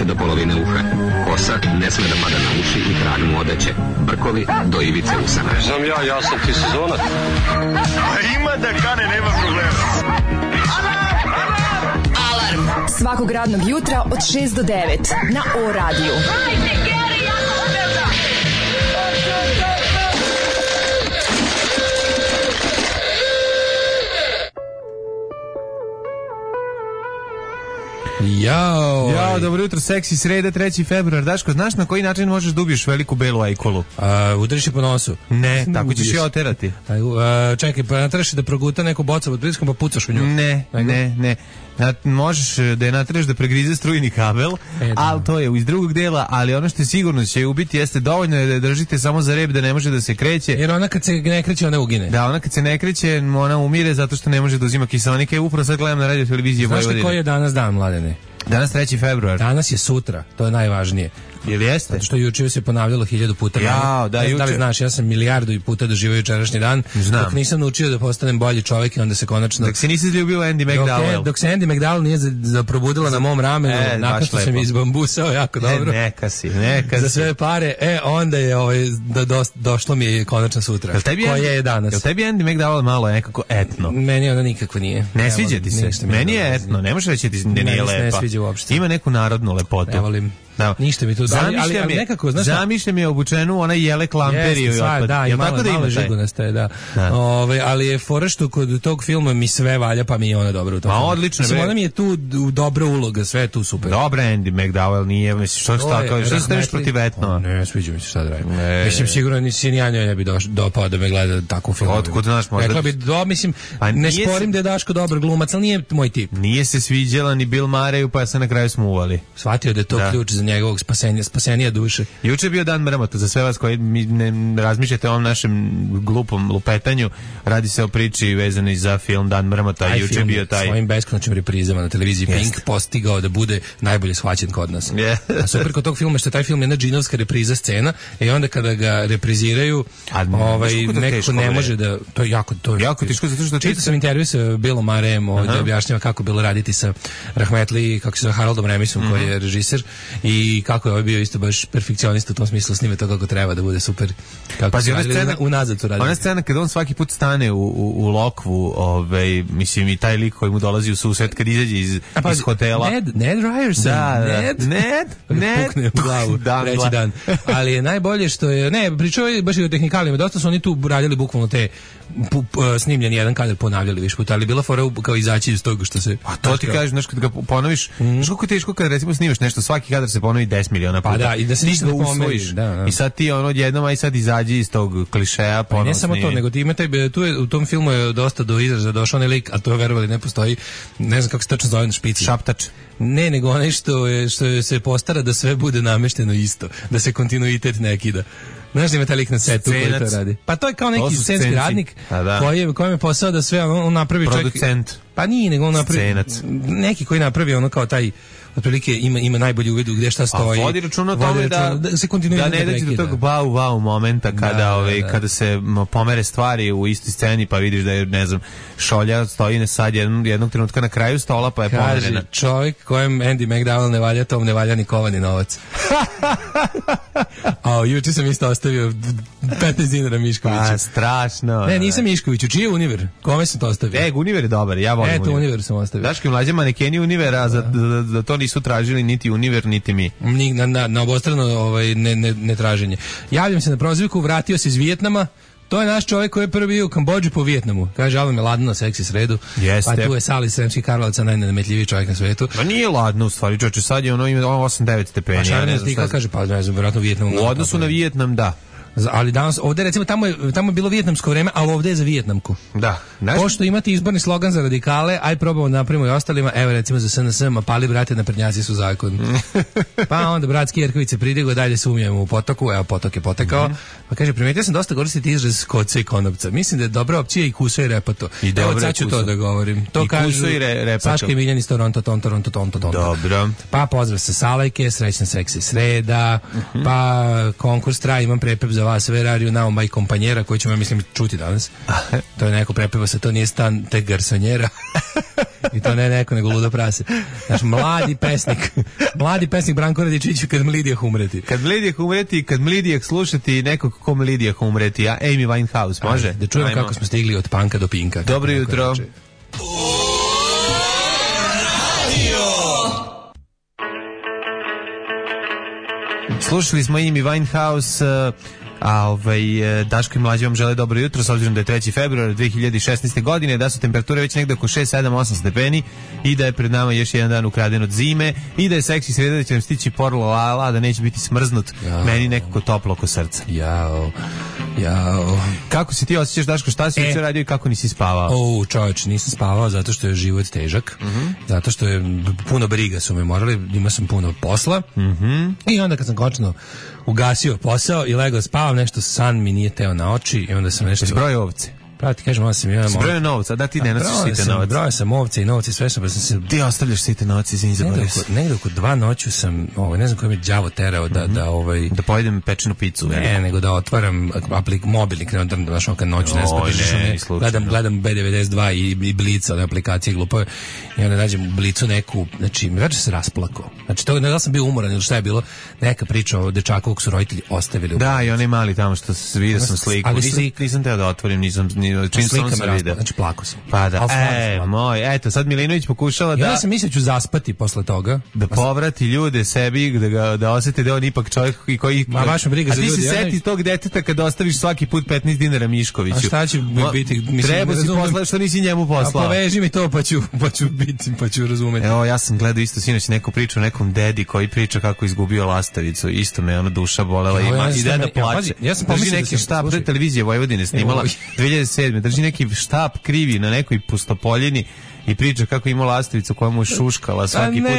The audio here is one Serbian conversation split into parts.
više do polovine uha. Kosa ne sme da pada na uši i krag mu odeće. Brkovi do ivice usana. Znam ja sam ti sezonac. A ima da kane, nema problema. Alarm svakog radnog jutra od 6 do 9 na O-radiju. Hajde, Geri, jako se velda! Jao, dobro jutro, seksi sreda, 3. februar. Daško, znaš na koji način možeš da ubiješ veliku belu ajkulu? Udariš je po nosu. Ne, tako ćeš je oterati. Čekaj, pa natraš da proguta neku bocu pod pritiskom pa pucaš u nju. Ne. Možeš da je natraš da pregrize strujni kabel, ali to je iz drugog dela, ali ono što je sigurno će ubiti jeste dovoljno je da je držite samo za rep da ne može da se kreće. Jer ona kad se ne kreće, ona ugine. Da, ona kad se ne kreće, ona umire zato što ne može da uzima kiseonike. Upravo sad gledam na radio televiziji Vojvodine. Znaš koji je danas dan, Mladene? Danas 3. februar. Danas je sutra, to je najvažnije. Ili jeste? Zato što juče se ponavljalo 1000 puta. Da li znaš, ja sam milijardu i puta doživio jučerašnji dan. Znam. Dok nisam naučio da postanem bolji čovjek i onda se konačno... Dok se nisi izljubio Andy McDowell. Dok se Andy McDowell nije probudila na mom ramenu, nakon što sam izbambusao jako dobro. Neka si. Za sve pare, onda je došlo mi je konačno sutra. Koje je danas. Jel tebi Andy McDowell malo nekako etno? Meni ona nikako nije. Ne sviđa ti se? Meni je etno, ne možeš reći da nije lepa. Ne sviđa uopšte. Ima neku narodnu lepotu. Ne volim. Da. Ništa mi tu ali nekako, znaš, zamišljam je obučenu ona jele klamperiju. Da, i malo žigunaste, da. Ali je fora što kod tog filma mi sve valja, pa mi je ona dobra u tom filmu. Odlično. Ona mi je tu dobra uloga, sve je tu super. Dobra, Andy McDowell nije, misliš, što se staviš protiv etno? Ne, sviđa mi se šta da radim. Mislim, sigurno nisi ni ja njoj ne bi dopao da me gleda takvu film. Otkud znaš, možda... Rekla bi, mislim, ne sporim da je Daško dobar glumac, ali nije moj tip. Nije se sviđala ni Bill Murrayu, pa se na kraju smuvali. Shvatio da je to ključ za njegovog spasenija duše. Juče je bio dan mrmota za sve vas koji ne razmišljate o ovom našem glupom lupetanju. Radi se o priči vezanoj za film Dan mrmota. Juče je bio taj svojim beskonačnim reprizama na televiziji Pink postigao da bude najbolje shvaćen kod nas. A super kod tog filma što taj film je jedna džinovska repriza scena i onda kada ga repriziraju neko ne može da to je jako teško zato što čitao sam intervju sa Billom Murrayem gdje objašnjava kako bilo raditi sa Rahmetli, kako se zove, Haroldom Ramisom koji je režiser i kako je bio isto baš perfekcionista u tom smislu, snime to kako treba da bude super. Pazi, ona scena unazad to radi. Ona scena kada on svaki put stane u lokvu, mislim i taj lik koji mu dolazi u susret kad izađe iz hotela. Ned Ryerson. Ned. Pukne u glavu, treći dan. Ali je najbolje što je, pričao je baš i o tehnikalima, dosta su oni tu radili bukvalno te snimljeni jedan kadar ponavljali više puta, ali bila fora kao izaći iz toga što se... A to ti kažeš, znaš, kad ga ponoviš, znaš koliko je teško kada recimo snimaš nešto, svaki kadar se ponovi 10 miliona puta. Pa da, i da se ništa ne pomeriš. I sad ti odjednom, aj sad izađi iz tog klišeja, ponovo ne samo to, nego ti imate, u tom filmu je dosta do izraza došao onaj lik, a to verovali ne postoji, ne znam kako se tačno zove na špici. Šaptač. Ne, nego onaj što se postara da sve bude namešteno isto, da se kontinuitet ne kida. Znaš da ima taj lik na setu koji to radi? Pa to je kao neki scenski radnik kojem je posao da sve on napravi producent. Pa nije, nego on napravi neki koji napravi ono kao taj otprilike ima najbolji uvid u gdje šta stoji. A vodi računa o tome da se kontinuirano ne dođe do tog wow momenta kada se pomere stvari u istoj sceni pa vidiš da je, ne znam, šolja stoji sad jednog trenutka na kraju stola pa je pomerena. Kaže, čovjek kojem Andy McDowell ne valja, tom ne valja ni kovani novac. A juče sam isto ostavio 15 dinara Miškoviću. Pa, strašno. Ne, nisam Miškoviću, čiji je Univer? Kome sam to ostavio? Univer je dobar, ja volim Univer. Univer sam ostavio. Daški mlađe manekeni Univera, za to nisu tražili niti Univer, niti mi. Na obostrano ne traženje. Javljam se na prozivku, vratio se iz Vijetnama. To je naš čovjek koji je prvi bio u Kambodži po Vijetnamu. Kaže, ovo me ladno, seksi sredu. Jeste. Pa tu je Sali Sremskih Karlovaca, najnenametljiviji čovjek na svetu. Pa nije ladno u stvari, čovječe, sad je ima 8-9 stepeni. Pa šta ne znam ti kaže, pa ne znam, vjerojatno Vijetnamu. U odnosu na Vijetnam, da. Ali danas, ovdje recimo, tamo je bilo vijetnamsko vreme, ali ovdje je za Vijetnamku. Da. Pošto imate izborni slogan za radikale, aj probamo da napravimo i ostalima, evo recimo za SNS, ma pali brate, naprednjaci su zakon. Pa onda bratski Jerković se pridigo, dalje se umijemo u potoku, evo potok je potekao, pa kaže, primetio sam dosta koristiti izraz koca i konopca. Mislim da je dobra opcija i kuso i repato. Evo sad ću to da govorim. To kažu Saška i Miljan iz Toronto. Dobro. Pa pozdrav sa Salajke, srećna seksi sreda, pa konkurs traje, imam prepep za vas, Verariju, Nao Maj kompanjera, koji ćemo, mislim, čuti danas. To je neko prepeva se, to nije stan te garsonjera. I to ne neko, nego ludo prase. Znaš, mladi pesnik Branko Radičić, kad mlidijah umreti. Kad mlidijah slušati nekog ko mlidijah umreti, a Amy Winehouse, može? Ajde, da čujemo kako smo stigli od panka do pinka. Dobro jutro. Slušali smo Amy Winehouse, a Daško i Mlađe vam žele dobro jutro, s obzirom da je 3. februar 2016. godine, da su temperature već negde oko 6, 7, 8 stepeni i da je pred nama još jedan dan ukraden od zime i da je seksi sreda, da će nam stići porlo lala, da neće biti smrznut, meni nekako toplo oko srca. Jao. Kako se ti osjećaš, Daško, šta si juče radio i kako nisi spavao? Čovječ, nisam spavao zato što je život težak, zato što je puno briga su me morali, imao sam puno posla i onda kad sam konačno ugasio posao i legao spavam, nešto san mi nije teo na oči i onda sam nešto... Zbroj ovce. Pravo ti kažem, zbroj novca, da ti ne nosiš site novac. Broj sam ovce i novci, sve sam, pa sam se... Ti ostavljaš site novac, izvini, zaboravio sam. Negde oko 2 noću sam, ne znam koji me đavo terao da pojedem pečenu picu. Ne, nego da otvaram mobilnik, ne znaš, kad noću ne znam, gledam B92 i Blica, one aplikacije glupove, i onda nađem u Blicu neku, znači, već se rasplako. Znači, to ne da sam bio umoran ili šta je bilo, neka priča o dečaku kog su roditelji ostavili. Da, i onaj mali tamo što vidio sam sliku. Nisam teo da otvorim, nisam čim sam video. Znači plako sam. Pa da, eto, sad Milinović pokušala da... Ja sam mislio ću zaspati posle toga. Da povrati ljude sebi, da osete da on ipak čovjek koji... Ma vaša briga za ljudi. A ti se seti tog deteta kad ostaviš svaki put 15 dinara Miškoviću. A šta će biti? Treba si poslati što nisi njemu poslao. A poveži mi to pa ću razumeti. Evo, ja sam gledao isto sinoć neku priču o nekom dedi koji priča kako izgubio lastavicu. Isto me duša bolela i deda plače. Ja sam drži neki štab, televizija Vojvodine snimala 2007. Drži neki štab krivi na nekoj pustopoljini i priča kako ima lastavicu koja mu je šuškala svaki put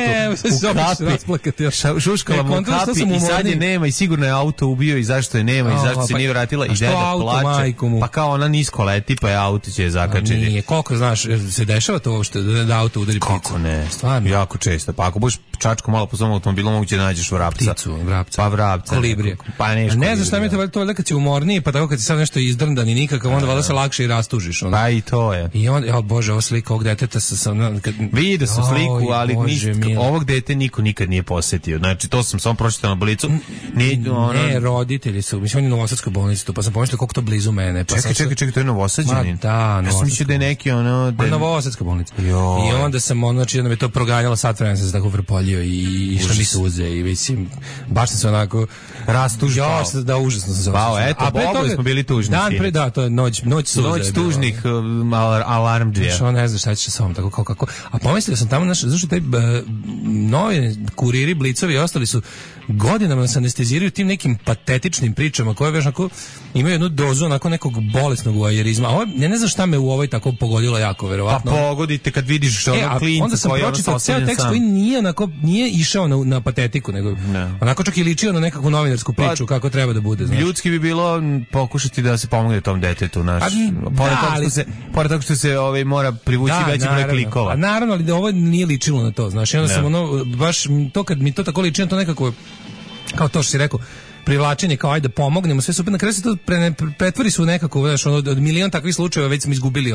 u kapi. Šuškala mu u kapi i sad je nema i sigurno je auto ubio i zašto je nema i zašto se nije vratila i deda plače. Pa kao ona nisko leti pa je auto će je zakačiti. Nije, koliko znaš, se dešava to uopšte da auto udari pticu? Kako ne? Stvarno? Jako često. Pa ako budeš čačko malo po svom automobilom moguće da nađeš vrapca. Pa vrapca. Kolibrije. Pa nešto. Ne znaš šta mi je to valjda kad si umorniji pa tako kad si sad nešto izdrndan i nikakav onda valjda se lakše i rastužiš. Pa i to je. I onda, bože, ovo slika ovog deteta vidio sam sliku, ali ovog dete niko nikad nije posetio. Znači, to sam samo pročitao na Blicu. Ne, roditelji su, mislim, on je u Novosadskoj bolnici tu, pa sam pomislio koliko to blizu mene. Čekaj, to je Novosađanin? Da, ja sam mislio da je neki Novosadska bolnica. I onda sam, znači, onda me to proganjalo, sad vremena sam se tako vrpoljio i što mi suze i mislim, baš sam se onako rastužpao. Da, užasno sam se osjećao. Eto, oboje smo bili tužni. Dan pre, da, to je noć suze. Noć tužnih alarmdžija. Što ne znaš šta će sa ovom, tako kako. A pomislio sam tamo, zašto taj novi kuriri, blicovi i ostali su godinama se anesteziraju tim nekim patetičnim pričama koje već onako imaju jednu dozu onako nekog bolesnog voajerizma. A ne znam šta me u ovoj tako pogodilo jako, verovatno. Pa pogodite kad vidiš ono klinca. Onda sam pročitao ceo tekst koji nije išao na patetiku, nego onako čak i ličio na nekakvu novinarsku priču kako treba da bude. Znaš. Ljudski bi bilo pokušati da se pomogne tom detetu. Pored toga što se mora privući veći broj klikova. Naravno, ali da ovo nije ličilo na to. Znaš, onda sam baš to kad mi to tako liči na to nekako kao to što si rekao, privlačenje kao ajde pomognemo, sve super, na kraju se to pretvori su nekako, znaš, od milion takvih slučajeva već smo izgubili,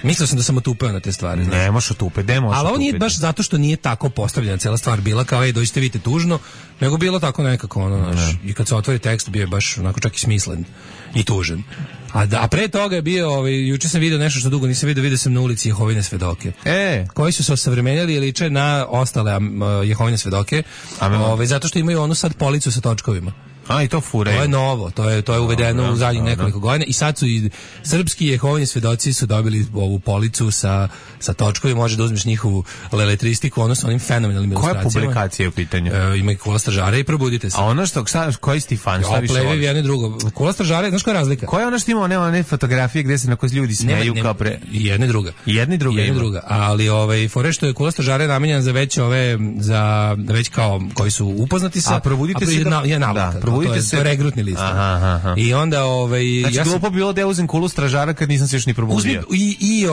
mislio sam da sam otupeo na te stvari. Ne, možeš otupeti, ali ovo nije baš zato što nije tako postavljena cijela stvar bila, kao dođite vidite tužno, nego bilo tako nekako, znaš, i kad se otvori tekst bio je baš onako čak i smislen i tužan. A pre toga je bio, juče sam vidio nešto što dugo nisam vidio sam na ulici Jehovine svedoke. Koji su se osavremenili i liče na ostale Jehovine svedoke, zato što imaju onu sad policu sa točkovima. I to fure. To je novo, to je uvedeno u zadnjih nekoliko godina i sad su i srpski Jehovini svedoci su dobili ovu policu sa točkovima, može da uzmeš njihovu leletristiku, odnosno onim fenomenalnim ilustracijama. Koja publikacija je u pitanju? Ima i Kula stražara i Probudite se. A ono što, koji si ti fan? Šta više voliš? Jedno i drugo. Kula stražara, znaš koja je razlika? Koja je ono što ima one fotografije gde se na koje ljudi smeju kao pre... Jedna i druga. Ali fore što je Kula stražara je namenjena za već kao koji su upoznati sa... A Probudite se To je regrutni list. I onda znači glupo bilo da ja uzem Kulu stražara kad nisam se još ni probudio. I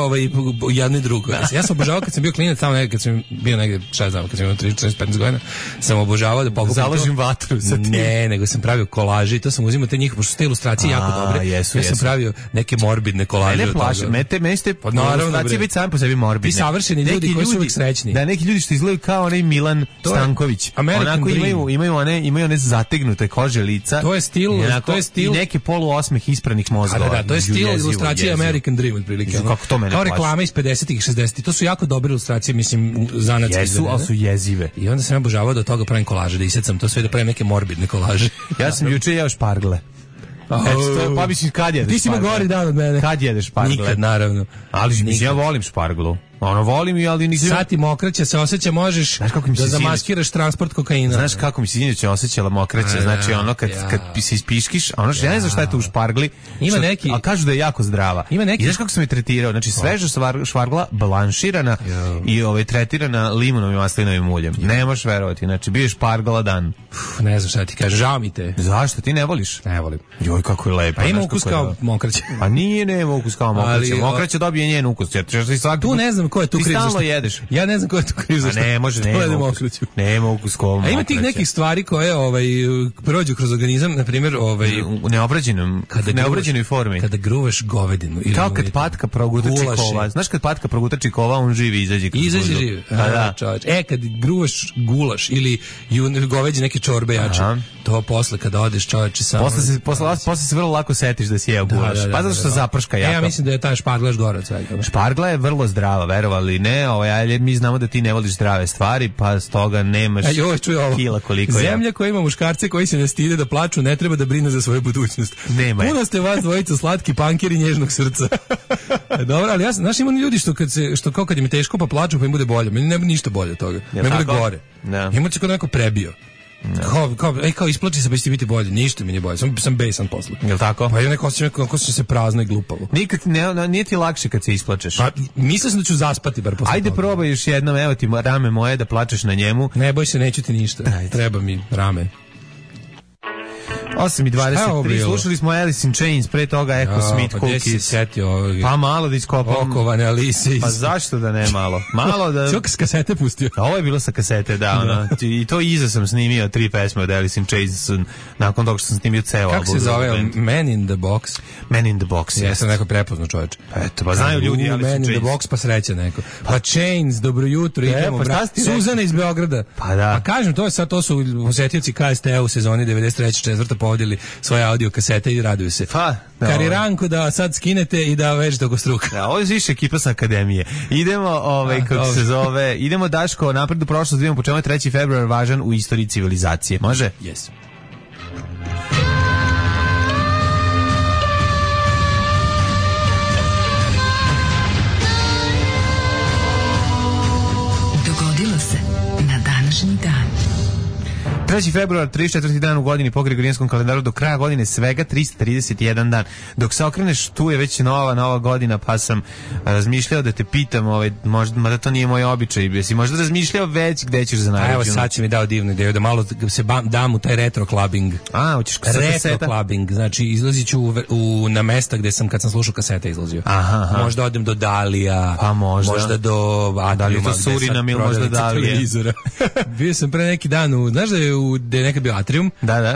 jedno i drugo. Ja sam obožavao kad sam bio klinac tamo kad sam bio negde, šta znam, kad sam imao 3-4-15 godina, sam obožavao da pokupim založim vatru sa tim. Ne, nego sam pravio kolaže i to sam uzimao te njihove, pošto su te ilustracije jako dobre. Ja sam pravio neke morbidne kolaže. Ne plaši, meni ste ilustracije biti sami po sebi morbidne. Vi savršeni ljudi koji su uvijek srećni. Da, neki ljudi što izgledaju kao onaj Milan Stanković. Onako imaju one zategnute kože lica. To je stil. I neke poluosmeh ispranih mozgova. Da, to je stil ilustracije American Dream otprilike. Kako to mene plaši. Kao reklame iz 50-ih i 60-ih. To su jako dobre ilustracije, mislim, zanatske. Jesu, ali su jezive. I onda sam obožavao da toga pravim kolaže, da isecam to sve, da pravim neke morbidne kolaže. Ja sam juče jeo špargle. Pa mislim, kad jedeš špargle? Ti si imao gori dan od mene. Kad jedeš špargle? Nikad, naravno. Ali ja volim šparglu. Volim i, ali nisam... Sad ti mokraća se osjeća, možeš da zamaskiraš transport kokaina. Znaš kako mi se sinoć osjećala mokraća, znači ono kad se ispiškiš, ono što ja ne znam šta je to u špargli, ima neki, a kažu da je jako zdrava. Ima neki. I znaš kako sam je tretirao, znači sveža špargla, blanširana i tretirana limunom i maslinovim uljem. Ne možeš verovati, znači bio je špargla dan. Ne znam šta ti kažem, žao mi te. Zašto, ti ne voliš? Ne volim. Joj, kako je lepo. A ima ukus kao mokraća. Pa nema ukus kao mokraća. Mokraća dobije njen ukus. Tu ne znam ko je tu kriv. Ti stalno jedeš. Ja ne znam ko je tu kriv. Ne može, nema ukus kao mokraća. A ima tih nekih stvari koje prođu kroz organizam, na primjer, u neobrađenoj formi. Kada gruvaš govedinu ili kao kad patka proguta čikova. Znaš kad patka proguta čikova, on živi izađe živi. Kad gruvaš gulaš ili goveđe neke čorbe jače. To posle kada odeš, čoveče, samo posle se vrlo lako setiš da si jeo gulaš. Pa zato što zaprška jako. Ja mislim da je ta špargla gora od svega. Špargla je vrlo zdrava, verovali ne, mi znamo da ti ne voliš zdrave stvari, pa stoga nemaš kila koliko je. Zemlja koja ima muškarce koji se ne stide da plaču, ne treba da brine za svoju budućnost. Nema je. Puno ste vas dvojica slatki pankeri nježnog srca. Dobro, ali ja znaš, ima ljudi što kao kad im je teško pa plaču pa im bude bolje. Meni ne bude ništa bolje od toga. Ne bude gore. Ima se kod neko prebio. Kao isplači se pa će ti biti bolje. Ništa mi nije bolje, sam besan posle. Jel' tako? Pa ja neko osjećam se prazno i glupavo. Nikad nije ti lakše kad se isplačeš. Pa mislim da ću zaspati bar posle. Ajde probaj još jednom, evo ti rame moje da plačeš na njemu. Ne boj se, neću ti ništa. Treba mi rame. 8:23, slušali smo Alice in Chains, pre toga Echo Smith Cookies. Pa malo da iskopam. Okovane Alice. Pa zašto da ne malo? Malo da... Sve s kasete pustio. Ovo je bilo sa kasete, da. I to iza sam snimio 3 pesme od Alice in Chains nakon toga što sam snimio ceo album. Kako se zove? Man in the Box? Man in the Box, ja sam neko prepoznao, čoveče. Eto, pa znaju ljudi Alice in Chains. Man in the Box, pa sreća neko. Pa Chains, dobro jutro, idemo. Suzana iz Beograda. Pa da. Pa kažem, to su osetioci KST-a u sezoni 93-4 povodili svoje audio kasete i raduju se. Kariranko da sad skinete i da vežete oko struka. Da, ovo je više ekipa sa akademije. Idemo, kako se zove, idemo Daško napred u prošlost, vidimo po čemu je 3. februar važan u istoriji civilizacije. Može? Yes. Dogodilo se na današnji dan. 3. februar, 34. dan u godini po Gregorijanskom kalendaru, do kraja godine svega 331 dan. Dok se okreneš, tu je već nova godina, pa sam razmišljao da te pitam, mada to nije moj običaj, jesi možda razmišljao već gde ćeš za najveću? Evo sad će mi dao divnu ideju, da malo se dam u taj retro clubbing. Hoćeš retro clubbing, znači izlazit ću na mesta gde sam, kad sam slušao kasete, izlazio. Možda odem do Dalija, pa možda do Atriuma, to Surinam ili možda Dalija. Bio sam pre neki dan, znaš da je gde je nekad bio Atrium,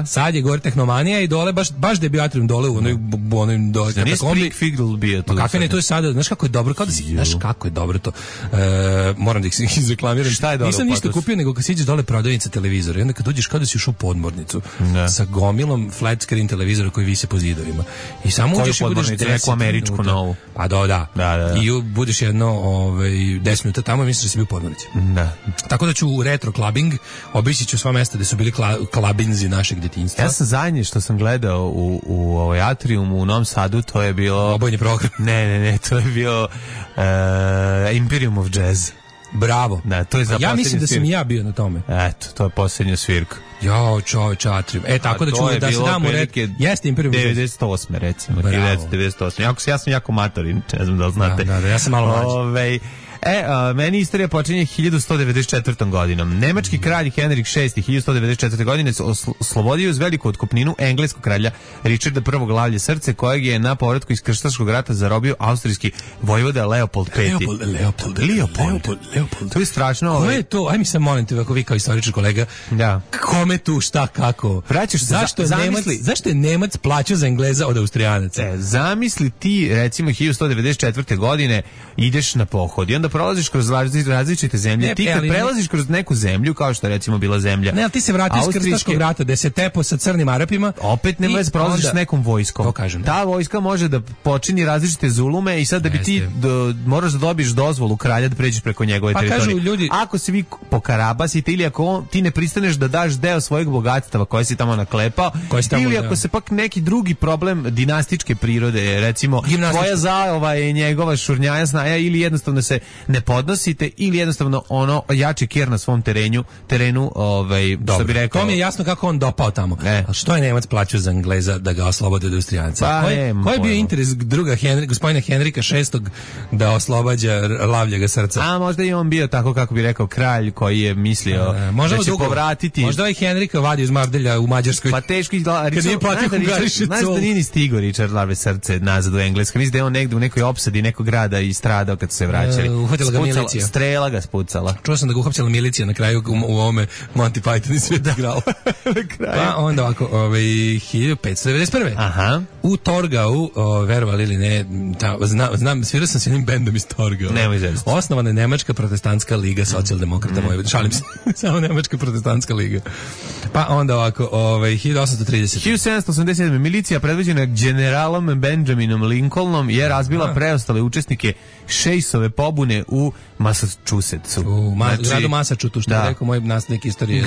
sad je gore Tehnomanija i dole, baš da je bio Atrium dole u onoj dole. Nije Springfield bio tu. Kakve ne, to je sada, znaš kako je dobro, znaš kako je dobro to. Moram da ih izreklamiram. Šta je dobro? Nisam ništa kupio, nego kad siđeš dole prodavnica televizora i onda kad uđeš kao da si ušao u podmornicu sa gomilom flat screen televizora koji vise po zidovima. I samo uđeš i budeš 10 američku novu. Pa da. I budeš jedno 10 minuta tamo i misliš da si bio u podmornici. Tako da ću u retro clubbing, obići ću sva mesta gde su bili klabinzi našeg detinjstva. Ja sam zadnje što sam gledao u Atriumu u Novom Sadu, to je bilo... Obojni program. Ne, to je bio Imperium of Jazz. Bravo. Da, to je za ja mislim da sam i ja bio na tome. Eto, to je posljednja svirka. Jao, čoveče, Atrium. Tako da ću da se damo jeste Imperium 98. recimo, 1998. Ja sam jako matorin, ne znam da li znate. Da, ja sam malo mlađi. Meni istorija počinje 1194. godinom. Nemački kralj Henrik VI 1194. godine oslobodio uz veliku otkupninu engleskog kralja Richarda I. Lavlje srce, kojeg je na povratku iz krstaškog rata zarobio austrijski vojvoda Leopold V. Leopold. To je strašno. Ko je to? Aj mi se molim te, ako vi kao istoričar kolega, kome tu, šta, kako? Vraćaš se, zašto je Nemac plaćao za Engleza od Austrijanaca? Zamisli ti, recimo, 1194. godine ideš na pohod i onda prolaziš kroz različite zemlje. Ti kad prelaziš kroz neku zemlju, kao što je recimo bila zemlja ali ti se vratiš iz krstaškog rata, gde se tepo sa crnim Arapima. Opet nema veze, prolaziš s nekom vojskom. Ta vojska može da počini različite zulume i sad da bi ti moraš da dobiješ dozvolu kralja da pređeš preko njegove teritorije. Ljudi, ako se vi pokarabasite ili ako ti ne pristaneš da daš deo svojeg bogatstva koje si tamo naklepao, ili ako se pak neki drugi problem dinastičke prirode, recimo tvoja zaova je njegova šurnjaja snaja, ili jednostavno se ne podnosite, ili jednostavno ono jači kjer na svom terenu, što bi rekao. To mi je jasno kako on dopao tamo. A što je Nemac plaćao za Engleza da ga oslobode od Austrijanca? Koji je bio interes gospodina Henrika VI da oslobađa Lavljega srca? A možda i on bio tako, kako bi rekao, kralj koji je mislio da će povratiti. Možda i Henrika vadio iz Mardelja u Mađarskoj. Pa teško znaš da nije ni stigo Richard Lavlje srce nazad u Englesku. Mislim da je on negde u nekoj opsadi nekog grada i stradao kad su se vraćali. Uhvatila ga milicija. Strela ga spucala. Čuo sam da ga uhapsila milicija na kraju u ovome Monty Python i sve igralo. Pa onda ovako, 1591. Aha. U Torgau, verovali ili ne, znam, svirao sam s jednim bendom iz Torgau. Nemoj zezati. Osnovana je Nemačka protestantska liga socijaldemokrata Vojvodine. Šalim se, samo Nemačka protestantska liga. Pa onda ovako, 1830. 1787. Milicija predvođena generalom Benjaminom Lincolnom je razbila preostale učesnike Šejsove pobune u Massachusettsu. Gradu Massachusettsu, što je rekao moj nastavnik istorije.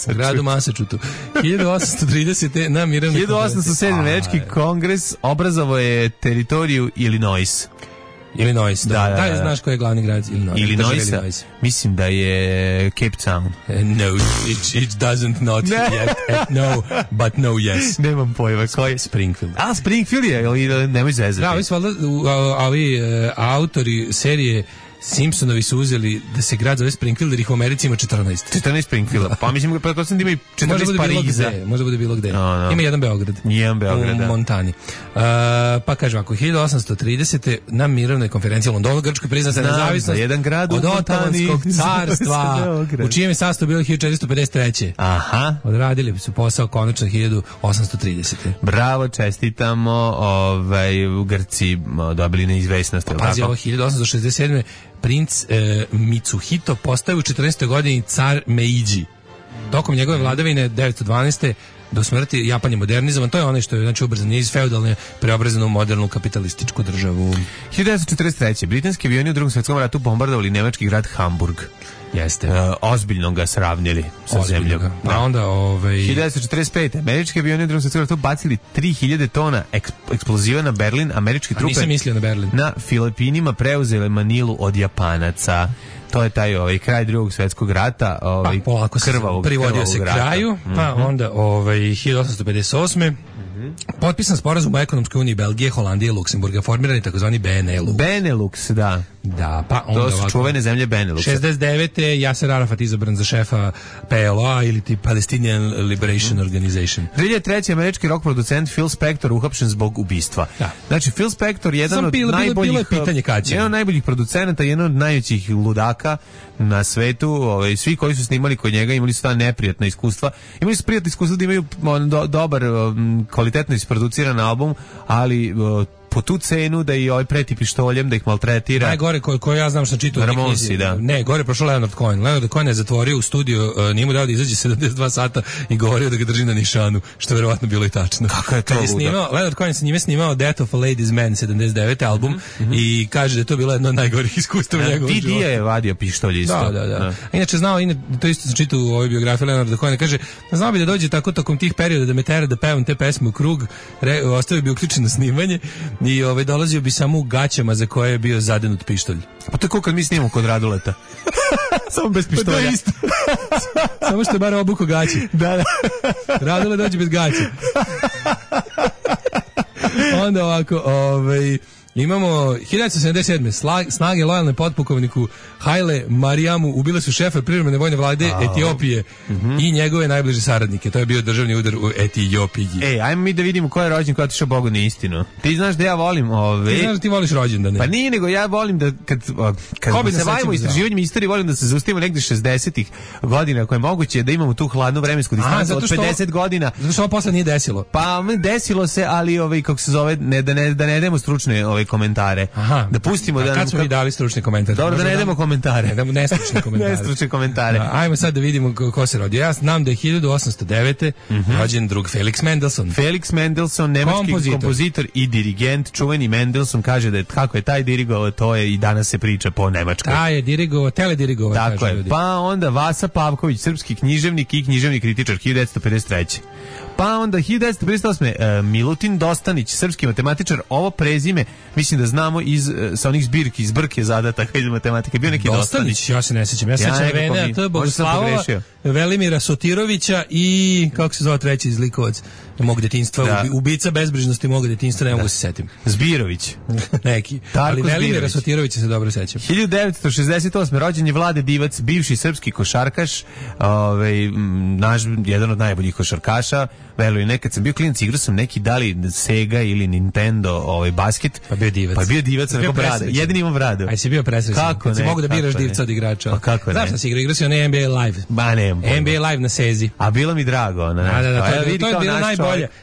Gradu Massachusettsu. 1830. na mirovnoj 1807. Američki kongres obrazovao je teritoriju Illinois. Illinois, da, znaš koji je glavni grad Illinois? Mislim da je Cape Town. No, it doesn't not yet. No, but no, yes. Nemam pojma. Koji je? Springfield. Springfield je, ali nemoj zezati. Da, ovi autori serije Simpsonovi su uzeli da se grad zove Springfield, jer ih u Americi ima 14. 14 Springfielda. Pa mislim da ima i 14 Pariza. Može bude bilo gde. Ima jedan Beograd. U Montani. Pa kaže ovako, 1830. na mirovnoj konferenciji u Londonu Grčkoj priznata nezavisnost od Otomanskog carstva, u čijem je sastavu bilo 1453. Aha. Odradili su posao konačno 1830. Bravo, čestitamo. U Grci dobili neizvesnost. Pazi, ovo 1867. Princ Mitsuhito postao u 14. godini car Meiji. Tokom njegove vladavine 912. do smrti Japan je modernizovan. To je onaj što je znači ubrzan iz feudalne preobrazan u modernu kapitalističku državu. 1943. Britanski avioni u Drugom svjetskom ratu bombardovali nemački grad Hamburg. Jeste. Ozbiljno ga sravnili sa zemljom. A onda 1945. Američki avioni u Drugom svjetskom ratu bacili 3000 tona eksploziva na Berlin. Američki trupe nisam mislio na Berlin. Na Filipinima preuzele Manilu od Japanaca. To je taj kraj Drugog svjetskog rata, polako privodio se rata. Kraju, pa onda 1858. Potpisan sporazum o ekonomskoj uniji Belgije, Holandije i Luksemburga, formirani takozvani Benelux. Benelux, da. Da, pa onda to su čuvene zemlje Beneluxa. 69. Yasser Arafat izabran za šefa PLO ili ti Palestinian Liberation Organization. 2003. američki rock producent Phil Spector uhapšen zbog ubistva. Da. Znači, Phil Spector jedan od najboljih producenata, jedan od najvećih ludaka na svetu. Svi koji su snimali kod njega imali su ta neprijatna iskustva. Imali su prijatno iskustvo da imaju dobar, kvalitetno isproduciran album, ali po tu cenu da i preti pištoljem, da ih maltretira. Najgore koji ja znam što čitao. Ramonsi, da. Ne, gore prošao Leonard Cohen. Leonard Cohen je zatvorio u studiju, nije mu dao da izađe 72 sata i govorio da ga drži na nišanu, što je verovatno bilo i tačno. Kako je to luda? Leonard Cohen sa njime snimao Death of a Ladies Man 79. album i kaže da je to bilo jedno od najgorih iskustava njegovog života. Didi je vadio pištolj isto. Da. Inače to isto sam čitao u ovoj biografiji Leonarda Cohena, kaže, znao bi da dođe tako tokom tih perioda da me tera da pevam te pesme u krug, ostavio bi uključeno snimanje i dolazio bi samo u gaćama za koje je bio zadenut pištolj. Pa to je kao kad mi snimamo kod Raduleta. Samo bez pištolja. To je isto. Samo što je bar obuko gaće. Da. Radule dođe bez gaće. Onda ovako, Imamo 1977. Snage lojalne potpukovniku Haile Mariamu ubile su šefa privremene vojne vlade Etiopije i njegove najbliže saradnike. To je bio državni udar u Etiopiji. Ajmo mi da vidimo ko je rođen, ko je otišao Bogu na istinu. Ti znaš da ja volim Ti znaš da ti voliš rođendane. Pa nije, nego ja volim da kad se bavimo istraživanjem istorije, volim da se zaustavimo negde 60-ih godina, ako je moguće da imamo tu hladnu vremensku distancu od 50 godina. Zato što ovo posle nije desilo. Pa desilo se, ali kako se zove, da ne demo stručne komentare. Aha, da pustimo da kad smo mi dali stručne komentare. Dobro, da ne demo komentare. Da nestručne komentare. Nestručne komentare. Ajmo sad da vidimo ko se rodio. Ja znam da je 1809. rođen drug Felix Mendelssohn. Felix Mendelssohn, nemački kompozitor i dirigent. Čuveni Mendelssohn kaže da kako je taj dirigovao, to je i danas se priča po Nemačkoj. Taj je dirigovao, teledirigovao. Tako je. Pa onda Vasa Pavković, srpski književnik i književni kritičar, 1953. Pa onda 1958. Milutin Dostanić, srpski matematičar. Ovo prezime mislim da znamo sa onih zbirki, iz Brke zadataka iz matematike. Bio neki Dostanić. Ja se ne sećam. Ja se sećam Venea T. Bogoslavova, Velimira Sotirovića i kako se zove treći izlikovac mog detinjstva, ubica bezbrižnosti mog detinjstva, ne mogu se setim. Zbirović. Neki. Ali Velimira Sotirovića se dobro sećam. 1968. rođen je Vlade Divac, bivši srpski košarkaš, jedan od najboljih košarkaša. Verujem, nekad sam bio klinac, igrao sam neki dali Sega ili Nintendo basket. Pa bio Divac. Pa bio Divac, neko brada. Jedini imam bradu. Aj si bio presrećan. Kako ne? Si mogu da biraš divca od igrača. Pa kako ne? Znaš šta si igrao si onaj NBA Live. Ba ne. NBA Live na Sezi. A bilo mi drago.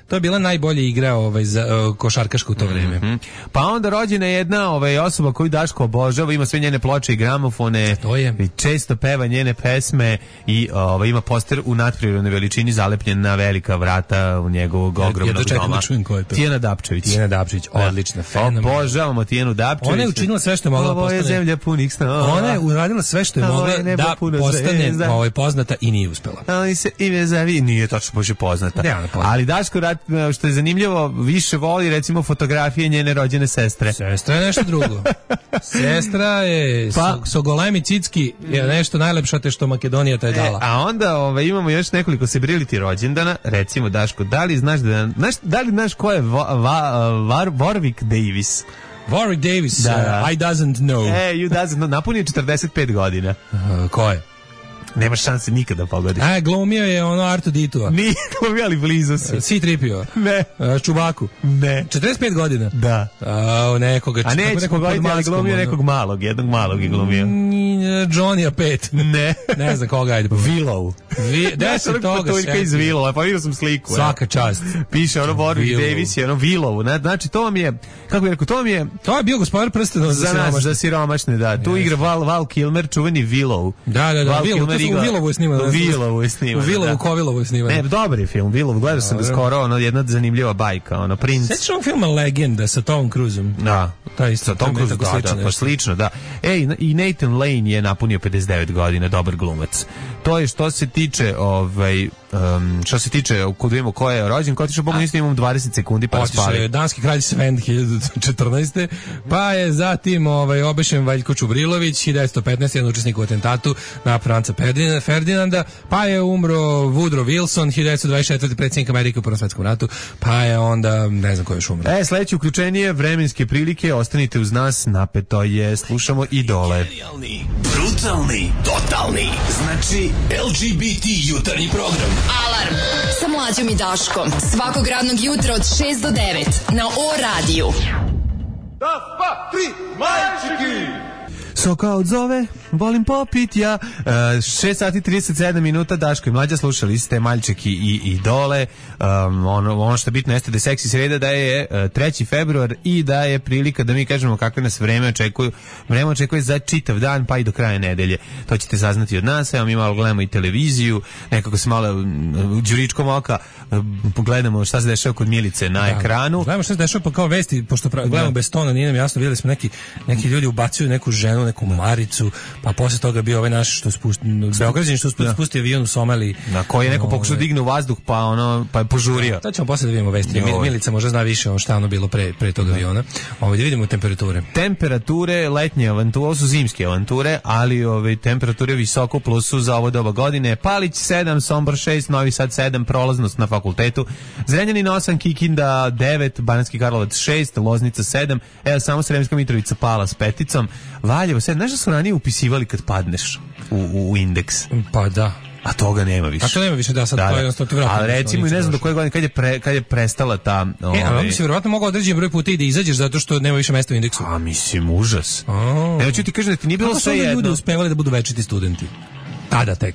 To je bila najbolja igra za košarkašku u to vreme. Pa onda rođena je jedna osoba koju Daško obožava, ima sve njene ploče i gramofone. To je. I često peva njene pesme i ima poster u nadprirodnoj veličini zalepljen na velika vrata u njegovog ogromnog doma. Da čujem ko je to. Tijana Dapčević. Tijana Dapčević, odlična, fenomenalna. Obožavamo Tijanu Dapčević. Ona je učinila sve što je mogla postane. Ovo je zemlja punih snova. Ona je uradila sve što je mogla da postane poznata i nije uspela. Ali se ime zavi nije tačno bože poznata. Ali Daško, što je zanimljivo, više voli recimo fotografije njene rođene sestre. Sestra je nešto drugo. Sestra je Sogolemi Cicki je nešto najlepše što Makedonija taj dala. A onda imamo još nekoliko celebrity rođendana. Recimo Daško, da li znaš ko je Warwick Davis? Warwick Davis, I doesn't know. You doesn't know. Napunio 45 godina. Ko je? Nemaš šanse nikada pogodiš. Glumio je Artu Ditua. Nije glumio, ali blizu si. C-3PO. Ne. Čubaku. Ne. 45 godina. Da. Nekoga. A neće pogoditi, ali glumio nekog malog. Jednog malog je glumio. Johnny 5. Ne. Ne znam koga, ajde. Willow. Deset toga sve. Iz Willowa, pa vidio sam sliku. Svaka čast. Piše Warwick Davis je Willow. Znači to vam je, kako bih rekao, to je bio Gospodar prstenova za nas, za siromašne, da. Tu igra Val Kilmer, čuveni Willow. Da, Willow. U Willowu je sniman. U Willowu, Kovilovu je sniman. Ne, dobar je film, Willow, gledao sam ga skoro, jedna zanimljiva bajka, Prince. Sećaš ovog filma Legenda sa Tom Cruiseom? Da, sa Tom Cruiseom, pa slično, da. I Nathan Lane je napunio 59 godina, dobar glumac. To je što se tiče, kod vidimo ko je rođen, ko otišao Bogu ništa, imamo 20 sekundi pa spali. Otišao je danski kralj Sven 1914. Pa je zatim obešen Valjko Čubrilović 1915. jedan učesnik u atentatu na Franca Ferdinanda, pa je umro Woodrow Wilson 1924. predsjednik Amerike u Prvom svjetskom ratu, pa je onda ne znam ko je još umro. Sledeće uključenje vremenske prilike, ostanite uz nas, napeto je, slušamo Idole. Genijalni, brutalni, totalni, znači LGBT jutarnji program. Alarm sa Mlađom i Daškom svakog radnog jutra od 6 do 9 na O-radiju. Das, pa, 3, majčiki! Soka odzove, volim popit ja. 6 sati 37 minuta, Daško i Mlađa, slušali ste Maljčeki i Idole. Ono što je bitno jeste da je seksi sreda, da je 3. februar i da je prilika da mi kažemo kakve nas vreme očekuje. Vreme očekuje za čitav dan pa i do kraja nedelje. To ćete saznati od nas. Evo mi malo gledamo i televiziju, nekako se malo đuričkom oka pogledamo šta se dešava kod Milice na ekranu. Gledamo šta se dešava pa kao vesti, pošto gledamo bez tona, nije nam jasno, vidjeli smo neki ljudi ubacuju neku ženu neku Maricu, pa posle toga bio ovaj naš što Beograđanin što spusti avion u Somaliji. Na koji je neko pokušao digne u vazduh, pa je požurio. To ćemo posle da vidimo vesti. Milica možda zna više šta ono bilo pre tog aviona. Da vidimo temperature. Temperature letnje avanture, ovo su zimske avanture, ali temperature visoko u plusu za ovo doba godine. Palić 7, Sombor 6, Novi Sad 7, prolaznost na fakultetu. Zrenjanin 8, Kikinda 9, Banatski Karlovac 6, Loznica 7, evo samo Sremska Mitrovica pala s 5, Valjevo 7. Znaš da su ranije upisivali kad padneš u indeks? Pa da. A toga nema više. A to nema više, da, sad to jednostavno ti vratno. Ali recimo, ne znam do koje godine, kad je prestala ta... ali onda si vjerovatno mogao određen broj puta i da izađeš zato što nema više mesta u indeksu. A mislim, užas. Evo ću ti kažem da ti nije bilo sve jedno. Kako su ljudi uspevali da budu večiti studenti? Tada tek.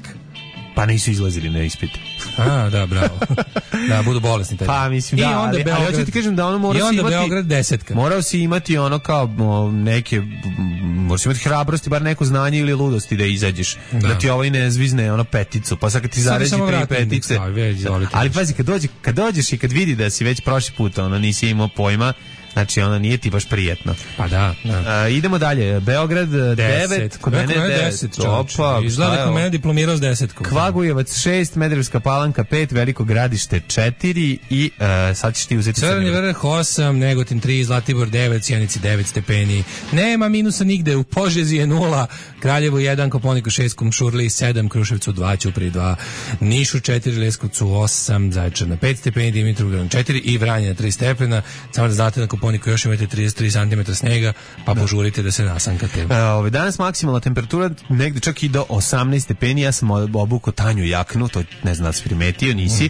Pa nisu izlazili na ispite. Da, bravo. Da, budu bolesni tada. Pa mislim, da, ali hoću ti kažem da ono mora si imati... I onda Beograd 10. Morao si imati ono kao neke... Moraš imati hrabrosti, bar neko znanje ili ludosti da izađeš. Da ti ovaj ne zvizne ono peticu, pa sad kad ti zaređi 3 petice... Ali pazi, kad dođeš i kad vidi da si već prošli put nisi imao pojma, znači ona nije ti baš prijetno. Pa da. Idemo dalje. Beograd 9, kod mene 10. Opa, izgleda kod mene diplomirao s 10. Kvagujevac 6, Medrevska Palanka 5, Veliko Gradište 4 i sad ćeš ti uzeti Crni Vrh 8, Negotin 3, Zlatibor 9, Sjenici 9 stepeni. Nema minusa nigde, u Požegi je 0, Kraljevo 1, Kopaoniku 6, Kumšurli 7, Kruševcu 2, Ćupriji 2, Nišu 4, Leskovcu 8, Zaječar na 5 stepeni, Dimitrovgrad 4 i Vranje na 3 stepena. Samo da znate na Kopaoniku još imate 33 cm snega, pa požurite da se nasankate. Danas maksimalna temperatura negde čak i do 18 stepeni. Ja sam obukao tanju jaknu, to ne znam da si primetio, nisi.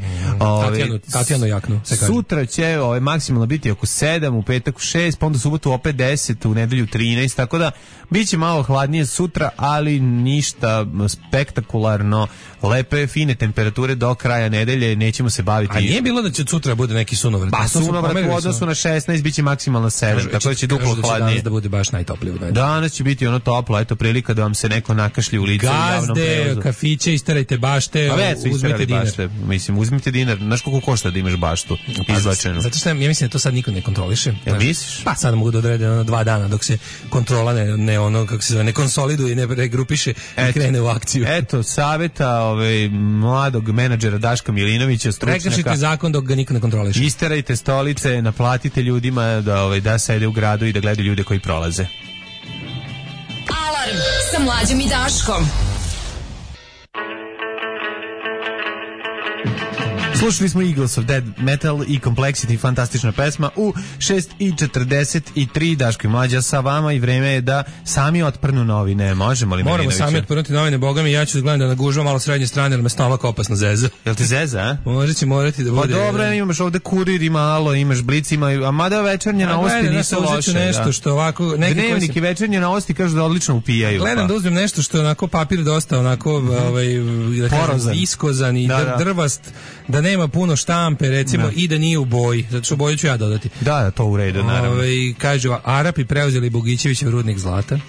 Tatjanu jaknu. Sutra će maksimalno biti oko 7, u petak 6, pa onda subotu opet 10, u nedelju 13, tako da biće malo hladnije sutra, ali ništa spektakularno. Lepe, fine temperature do kraja nedelje, nećemo se baviti. A nije bilo da će sutra bude neki sunovrat? Pa sunovrat u odnosu na 16 biće maksimalno 7, tako da će duplo hladnije. Danas da bude baš najtoplije. Danas će biti ono toplo, eto prilika da vam se neko nakašlji u lice u javnom prevozu. Gazde, kafiće, istarajte bašte, uzmite dinar. Mislim, uzmite dinar. Znaš koliko košta da imaš baštu izvačenu? Zato što ja mislim da to sad niko ne kontroliše. Jel misliš? Pa sad mogu da odrede 2 dana dok se kontrola ne konsoliduje i ne regrupiše i krene u akciju. Eto, saveta mladog menadžera Daška Milinovića, stručnjaka. Prekršite zakon dok ga niko ne kontroliše. Isterajte stolice, naplatite ljudima da sede u gradu i da gledaju ljude koji prolaze. Alarm sa Mlađom i Daškom. Slušali smo Eagles of Dead Metal i Complexity, fantastična pesma u 6:43. Daško i Mlađa sa vama i vreme je da sami otprnu novine. Možemo li, Moramo sami otprnuti novine, boga mi, ja ću gledam da nagužvam malo srednje strane, jer me stomak opasno zeza. Jel ti zeza, a? Morati da bude. Pa dobro, imaš ovde Kurir i malo, imaš Blic, a mada večernje novosti nisu loše. Nešto što ovako... Dnevnik i večernje novosti kažu da odlično upijaju. Gledam da uzmem nešto što je onako papir dosta onako viskozan i drvast, da nema puno štampe, recimo, i da nije u boji, zato što boju ću ja dodati. Da, to u redu, naravno. Kažu, Arapi preuzeli Bogićevićev rudnik zlata.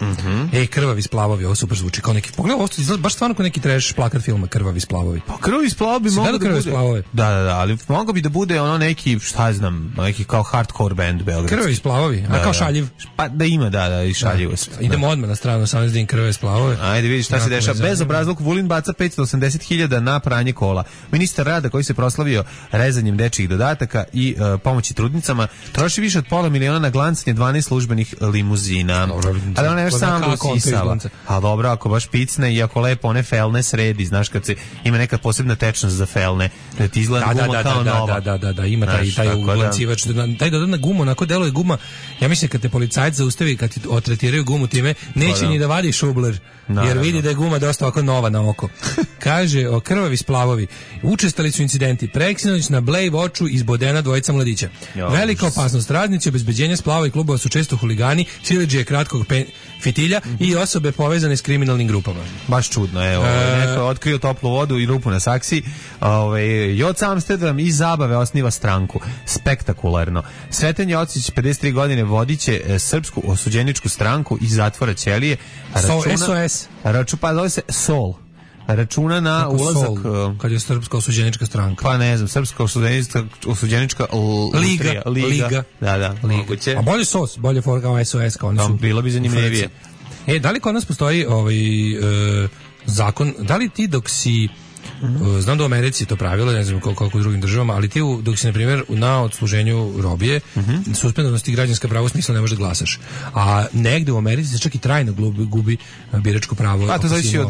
Krvavi splavovi, ovo super zvuči kao neki... Pogledaj, ovo izgleda baš stvarno kao neki trash plakat filma, Krvavi splavovi. Pa Krvavi splavovi bi mogli da bude... Da, ali mogao bi da bude ono neki, šta znam, neki kao hardcore band beogradski. Krvavi splavovi, a kao šaljiv. Pa da ima, i šaljivost. Idemo odmah na stranu, 18 din Krvavi splavove. Ajde, vidiš šta se dešava. Bezobrazluk, Vulin baca 580.000 na pranje kola. Ministar rada koji se proslavio rezanjem dečjih dodataka i pomoći trudnicama, troši više od $500.000 na glancanje 12 službenih limuzina. Ali ona je još samo usisava. A dobro, ako baš picne i ako lepo one felne sredi, znaš kad se ima neka posebna tečnost za felne, da ti izgleda guma kao nova. Da, ima taj uglancivač. Taj dodatna guma, onako deluje guma. Ja mislim kad te policajac zaustavi, kad ti otretiraju gumu time, neće ni da vadi šubler, jer vidi da je guma dosta ovako nova na oko. Kaže, o Krvavi splavovi, učestali su incidenti, preksinoć na Blej Voču izbodena dvojica mladića. Velika opasnost, radnici obezbeđenja splava i klubova su često huligani, siledžije kratkog fitilja i osobe povezane s kriminalnim grupama. Baš čudno, evo. Neko je otkrio toplu vodu i rupu na saksiji. Joc Amsterdam iz zabave osniva stranku. Spektakularno. Sreten Jocić, 53 godine, vodiće srpsku osuđeničku stranku iz zatvora Ćelije. SOS. Pa zove se SOL. Računa na ulazak... Kad je srpska osuđenička stranka. Pa ne znam, srpska osuđenička liga. Da, moguće. A bolje SOS, bolje for kao SOS. Kao bilo bi zanimljivije. Da li kod nas postoji zakon, da li ti dok si znam da u Americi to pravilo, ne znam koliko u drugim državama, ali ti dok si, na primjer, na odsluženju robije, suspendovnosti građanska prava u smislu ne možeš da glasaš. A negde u Americi se čak i trajno gubi biračko pravo. A to zavisi od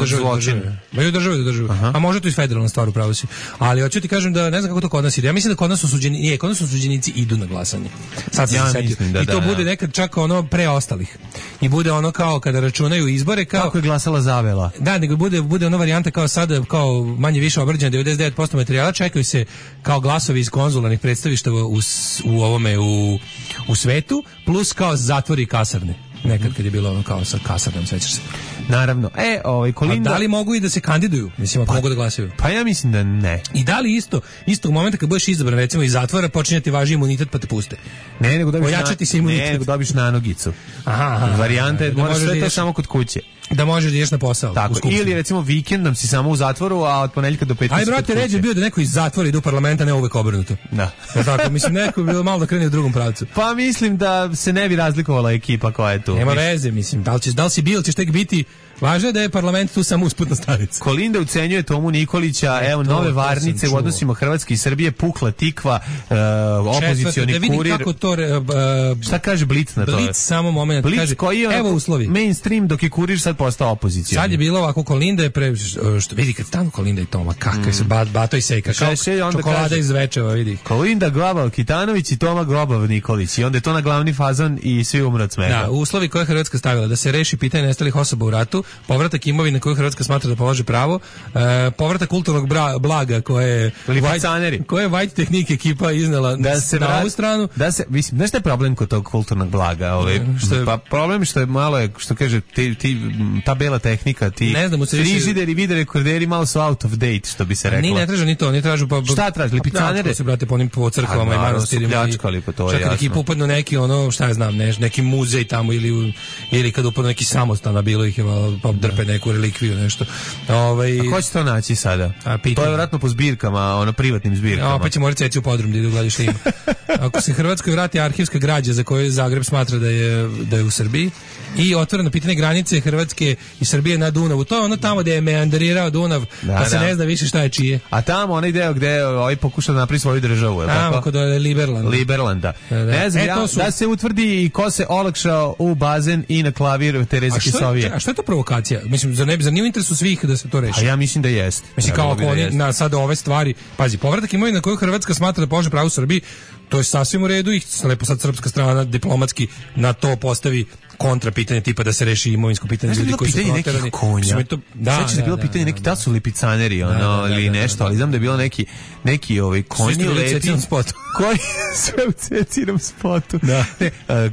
zločina. Ma i od države do države. A može to i federalna stvar, upravo si. Ali hoću ti kažem da ne znam kako to kod nas ide. Ja mislim da kod nas osuđenici idu na glasanje. Sad sam se setio. I to bude nekad čak ono pre ostalih. I bude ono kao kada računaju izbore kao kako je glasala Zavela. Da, nego bude ona varijanta kao sada kao manje više obrađeno 99% materijala, čekaju se kao glasovi iz konzularnih predstavištava u svetu, plus kao zatvori i kasarne. Nekad kad je bilo ono kao sa kasarnom, sećaš se. Naravno. Kolinda... A da li mogu i da se kandiduju? Mislim, ako mogu da glasaju. Pa ja mislim da ne. I da li isto u momenta kad budeš izabran, recimo iz zatvora, počinje ti važi imunitet pa te puste? Ne, nego dobiš ojačati se imunitet. Ne, nego dobiš nanogicu. Varijanta je, moraš sve to samo kod kuće. Da možeš da ideš na posao. Tako, ili recimo vikendom si samo u zatvoru, a od ponedeljka do petka. Aj brate, ređe bio da neko iz zatvora ide u parlament, a ne uvek obrnuto. Da. Tako, mislim, neko bi bilo malo da krene u drugom pravcu. Pa mislim da se ne bi razlikovala ekipa koja je tu. Nema veze, mislim, da li si bil, ćeš tek biti. Važno je da je parlament tu samo usputna stanica. Kolinda ucenjuje Tomu Nikolića, evo nove varnice u odnosima Hrvatske i Srbije, pukla tikva, opozicioni kurir. Da vidim kako to... šta kaže Blic na to? Blic samo moment. Blic kaže, koji je evo uslovi. Mainstream, dok je kurir sad postao opozicioni. Sad je bilo ovako, Kolinda je što vidi kad stanu Kolinda i Toma, kakve se Bato i Sejka, kao čokolada iz Zvečeva, vidi. Kolinda Globav Kitanović i Toma Globav Nikolić. I onda je to na glavni fazon i svi umru od smeha. Da, uslovi koje je Hrvatska stavila, da se reši pitanje nestalih osoba u ratu, povratak imovine koju Hrvatska smatra da polaže pravo, povratak kulturnog blaga koje je White Technique ekipa iznela na ovu stranu. Da se, mislim, znaš šta je problem kod tog kulturnog blaga? Pa problem što je malo, što kaže, ta bela tehnika, ti frižideri, video rekorderi malo su out of date, što bi se reklo. Ni ne tražu ni to, ni tražu pa... Šta traži, lipicanere? Se brate po onim po crkvama i manastirima. Čak kad ekipa upadnu neki, šta ja znam, neki muzej tamo ili kad upadnu neki samostan, a bilo ih je pa drpe neku relikviju, nešto. A ko će to naći sada? To je vjerojatno po zbirkama, privatnim zbirkama. Pa će morati ceći u podrum da idu gledati šta ima. Ako se Hrvatskoj vrati arhivska građa za koju Zagreb smatra da je u Srbiji i otvoreno pitanje granice Hrvatske i Srbije na Dunavu, to je ono tamo gde je meanderirao Dunav, pa se ne zna više šta je čije. A tamo onaj deo gde pokuša da napravi svoju državu, je li tako? Tamo kod Liberlanda. Ne znam, da se utvrdi i ko se olakšao u bazen i na klavir Tereze Kisovije. A što je to provokacija? Mislim, zar nije u interesu svih da se to reši? A ja mislim da jest. Mislim, kao ako oni na sada ove stvari, pazi, povratak imovine na koju Hrvatska smatra da polaže pravo u Srbiji, to je sasvim u redu i lepo sad srpska strana diplomatski na to postavi kontra pitanje tipa da se reši imovinsko pitanje ljudi koji su proterani. Sveći da je bilo pitanje neki, da su lipicaneri ili nešto, ali znam da je bilo neki konji lepi koji sve u Cecinom spotu.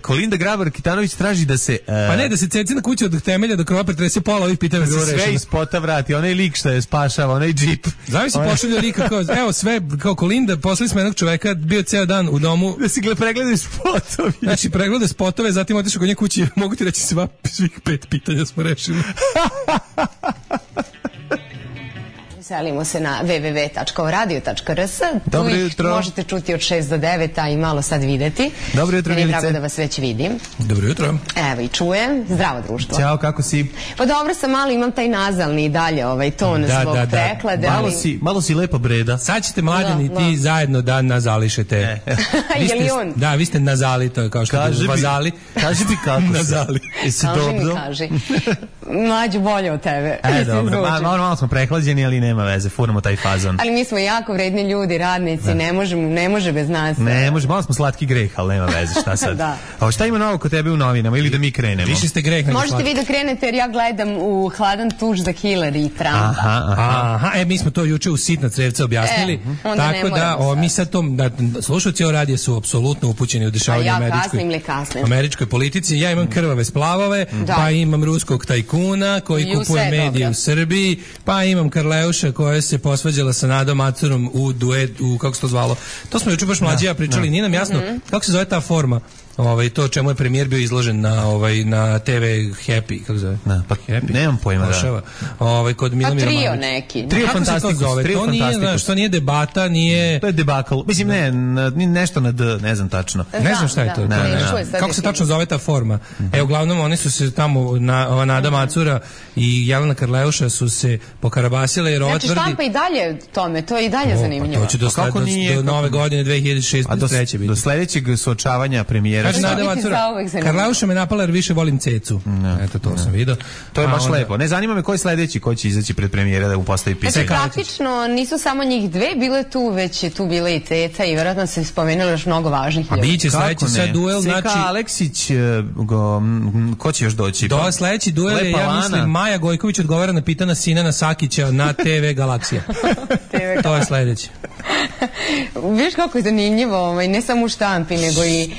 Kolinda Grabar Kitanović traži da se... Pa ne, da se Cecina kuća od temelja do krova pretrese pola ovih pitanja. Da se sve iz spota vrati, onaj lik što je spašava, onaj džip. Zavisi pošalju lika kao, evo sve, kao Kolinda, poslali smo jednog čoveka, bio ceo dan u domu. Da si pregledaju spotovi. Znači, pregleda spotove, zatim otišao kod nje kući. Mogu ti reći svih 5 pitanja smo rešili. Selimo se na www.oradio.rs. Dobro jutro. Možete čuti od 6 do 9, a i malo sad videti. Dobro jutro, Milice. Meni je drago da vas već vidim. Dobro jutro. Evo i čujem. Zdravo društvo. Ćao, kako si? Pa dobro sam, malo imam taj nazalni i dalje ton zbog preklade. Malo si lepo breda. Sad ćete mladeni ti zajedno da nazališete. Je li on? Da, vi ste nazali, to je kao što je vazali. Kaži mi kako nazali. Jesi dobro? Kaži. Mlađu bolje od tebe. Dobro. Malo smo prehlađeni, ali nema veze, furamo taj fazon. Ali mi smo jako vredni ljudi, radnici, ne može bez nas. Ne može, malo smo slatki greh, ali nema veze, šta sad. A šta ima novo kod tebe u novinama ili da mi krenemo? Više ste greh. Možete vi da krenete jer ja gledam u Hladan tuš za Hillary i Trump. Aha, mi smo to juče u Sitna crevca objasnili. Tako da, mi sad to, slušalci o radije su apsolutno upućeni u dešavanje američkoj politici. Ja imam krvave splavove, pa imam ruskog tajkuna koji kupuje medije u Srbiji, pa imam Karleuša koja se posvađala sa Nadom Macurom u duet, kako se to zvalo. To smo juče baš mlađi ja pričali, nije nam jasno kako se zove ta forma to čemu je premijer bio izložen na TV Happy, kako zove? Pa Happy. Nemam pojma. Kod Milomira Trio neki. Trio Fantastikus. To nije, znaš, to nije debata, nije... To je debakl. Mislim, nešto na D, ne znam tačno. Ne znam šta je to. Kako se tačno zove ta forma? Uglavnom, oni su se tamo, Nada Macura i Jelena Karleuša su se pokarabasile, jer ova tvrdi... Znači, štampa i dalje tome, to je i dalje zanimljivo. To će do nove godine 2006. biti. Do sledećeg suočavanja premijera. Kaže Nada Macura, Karleuša me napala jer više volim cecu. Eto, to sam vidio. To je baš lepo. Ne zanima me ko je sledeći, ko će izaći pred premijera da mu postavi pitanje. Znači, praktično nisu samo njih dve bile tu, već je tu bila i ceca i vjerojatno se spomenuli još mnogo važnih ljudi. A biće sledeći sad duel, znači... Seka Aleksić, ko će još doći? Sledeći duel je, ja mislim, Maja Gojković odgovara na pitanja Sinana Sakića na TV Galaksija. To je sledeći. Viš kako je zanimljivo, ne samo u štampi, nego i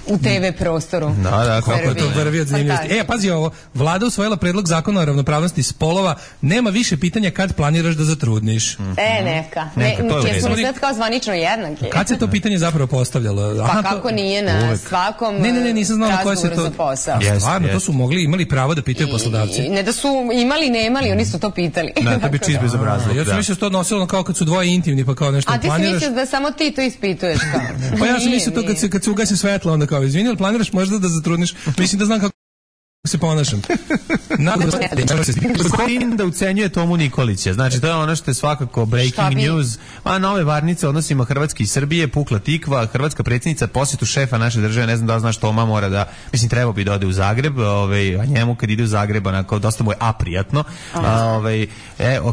u TV prostoru. Da, kako je to vrvi od zanimljivosti. Pazi ovo, Vlada usvojila predlog zakona o ravnopravnosti spolova, nema više pitanja kad planiraš da zatrudniš. Neka. Jesmo li sad kao zvanično jednaki? Kad se to pitanje zapravo postavljalo? Pa kako nije na svakom nisam znala koje se to... za posao. Stvarno, to su imali pravo da pitaju poslodavci. Ne da su imali, nemali, oni su to pitali. Da, to bi čist bezobrazluk. Ja sam mislio to odnosilo kao kad su dvoje intimni, pa kao nešto planiraš. A ti si mislio da samo ti to ispituješ kao? Pa ja sam mislio to kad se ugasi svetlo, onda kao, izvini, ali planiraš možda da zatrudniš? Mislim da znam kako se ponašam. Gospodin da ucenjuje Tomu Nikolića. Znači, to je ono što je svakako breaking news. Nove varnice odnosima Hrvatske i Srbije, pukla tikva, hrvatska predsjednica posjetu šefa naše države, ne znam da li znaš, Toma mora da, mislim, treba bi da ode u Zagreb, a njemu kad ide u Zagreb, onako, dosta mu je aprijatno.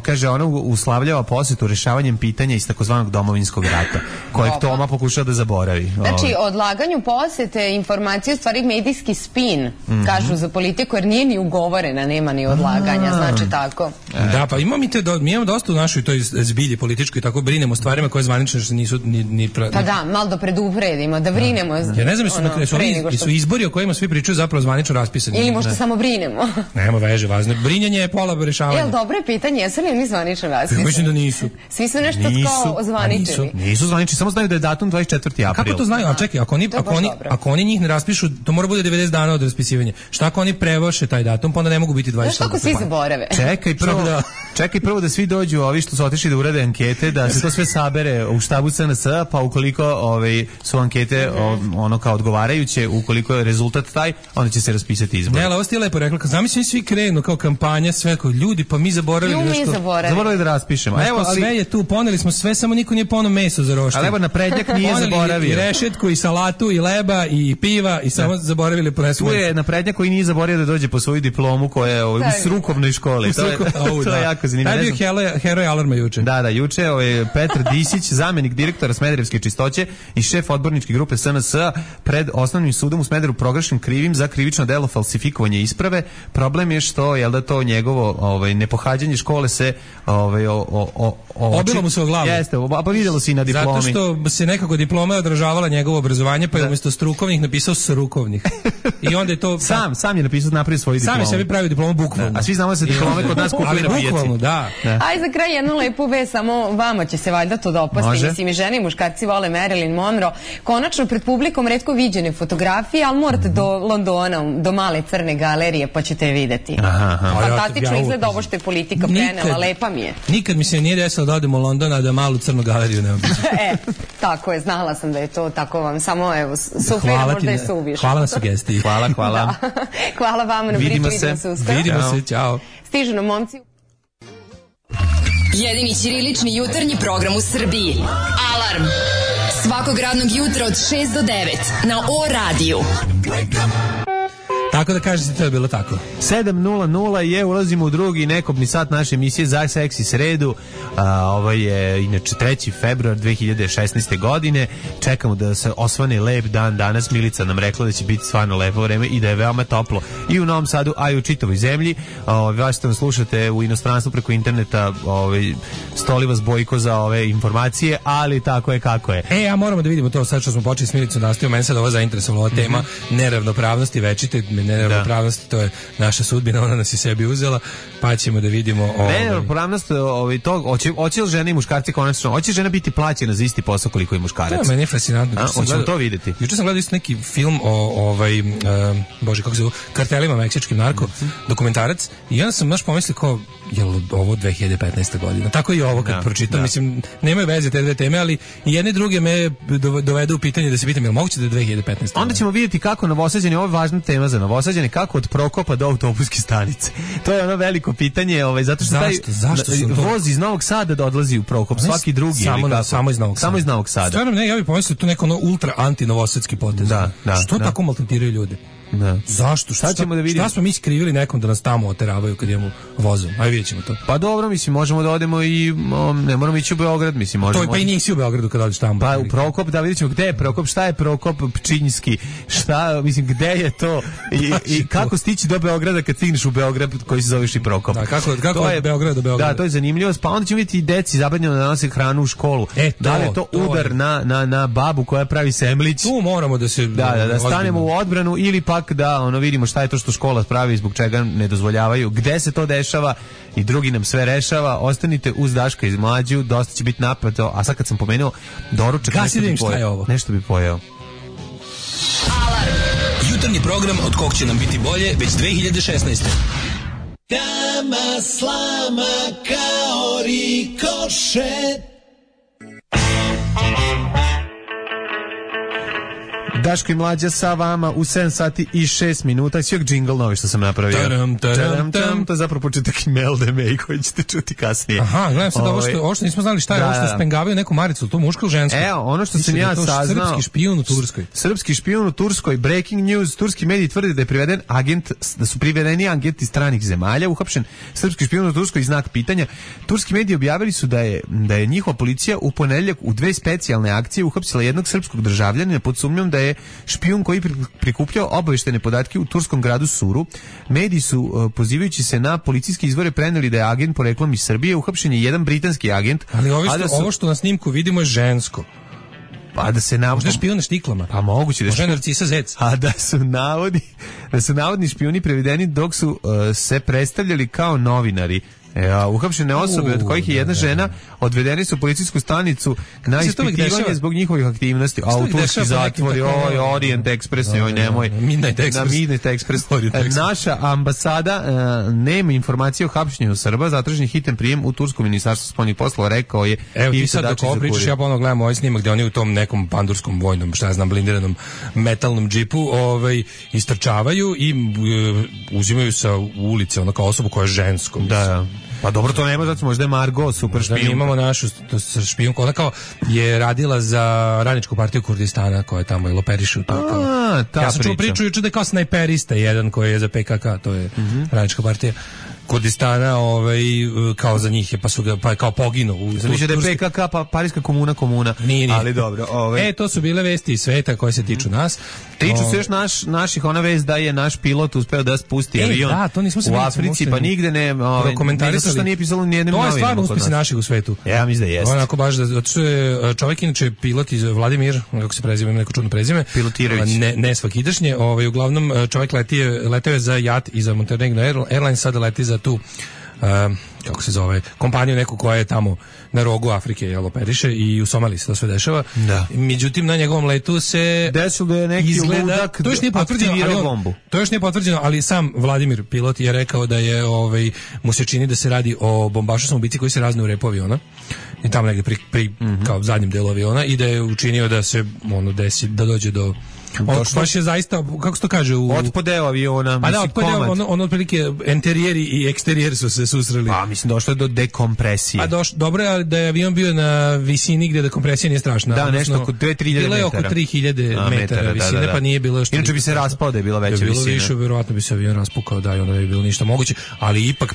Kaže, ona uslavljava posjetu rešavanjem pitanja iz takozvanog domovinskog rata, kojeg Toma pokušao da zaboravi. Znači, odlaganju posjete informacije, u stvari medijski spin, kažu za politiku, jer nije ni ugovorena, nema ni odlaganja, znači tako. Da, pa mi imamo dosta u našoj toj zbilji političkoj i tako brinemo o stvarima koje zvanično što nisu ni... Pa da, malo da predupredimo, da brinemo. Ja ne znam, su izbori o kojima svi pričaju zapravo zvanično raspisani. Ili možda samo brinemo. Nema veže, važno. Brinjanje je pola rešavanja. Jel, dobro je pitanje, jesu li oni zvanično raspisani? Mislim da nisu. Svi su nešto kao ozvaničeni. Nisu zvanični, samo znaju da je datum 24. april. Kako to znaju? A čekaj, ako oni njih ne raspišu, to mora bude 90 dana od raspisivanja. Šta ako oni prevrše taj datum, pa onda ne mogu biti 24. Znaš kako svi zaborave? Čekaj prvo da svi dođu ovi što su otišli da urade ankete, da se to sve sabere u štabu SNS, pa ukoliko su ankete ono kao odgovarajuće, ukoliko je rezultat taj, onda će se raspisati izbor. Ne, ali ovo ste lepo rekla, zamislim svi krenu kao kampanja, sve kao ljudi, pa mi zaboravili nešto. Zaboravili da raspišemo. Sve je tu, poneli smo sve, samo niko nije poneo meso za roštilj. Ali evo naprednjak nije zaboravio. I rešetku, i salatu, i leba, i piva, i samo zaboravili ponesu. Tu je naprednjak koji nije zaboravio da dođe po svoju diplomu koja je u strukovnoj školi. To je jako zanimljivo. Taj bio heroj alarma juče. Da, juče Petar Disić, zamenik direktora Smederevske čistoće i šef odborničke grupe SNS pred osnovnim sudom u Smederevu proglašen krivim za krivično delo falsifikovanje isprave. Problem je što to njegovo nepohađanje škole se obilo mu se o glavu. Jeste, pa vidjelo se i na diplomi. Zato što se nekako diploma odražavala njegovo obrazovanje, pa je umjesto strukovnih napisao strukovnih. I onda je to sam je napisao, napravio svoju diplomu. Sam je sebi pravio diplomu bukvalno. A svi znamo da se diplome kod nas kupuju na pijaci. Bukvalno, da. Aj za kraj jednu lepu vest, samo vama će se valjda to dopasti. Mislim, i žene i muškarci vole Marilyn Monroe. Konačno pred publikom retko viđene fotografije, ali morate do Londona, do male crne galerije, pa ćete je videti. Fantastično izgleda ovo što je politika prenela, lepa mi je. Nikad mi se nije desilo da odemo u London, a da malu crnu galeriju ne obiđem. Tako je, znala sam da je to tako vam, samo evo, suflira možda je suviš. Hvala na sugestiji. Hvala. Hvala vama na priči, vidimo se uskoro. Vidimo se, ćao. Stižu nam momci. Jedini ćirilični jutarnji program u Srbiji. Alarm. Svakog radnog jutra od 6 do 9 na O-radiju. Tako da kažete, to je bilo tako. 7:00 je, ulazimo u drugi nekobni sat naše emisije za seksi sredu. Ovo je inače 3. februar 2016. godine. Čekamo da se osvane lep dan danas. Milica nam rekla da će biti stvarno lepo vreme i da je veoma toplo i u Novom Sadu, a i u čitavoj zemlji. Vas što nas slušate u inostranstvu preko interneta, stoli vas Bojko za ove informacije, ali tako je kako je. Ja moramo da vidimo to sad što smo počeli s Milicom nastavio. Mene sad ovo zainteresovalo, ova tema neravnopravnosti večite, neravnopravnosti, to je naša sudbina, ona nas i sebi uzela, pa ćemo da vidimo... Neravnopravnost, hoće li žene i muškarci konačno, hoće žena biti plaćena za isti posao koliko i muškarac? To meni je fascinantno. Hoćemo to vidjeti. Juče sam gledao isto neki film o bože, kako se zove, kartelima meksičkim, narko, dokumentarac, i onda sam baš pomislio kao, je li ovo 2015. godina? Tako i ovo kad pročitam, mislim, nemaju veze te dve teme, ali i jedne druge me dovedu u pitanje da se pitam, je li moguće da je 2015. Onda ćemo vidjeti kako Novosađani, ovo je važna tema za Novosađane, kako od Prokopa do autobuske stanice. To je ono veliko pitanje, zato što zašto voz iz Novog Sada da odlazi u Prokop, svaki drugi. Samo iz Novog Sada. Stvarno, ne, ja bih pomislio tu neko ultra anti-novosadski potez. Što tako maltretiraju ljude? Zašto? Šta smo mi skrivili nekom da nas tamo oteravaju kad idemo vozom? Ajde, vidjet ćemo to. Pa dobro, mislim, možemo da odemo i ne moramo ići u Beograd, mislim, možemo. To pa i nisi u Beogradu kad odeš tamo. Pa u Prokop, da vidjet ćemo gde je Prokop, šta je Prokop Pčinjski, šta, mislim, gde je to i kako stići do Beograda kad stigneš u Beograd koji se zoveš i Prokop. Da, kako od Beograda do Beograda? Da, to je zanimljivo, pa onda ćemo vidjeti i deci zabranjeno da nose hranu u školu. Da li je to udar na babu koja pravi semlić? Tu moramo da se da stanemo u odbranu ili pak da vidimo šta je to što škola pravi, zbog čega ne dozvoljavaju, gde se to dešava i drugi nam sve rešava. Ostanite uz Daška iz Mlađu, dosta će biti napato, a sad kad sam pomenuo doručak, nešto bi pojeo. Alarm! Jutarnji program od kog će nam biti bolje već 2016. Kama slama kao rikošet. Daško i Mlađa sa vama u 7 sati i 6 minuta. Svi džingl novi što sam napravio. To je zapravo početak Imelda May koji ćete čuti kasnije. Aha, gledam sad ovo što nismo znali šta je, ovo što spengavaju neku maricu, to muško ili žensko? Evo, ono što sam ja saznao. Srpski špijun u Turskoj. Srpski špijun u Turskoj, breaking news, turski mediji tvrde da su privedeni agenti stranih zemalja, uhapšen srpski špijun u Turskoj, znak pitanja. Turski mediji objavili su da je njihova policija u ponedeljak u 2 specijalne akcije uhapsila jednog srpskog državljanina pod sumnjom da je špijun koji prikupljao obaveštene podatke u turskom gradu Suru. Mediji su, pozivajući se na policijske izvore, preneli da je agent poreklom iz Srbije. Uhapšen je jedan britanski agent. Ali ovo što na snimku vidimo je žensko. Pa da se možda špijun na štiklama. Pa moguće da je Narcisa Zec. A da su navodni špijuni prevedeni dok su se predstavljali kao novinari. Uhapšene osobe, od kojih je jedna žena, odvedeni su u policijsku stanicu na ispitivanje zbog njihovih aktivnosti. A u turski zatvor, Orient Express, nemoj. Midnight Express. Naša ambasada nema informacije o hapšenju Srba, zatražen hitan prijem u turskom ministarstvu spoljnih poslova, rekao je. Evo ti sad dok ovo pričaš, ja ponovno gledam ovaj snimak gde oni u tom nekom pandurskom vojnom, blindiranom metalnom džipu istrčavaju i uzimaju sa ulice ono kao osobu koja je žensko. Da. Pa dobro, to nema, zato možda je Margo super špijunka. Mi imamo našu špijunku, ona kao je radila za radničku partiju Kurdistana koja je tamo i loperišu. Ja sam čuo priču juče da je kao snajperista jedan koji je za PKK, to je radnička partija Kurdistana, kao za njih je, pa su ga kao poginuo. Znači da je PKK pa Parijska komuna. Nije. Ali dobro. To su bile vesti iz sveta koje se tiču nas. Tiču se još naših, ona vest da je naš pilot uspeo da spusti avion u Africi, pa nigde ne komentarisali. Što nije pisalo ni jednim novinama. To je stvarno uspesi naših u svetu. Ja mislim da jeste. Onako baš da je čovjek inače pilot iz Vladimir, kako se preziva, neko čudno prezime. Pilotirović. Ne svakidašnje. Uglavnom čovjek leteo je za JAT i za Montenegro Airlines, sada leti za tu kako se zove, kompaniju neku koja je tamo na rogu Afrike, operiše, i u Somaliji se to sve dešava. Da. Međutim, na njegovom letu se desilo da je neki ludak aktivirao bombu. To još nije potvrđeno, ali sam Vladimir pilot je rekao da je mu se čini da se radi o bombašu samoubici koji se razne u repu aviona i tamo negde pri kao zadnjem delu aviona, i da je učinio da se desi, da dođe do baš je zaista, kako se to kaže, otpodeo aviona. Pa da, otpodeo, ono otprilike enterijeri i eksterijeri su se susreli. Pa mislim, došlo je do dekompresije. Dobro je da je avion bio na visini gde dekompresija nije strašna. Da, nešto oko 2-3.000 metara. Bilo je oko 3.000 metara visine, pa nije bilo još. Inače bi se raspao da je bila veća visina. Bilo više, verovatno bi se avion raspukao, da, i onda bi bilo ništa moguće, ali ipak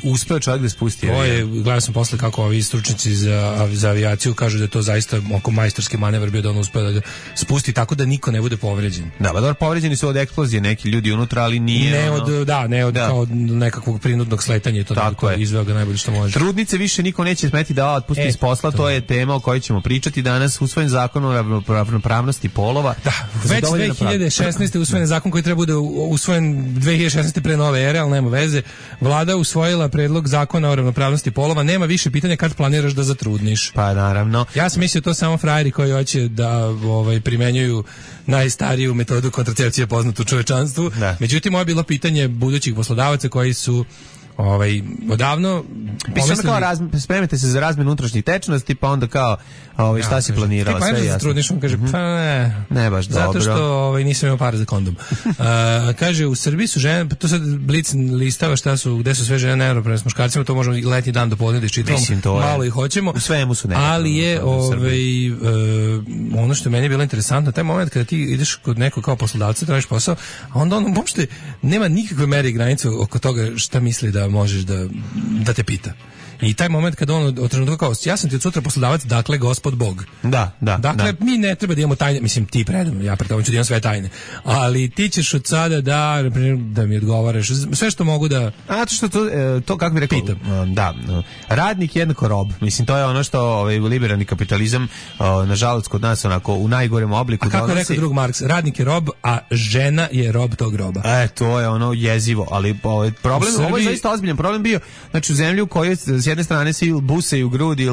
uspeo čovjek da spusti avion. Gledao sam posle kako ovi stručnjaci za avijaciju kažu da je to zaista oko majstorski manevar bio, da on uspeo da spusti tako da niko ne bude povređen. Da, pa dobro, povređeni su od eksplozije neki ljudi unutra, ali nije... Ne od kao nekakvog prinudnog sletanja, to izveo ga najbolje što može. Trudnice više niko neće smeti da otpusti iz posla, to je tema o kojoj ćemo pričati danas. Usvojen zakon o ravnopravnosti polova. Da, već 2016. usvojen zakon koji treba bude usvojen 2016. pre nove ere, ali nema veze. Vlada usvojila predlog zakona o ravnopravnosti polova. Nema više pitanja kad planiraš da zatrudniš. Pa naravno. Ja sam mislio to samo frajeri koji hoće da primenjuju najstariju metodu kontracepcije poznatu u čovečanstvu. Da. Međutim, ovo je bilo pitanje budućih poslodavaca koji su odavno pomislili... spremite se za razmjenu unutrašnjih tečnosti, pa onda kao šta si planirala, sve jasno. Trudniš, on kaže, ne baš dobro. Zato što nisam imao para za kondom. Kaže, u Srbiji su žene, to sad Blic listava gde su sve žene neravnopravne s muškarcima, to možemo i letnji dan do podne da iščitamo, malo ih hoćemo. U svemu su ali je ono što meni je bilo interesantno, taj moment kada ti ideš kod nekog kao poslodavca, tražiš posao, a onda on uopšte nema nikakve mere i granice oko toga šta misli da možeš da te pita. I taj moment kada on od trenutka kao, ja sam ti od sutra poslodavac, dakle gospod Bog. Dakle, mi ne treba da imamo tajne, mislim ti predam, ja predam ću da imam sve tajne, ali ti ćeš od sada da mi odgovaraš sve što mogu da... A što to kako bi rekao, radnik jednako rob, mislim to je ono što liberalni kapitalizam nažalost kod nas onako u najgorem obliku donosi. A kako je rekao drug Marks, radnik je rob, a žena je rob tog roba. To je ono jezivo, ali problem, ovo je zaista ozbiljan problem bio, znači u zemlji u kojoj s jedne strane svi busaju grudi,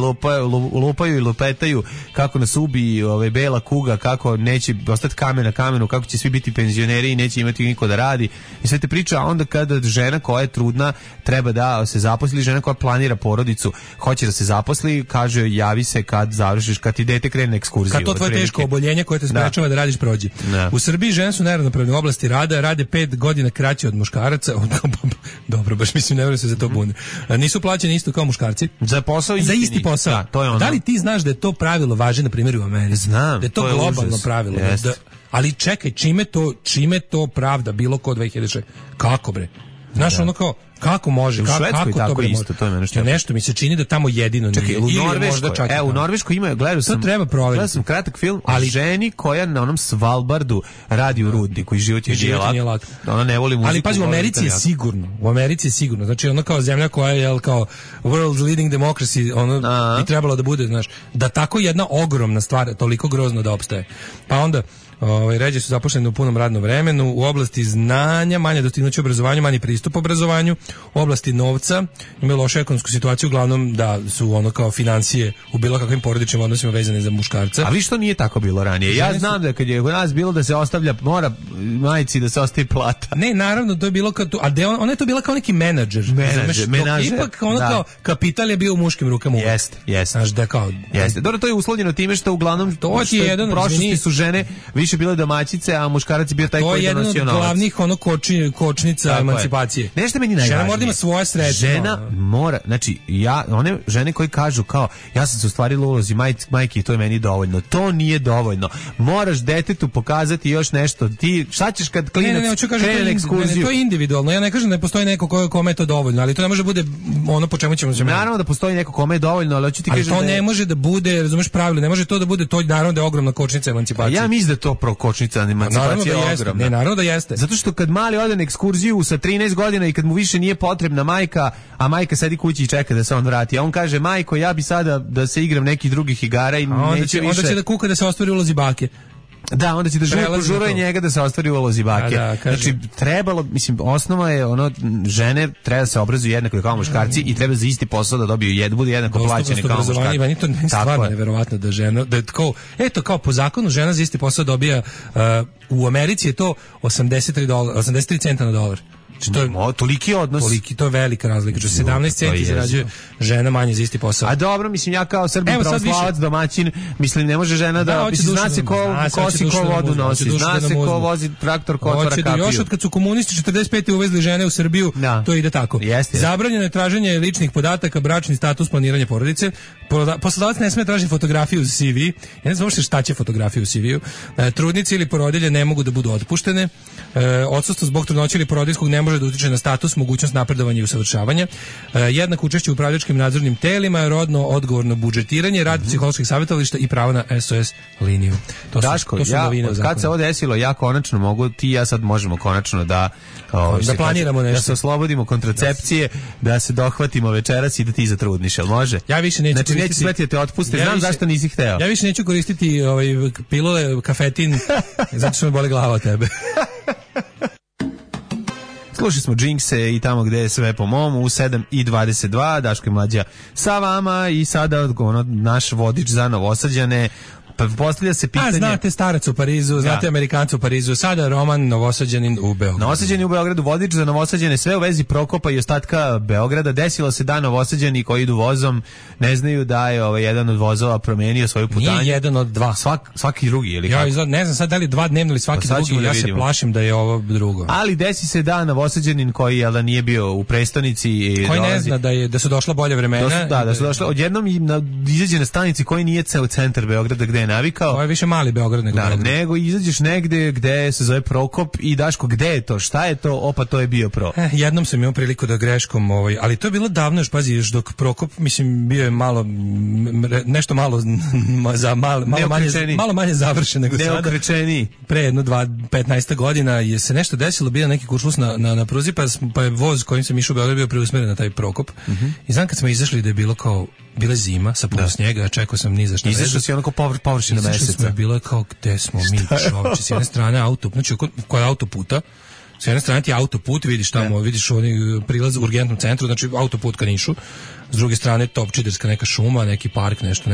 lupaju i lupetaju kako nas ubi bela kuga, kako neće ostati kamen na kamenu, kako će svi biti penzioneri i neće imati niko da radi i sve te priča, a onda kada žena koja je trudna treba da se zaposli, žena koja planira porodicu hoće da se zaposli, kaže joj javi se kad završiš, kad ti dete krene na ekskurziju. Kad to tvoje teško oboljenje koje te sprečava da radiš prođe. U Srbiji žene su neravnopravne u oblasti rada, rade 5 godina kraće od muškaraca. Dobro, baš mislim ne verujem se za to bune. Nisu plaćeni isto kao muškarci. Za posao za isti posao. Da, to je ono. Da li ti znaš da je to pravilo važi na primjer u Americi? Znam. Da je to globalno pravilo. Ali čekaj, čime to pravda bilo ko 2006? Kako bre? Znaš ono kao kako može, kako to bre isto, to je nešto. Nešto mi se čini da tamo jedino nije. U Norveškoj ima, gledao sam. To treba provjeriti. Gledao sam kratak film o ženi koja na onom Svalbardu radi u rudniku i život je lak. Ona ne voli muziku. Ali pazi, u Americi je sigurno. U Americi je sigurno. Znači ono kao zemlja koja je kao world leading democracy, ono bi trebalo da bude, znaš, da tako jedna ogromna stvar toliko grozno da opstaje. Pa onda ređe su zaposleni u punom radnom vremenu, u oblasti znanja, manje dostignuće obrazovanju, manji pristup obrazovanju, u oblasti novca, imaju lošu ekonomsku situaciju, uglavnom da su ono kao financije u bilo kakvim porodičnim odnosima vezane za muškarca. Ali što nije tako bilo ranije? Ja znam da kad je u nas bilo da se ostavlja, mora majici da se ostavi plata. Ne, naravno, to je bilo kao tu, ali ona je to bila kao neki menadžer. Ipak ono kao kapital je bio u muškim rukama. Jeste. Znaš da kao... Jeste. Dobro, to je uslovljeno time što uglavnom prošlosti su žene više bile domaćice, a muškarac je bio taj koji je donosio novac. To je jedan od glavnih kočnica emancipacije. Nešto meni najvažnije. Žena mora da ima svoje sredstva. Žena mora, znači, one žene koji kažu kao, ja sam se ostvarila u ulozi majke i to je meni dovoljno. To nije dovoljno. Moraš detetu pokazati još nešto. Ti, šta ćeš kad klinac krene na ekskurziju? To je individualno. Ja ne kažem da ne postoji neko kome je to dovoljno, ali to ne može bude ono po čemu ćemo se... Naravno da postoji neko kome je dovoljno, ali hoću ti kažem da... Ali to ne može da bude, razumeš pravilo, ne može to da bude, to naravno da je ogromna kočnica emancipacije. Ja mislim da to prokočnica emancipacija je ogromna. Ne, naravno da jeste. Zato što kad mali ode na ekskurziju sa 13 godina i kad mu više nije potrebna majka, a majka sedi kući i čeka da se on vrati, a on kaže, majko, ja bi sada da se igram nekih drugih igara i neće više... Onda će da kuka da se ostvari ulozi bake. Da, onda će da požuruje njega da se ostvari ulozi bake. Znači, trebalo, mislim, osnova je ono, žene treba da se obrazuju jednako kao muškarci i treba za isti posao da dobiju bude jednako plaćene kao muškarci. Meni to stvarno neverovatno da žena, da kao, eto, kao po zakonu žena za isti posao dobija, u Americi je to 83 centa na dolar. To je toliki odnos. To je velika razlika. 17 centi zarađuje žena manje za isti posao. A dobro, mislim, ja kao Srbin pravoslavac domaćin, mislim, ne može žena da zna se ko kosi, ko vodu nosi, zna se ko vozi traktor, ko otvara kapiju. Još od kad su komunisti 45. uvezli žene u Srbiju, to ide tako. Zabranjeno je traženje ličnih podataka, bračni status, planiranje porodice. Poslodavac ne sme tražiti fotografiju uz CV. Ja ne znam uopšte šta će fotografiju u CV-u. Trudnice ili porodilje ne mogu da budu otpuštene. Odsustvo zbog trudnoće ili porodiljskog ne može da utiče na status, mogućnost napredovanja i usavršavanja, jednako učešće u upravljačkim nadzornim telima, rodno odgovorno budžetiranje, rad psiholoških savjetovališta i pravo na SOS liniju. Daško, kad se ovo desilo, ja konačno mogu, ti i ja sad možemo konačno da planiramo nešto. Da se oslobodimo kontracepcije, da se dohvatimo večeras i da ti zatrudniš, jel može? Ja više neću koristiti. Neće smeti da te otpuste, znam zašto nisi hteo. Ja više neću koristiti pilule, kafetin, zato što me boli glava od tebe. Slušali smo Jinxe i tamo gde je sve po mom u 7:22, Daško i Mlađa sa vama i sada naš vodič za Novosađane. Pa postavlja se pitanje... znate starac u Parizu, znate Amerikanca u Parizu, sada Roman Novosađanin u Beogradu. Novosađani u Beogradu, vodič za Novosađane, sve u vezi Prokopa i ostatka Beograda. Desilo se da Novosađani koji idu vozom ne znaju da je jedan od vozova promenio svoju putanju. Nije jedan od dva. Svaki drugi, ili kako? Ja ne znam sad da li dva dnevno ili svaki drugi, ja se plašim da je ovo drugo. Ali desi se da Novosađanin koji nije bio u prestonici i koji ne zna da su došla bolje vremena. Da su došla, odjednom izađe na stanici koji nije ceo centar Beograda gde navikao. Ovo je više mali Beograd nego Beograd. Nego izađeš negde gde se zove Prokop i Daško, gde je to? Šta je to? Opa, to je bio Pro. Jednom sam imao priliku da greškom, ali to je bilo davno, još pazi, još dok Prokop, mislim, bio je nešto malo manje završen nego sada. Neokrečeniji. Pre 15 godina je se nešto desilo, bio neki kuršlus na pruzi, pa je voz kojim sam išao u Beograd bio preusmeren na taj Prokop. I znam kad smo izašli da je bilo bila zima sa puno snijega, čekao sam ni za šta. Izašao si onako površina meseca. Izašli smo, bilo kao gde smo mi, čovječe, s jedne strane kod autoputa, s jedne strane ti autoput, vidiš tamo, vidiš prilaz u urgentnom centru, znači autoput ka Nišu, s druge strane Topčiderska neka šuma, neki park, nešto,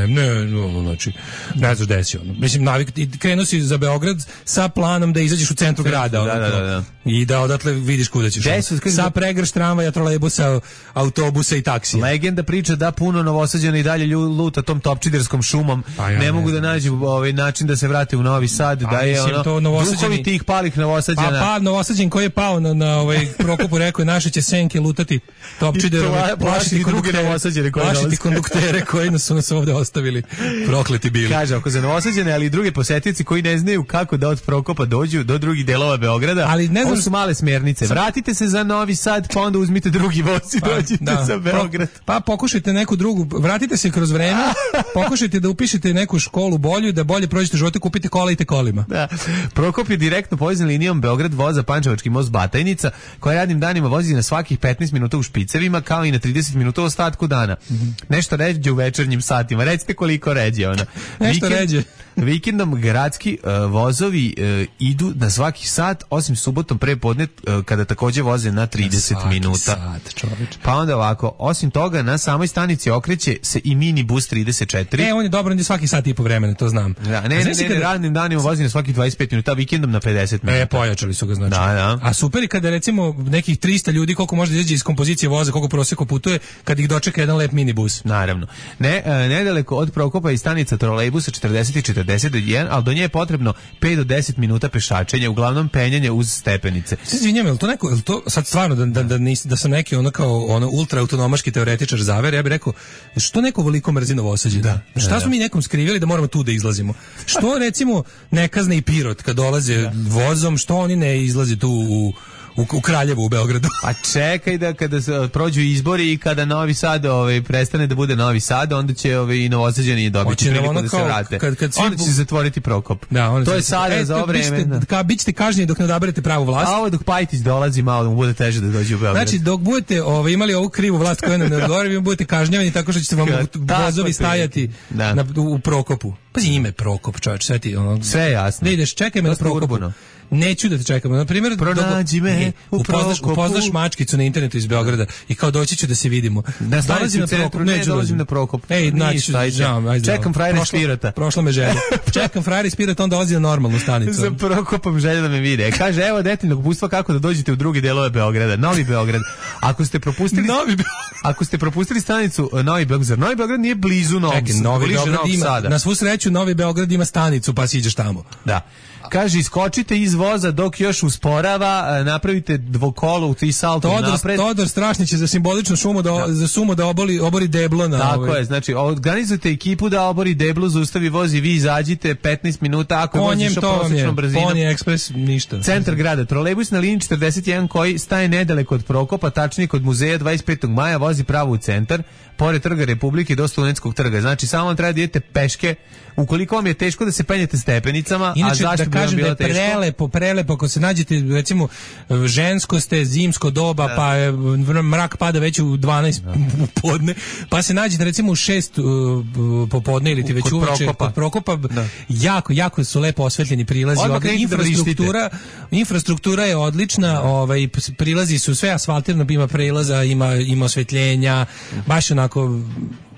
znači, ne znaš gde si ono. Mislim, krenuo si za Beograd sa planom da izađeš u centru grada. Da. I da odatle vidiš kuda ćeš. Sa pregrš tramvaja, trolejbusa, autobusa i taksija. Legenda priča da puno Novosađana i dalje luta tom Topčiderskom šumom, ne mogu da nađu način da se vrate u Novi Sad, da je duhovi tih palih Novosađana. Pa Novosađan koji je pao na Prokopu rekao je naše će senke lutati Topčiderom, plašiti konduktere koji su nas ovde ostavili, prokleti bili. Kaže, ako za Novosađane, ali i druge posetici koji ne znaju kako da od Prokopa dođu do drugih delova Beograda, ali ne znam, ovo su male smjernice. Vratite se za Novi Sad, pa onda uzmite drugi voz i dođite za Beograd. Pa pokušajte neku drugu, vratite se kroz vreme, pokušajte da upišete neku školu bolju, da bolje prođete živote, kupite kola i te kolima. Da. Prokop je direktno povezan linijom Beograd voza Pančevački most Batajnica, koja radnim danima vozi na svakih 15 minuta u špicevima, kao i na 30 minuta u ostatku dana. Nešto ređe u večernjim satima. Recite koliko ređe ona. Nešto ređe. Vikendom gradski vozovi idu na svaki sat, osim subotom prepodne kada takođe voze na 30 minuta. Sat, pa onda ovako, osim toga na samoj stanici okreće se i minibus 34. On je dobro, on je svaki sat i po vremena, to znam. Da, ne, radnim danima vozi na svakih 25 minuta, vikendom na 50 minuta. Pojačali su ga, znači. Da. A super je kada recimo nekih 300 ljudi, koliko može da izađe iz kompozicije voza, koliko prosjeko putuje, kad ih dočeka jedan lep minibus. Naravno. Nedaleko od Prokopa i stanica trolejbusa 40 i 41, ali do nje je potrebno 5 do 10 minuta pešačenja, uglavnom penjanje uz stepenice. Izvinjam, je li to sad stvarno da sam neki ultra autonomaški teoretičar zaver, ja bih rekao, što neko veliko mrzi Novosađe? Šta smo mi nekom skrivili da moramo tu da izlazimo? Što recimo ne kazne i Pirot kad dolaze vozom, što oni ne izlaze tu u Kraljevu u Beogradu? A čekaj da kada se prođu izbori i kada Novi Sad prestane da bude Novi Sad, onda će i Novosađani dobiti priliku da se vrate. Onda će se zatvoriti Prokop. To je sada za ovo vreme. Bićete kažnjeni dok ne odaberete pravu vlast. A ovo dok Pajtić dolazi, malo mu bude teže da dođe u Beograd. Znači, dok budete imali ovu krivu vlast koja nam ne odgovara, vi budete kažnjavani tako što ćete vam vozovi stajati u Prokopu. Pazi, ime Prokop, čovječ, sve je jasno. Da ideš, čekaj me na Prokopu. Neću da te čekam. Na primjer, pronađi me u Prokopu. Upoznaš mačkicu na internetu iz Beograda i kao doći ću da se vidimo. Dolazim na Prokop. Ne dolazim na Prokop. Čekam frajera iz Pirota. Prošla me želja. Čekam frajera iz Pirota, on dolazi na normalnu stanicu. Za Prokopom želja da me vide. Kaže, evo detaljnog upustva kako da dođete u druge delove Beograda. Novi Beograd. Ako ste propustili stanicu Novi Beograd, Novi Beograd nije blizu Novog Sada. Na svu sreću Novi Beograd ima stanicu, pa si ideš tamo. Da. Kaže, iskočite iz voza dok još usporava, napravite dvokolo u 3 salta napred. Todor Strašnić je za simboličnu sumu da obori deblo na Tako je, znači organizujte ekipu da obori deblo, zaustavi voz i vi izađite 15 minuta ako voziš prosječnom brzinom. Pony Express ništa. Centar grada, trolejbus na liniji 41 koji staje nedaleko od Prokopa, tačnije kod muzeja 25. maja, vozi pravo u centar, pored Trga Republike do Studentskog trga. Znači samo vam treba da idete peške. Ukoliko vam je teško da se penjete stepenicama, inače, a zašto da kažem bi vam bilo da je prelepo, ako se nađete, recimo, žensko ste, zimsko doba, pa mrak pada već u 12 u podne, pa se nađete recimo u 6 popodne ili ti već uveče kod Prokopa, jako su lepo osvetljeni prilazi, infrastruktura je odlična, prilazi su sve asfaltirano, ima prelaza, ima osvetljenja, baš onako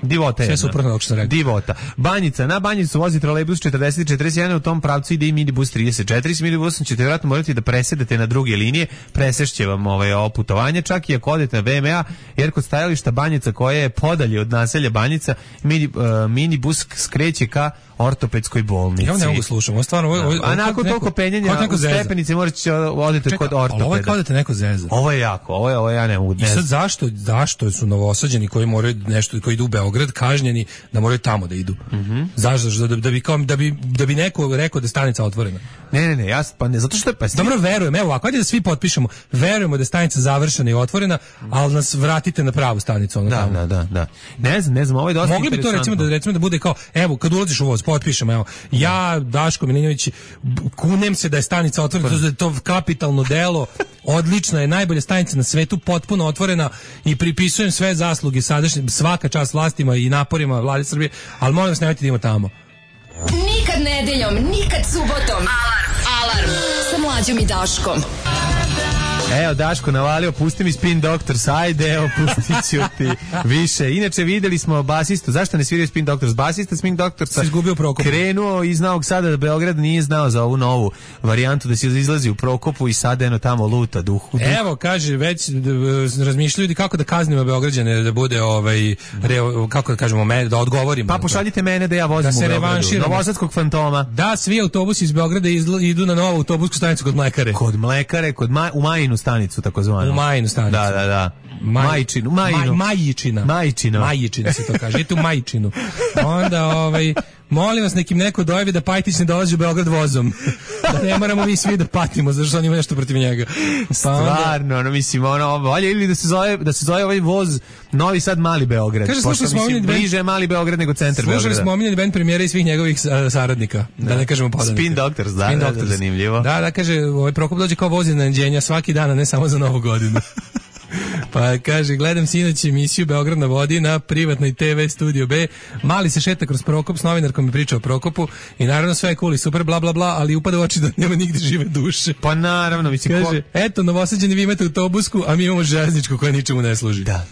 divota je. Sve suprotno kako sam rekao. Divota. Banjica, na Banjicu vozi trolejbus 40 i 41, u tom pravcu ide i minibus 34. S minibusom ćete vjerojatno morati da presedete na druge linije, presešće vam ovo putovanje, čak i ako odete na VMA, jer kod stajališta Banjica koja je podalje od naselja Banjica, minibus skreće ka ortopedskoj bolnici. Ja ne mogu slušati, stvarno. A nakon toliko penjanja u stepenice možete odete kod ortopeda. Ovo je kao da te neko zeza. Ovo je jako, ovo ja ne mogu. I sad zašto su Novosađani koji moraju nešto, koji idu u Beograd kažnjeni da moraju tamo da idu? Zašto? Da bi neko rekao da je stanica otvorena. Ne, pa ne, zato što je dobro, verujem, evo ovako, ajde da svi potpišemo, verujemo da je stanica završena i otvorena, ali nas vratite na pravu stanicu. Da. Ne znam, ovo je dosta mogli bi to recimo da bude kao, evo, kad ulaziš u voz, potpišemo, evo, ja, Daško Milinović, kunem se da je stanica otvorena, da je to kapitalno delo, odlična je, najbolja stanica na svetu, potpuno otvorena i pripisujem sve zasluge sadašnje, svaka čast vlastima i naporima Vlade Srbije, ali molim vas, nemojte da idemo tamo. Nikad nedeljom, nikad subotom. Alarm sa Mlađom i Daškom. Evo, Daško navalio, pusti mi Spin Doctors, ajde, evo, pustit ću ti više. Inače, videli smo basistu, zašto ne sviraju Spin Doctors? Basista Spin Doctorsa izgubio Prokopu. Krenuo iz Novog Sada da Beograd nije znao za ovu novu varijantu da se izlazi u Prokopu i sada eno tamo luta duhu. Evo, kaže, već razmišljaju kako da kaznimo Beograđane, da bude, kako da kažemo, da odgovorimo. Pa pošaljite mene da ja vozim u Beogradu. Novosadskog fantoma. Da, svi autobusi iz Beograda idu na novu autobusku stanicu kod Mlekare. Kod Mlekare, u Majinu stanicu takozvano. U Majinu stanicu. Da. Majičina se to kaže. Idete u Majičinu. Onda, molim vas, neko dojavi da Pajtić ne dolazi u Beograd vozom. Da ne moramo mi svi da patimo, zato što on ima nešto protiv njega. Stvarno, valja ili da se zove ovaj voz Novi Sad Mali Beograd. Kaže, bliže je Mali Beograd nego centar Beograda. Slušali smo omiljeni band premijera i svih njegovih saradnika. Da ne kažemo podanika. Spin Doctors, da, zanimljivo. Da, kaže, Prokop dođe kao voz iznenađenja svaki dan, a ne samo za Novu godinu. Pa kaže, gledam sinoć emisiju Beograd na vodi na privatnoj TV Studio B. Mali se šeta kroz Prokop, s novinarkom mi priča o Prokopu i naravno sve je cool i super, bla bla bla, ali upada u oči da nema nigde žive duše. Pa naravno, kaže, eto, Novosađani, vi imate autobusku, a mi imamo železničku koja ničemu ne služi. Da,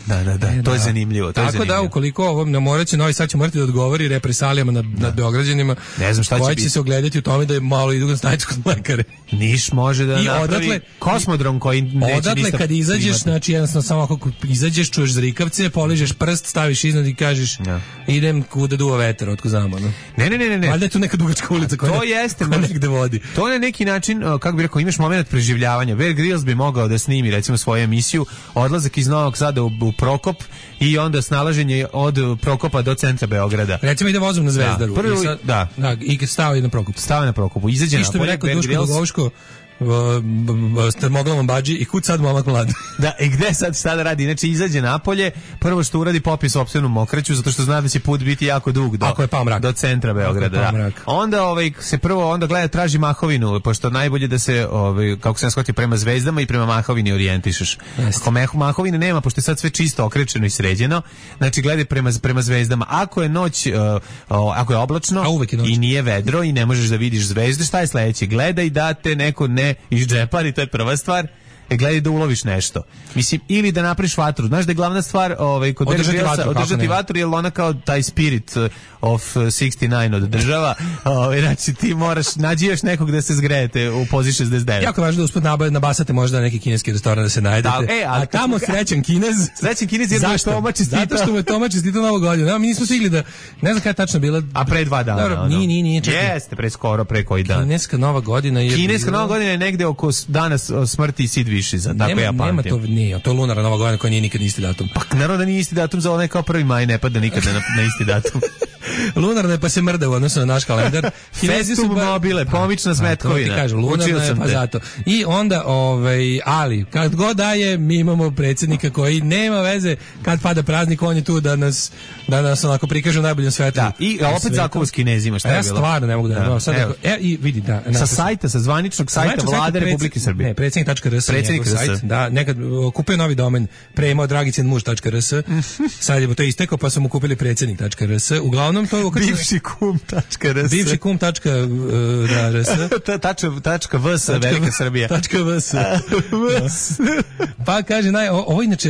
to je zanimljivo. Tako da, ukoliko ovo ne moraće, Novi Sad će morati da odgovori represalijama nad Beograđanima, ne znam šta koji će se ogledati u tome da je malo idu na stanicu kod Mlekare. Niš može da napravi kosmodrom koji neće odatle kad izađeš, znači jednostavno samo ako izađeš, čuješ zrikavce, poližeš prst, staviš iznad i kažeš idem kuda duva vetar, otko znamo. Ne. Valjda je tu neka dugačka ulica koja negde vodi. To je neki način, kako bi rekao, imaš moment preživljavanja. Bear Grylls bi mogao da snimi recimo svoju emisiju, odlazak iz Novog Sada u Prokop i onda snalaženje od Prokopa do centra Beograda. Recimo ide vozom na Zvezdaru. I stao je na Prokopu. Stao je na Prokopu. Izađe na polje Bear Grylls. Termoglavom badži i kud sad momak mlad. Da, i gde sad šta da radi? Znači izađe napolje, prvo što uradi popije sopstvenu mokraću zato što zna da će put biti jako dug do centra Beograda. Onda gleda, traži mahovinu, pošto najbolje da se kako se shvati prema zvezdama i prema mahovini orijentišeš. Ako mahovine nema, pošto je sad sve čisto okrečeno i sređeno, znači gledaj prema zvezdama. Ako je noć, ako je oblačno i nije vedro i ne možeš da vidiš zvezde, šta je sledeće? Gledaj da te neko ne iz džepari, to je prva stvar. gledaj da uloviš nešto. Mislim, ili da napraviš vatru. Znaš da je glavna stvar kod održati vatru, jer ona kao taj spirit of 69 održava. Znači ti moraš, nađi još nekog da se zgrejete u pozi 69. Jako važno da usput nabasate možda neki kineski restoran da se najedete. A tamo srećan Kinez. Srećan Kinez jer mu je Toma čestitao. Zato što mu je Toma čestitao Novu godinu. Mi nismo stigli da, ne znam kada je tačno bila. A pre 2 dana. Dobro, nije. Jeste, pre koji dan. Kineska Nova godina je... Kineska Nova godina je negde oko dana smrti Sid Višiza, tako ja pamtim. Nema to, nije. To je lunarna Nova godina koja nije nikad isti datum. Pa naravno da nije isti datum, za onaj kao 1. maj ne pada nikada na isti datum. Lunarna je pa se mrda u odnosu na naš kalendar. Festum mobile, pomična smetkovina. To ti kažem, lunarna je pa zato. I onda, ali, kad god daje, mi imamo predsjednika koji nema veze kad pada praznik, on je tu da nas onako prikaže u najboljem svetu. Da, i opet zakon s Kinezima, šta je bilo? Ja stvarno ne mogu da ne sad. I vidi, da. Sa zvaničnog sajta Vlade Republike Srbije. Ne, predsjednik.rs. Da, nekad kupio novi domen, pre imao dragicenmuž.rs. Sad je to istekao, pa su mu kupili predsjednik.rs. Uglavnom to je bivši kum.rs. Bivši kum.rs. .vs Velika Srbija. .vs. Pa kaže,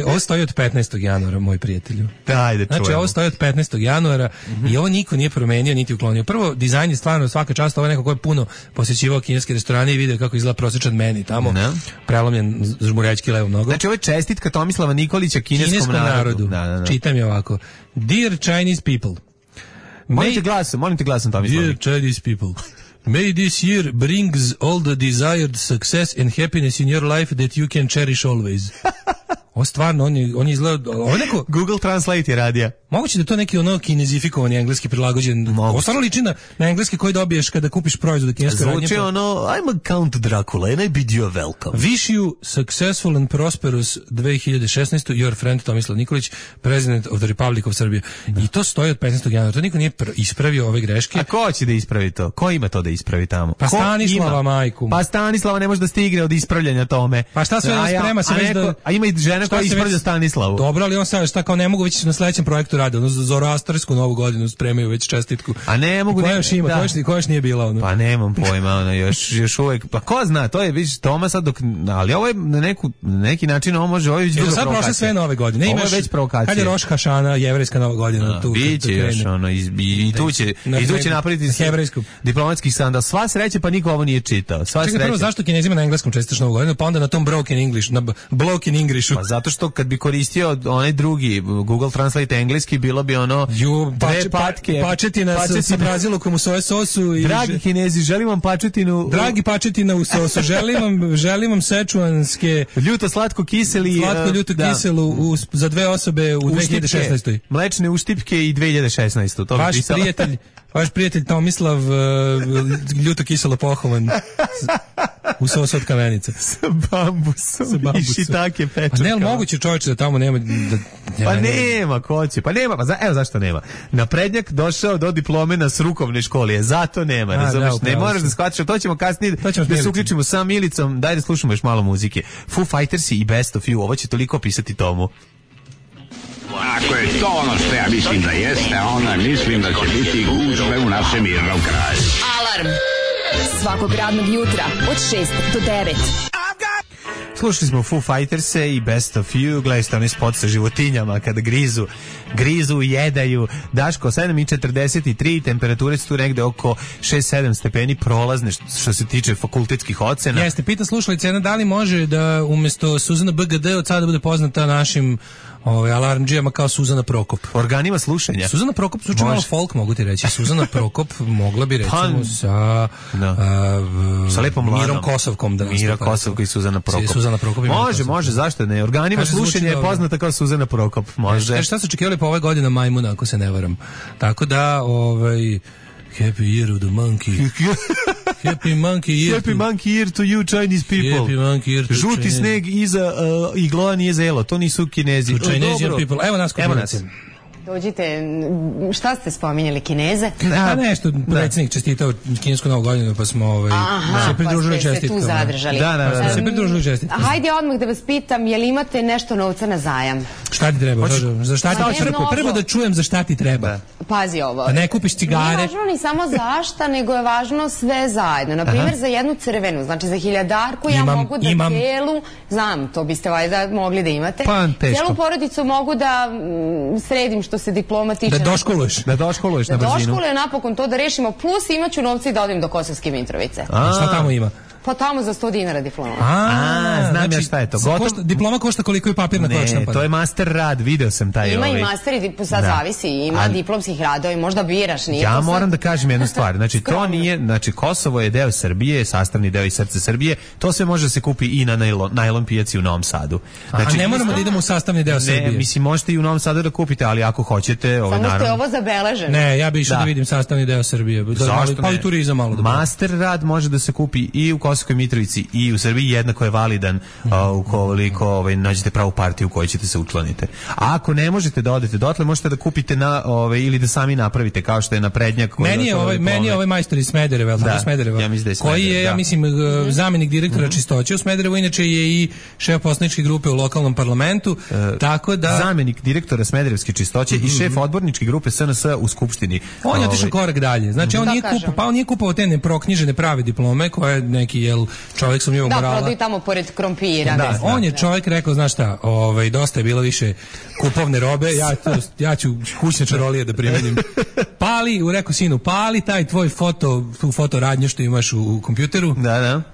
ovo stoji od 15. januara, moj prijatelju. Ajde, čujemo. Znači, ovo stoji od 15. januara i ovo niko nije promenio, niti uklonio. Prvo, dizajn je stvarno svaka čast, ovo je neko ko je puno posjećivao kineske restorane i video kako izgleda prosječan meni tamo, prelomljen žmurjački levo mnogo. Znači, ovo je čestitka Tomislava Nikolića kineskom narodu. Da. Čitam je ovako. Dear Chinese people. Molim te glasom, Tomislav. Dear Chinese people. May this year brings all the desired success and happiness in your life that you can cherish always. Ovo stvarno, on je izgleda... Google Translate je radija. Moguće da je to neki kinezifikovani engleski prilagođen. Ovo stvarno liči na engleski koji dobiješ kada kupiš proizvod u kineskoj radnji. Zvuči I'm a Count Dracula and I bid you a welcome. Wish you successful and prosperous 2016. Your friend Tomislav Nikolić, President of the Republic of Serbia. I to stoji od 15. januara. To niko nije ispravio ove greške. A ko će da ispravi to? Ko ima to da ispravi tamo? Pa Stanislava majku. Pa Stanislava ne može da stigne od ispravljanja tome. Pa šta sve sprema se već da... A ima i žena koja ispravlja Stanislavu. Dobro, ali on sad šta kao ne mogu već na sledećem projektu radi, zoroastarsku Novu godinu spremaju već čestitku. A ne mogu koja još ima, koja još nije bila ono. Pa nemam pojma, još uvek. Pa ko zna, to je vidiš Toma sad dok, ali ovo je na neki način ovo može, ovo je već druga provokacija. Sad prošle sve nove godine. Ovo je već provokacija. Kad je Roš Hašana, jevrejska Nova godina, tu biće još i tu će napraviti hebrejsku diplomatski sandal. Sva sreća, pa niko ovo nije čitao. Sva sreća. Prvo zašto Kinezima na engleskom čestitaš Novu godinu, pa onda na tom broken English, na broken Englishu. Pa zato što kad bi koristio onaj drugi Google Translate engleski, bilo bi dve patke. Pačetina sa brazilukom u soje sosu. Dragi Kinezi, želim vam pačetinu. Dragi pačetina u sosu. Želim vam sečuanske. Ljuto slatko kiseli. Slatko ljuto kiselu za 2 osobe u 2016. Mlečne uštipke i 2016. To Vaš prijatelj Tomislav ljuto kiselo pohovan u sosu od kamenica. Sa bambusom. I šitake pečurka. A ne, ali moguće čovječe da tamo nema... Pa nema, ko će? Pa nema, evo zašto nema. Naprednjak došao do diplome s rukovne škole, zato nema, razumiješ? Ne moraš da shvatiš, to ćemo kasnije da se uključimo sa Milicom, daj da slušamo još malo muzike. Foo Fightersi i Best of You, ovo će toliko pisati Tomu. Ako je to ono što ja mislim da jeste, onda mislim da će biti gužve u našem mirnom kraju. Alarm svakog radnog jutra od 6 do 9. Slušali smo Foo Fighterse i Best of You, gledaj ste onaj spot sa životinjama kada grizu, jedaju. Daško, 7:43, temperature su tu negde oko 6-7 stepeni prolazne što se tiče fakultetskih ocena. Jeste, pita slušalica, da li može da umjesto Suzana BGD od sada bude poznata našim alarmdžijama kao Suzana Prokop. Organima slušanja. Suzana Prokop zvuči malo folk, mogu ti reći. Suzana Prokop mogla bi recimo sa lepom Lanom. Mirom Kosovkom. Mira Kosovko i Suzana Prokop. Može, zašto ne? Organima slušanja je poznata kao Suzana Prokop. Može. Šta su očekivali po ove godine majmuna, ako se ne varam. Tako da, Happy Year of the Monkey. Happy Monkey Year to you Chinese people. Happy Monkey Year to Žuti sneg iza igloa nije zelo. To nisu Kinezi. To Chinesian people. Evo nas kod Dođite, šta ste spominjali, Kineze? A nešto, predsjednik čestitao kinesku Novu godinu, pa smo se pridružili čestitkama. Pa ste se tu zadržali. Da, se pridružili čestitkama. Hajde odmah da vas pitam, je li imate nešto novca na zajam? Šta ti treba? Za šta ti treba? Prvo da čujem za šta ti treba. Pazi ovo. Da ne kupiš cigare. Nije važno ni samo zašta, nego je važno sve zajedno. Naprimjer, za jednu crvenu, znači za 1000-darku ja mogu da celu, znam, to biste valjda mogli da imate. Pa, teško. Celu porodicu mogu da sredim što se diploma tiče. Da doškoluješ na brzinu. Da doškoluje napokon to da rešimo, plus imaću novci da odim do Kosovske Mitrovice. A šta tamo ima? Pa tamo za 100 dinara diploma. Znam ja šta je to. Diploma košta koliko je papirna koja. Ne, to je master rad, video sam taj. Ima i master i sad zavisi, ima diplomskih radova i možda biraš. Ja moram da kažem jednu stvar, znači to nije, znači Kosovo je deo Srbije, sastavni deo i srce Srbije, to sve može da se kupi i na najlon pijaci u Novom Sadu. Znači, a ne moramo da idemo u sastavni deo Srbije. Ne, mislim možete i u Novom Sadu da kupite, ali ako hoćete, naravno. Samo ste ovo zabeleženo. Ne, ja bih išao da vidim sastavni deo Srbije. Pa i turizam malo da. Master rad može da se kupi i u Kosovskoj Mitrovici i u Srbiji, jednako je validan ukoliko nađete pravu partiju u kojoj ćete se učlaniti. A ako ne možete da odete dotle, možete da kupite ili da sami napravite, kao što je na prednjak. Meni je ovaj majstor iz Smedereva, ja mislim da je koji je, ja mislim, zamenik direktora čistoće u Smederevu, inače je i šef poslaničke grupe u lokalnom parlamentu, tako da... Zamenik direktora Smederevske čistoće i šef odborničke grupe SNS u Skupštini. On je otišao korak dalje. Znači, on nije kupovao te neproknjižene prave diplome, koje neki, čovjek sam njegov morala. Da, prodaju tamo pored krompira. Da, on je čovjek rekao, znaš šta, dosta je bilo više kupovne robe, ja ću kućne čarolije da primenim. Rekao sinu, pali taj tvoj tu fotoradnju što imaš u kompjuteru,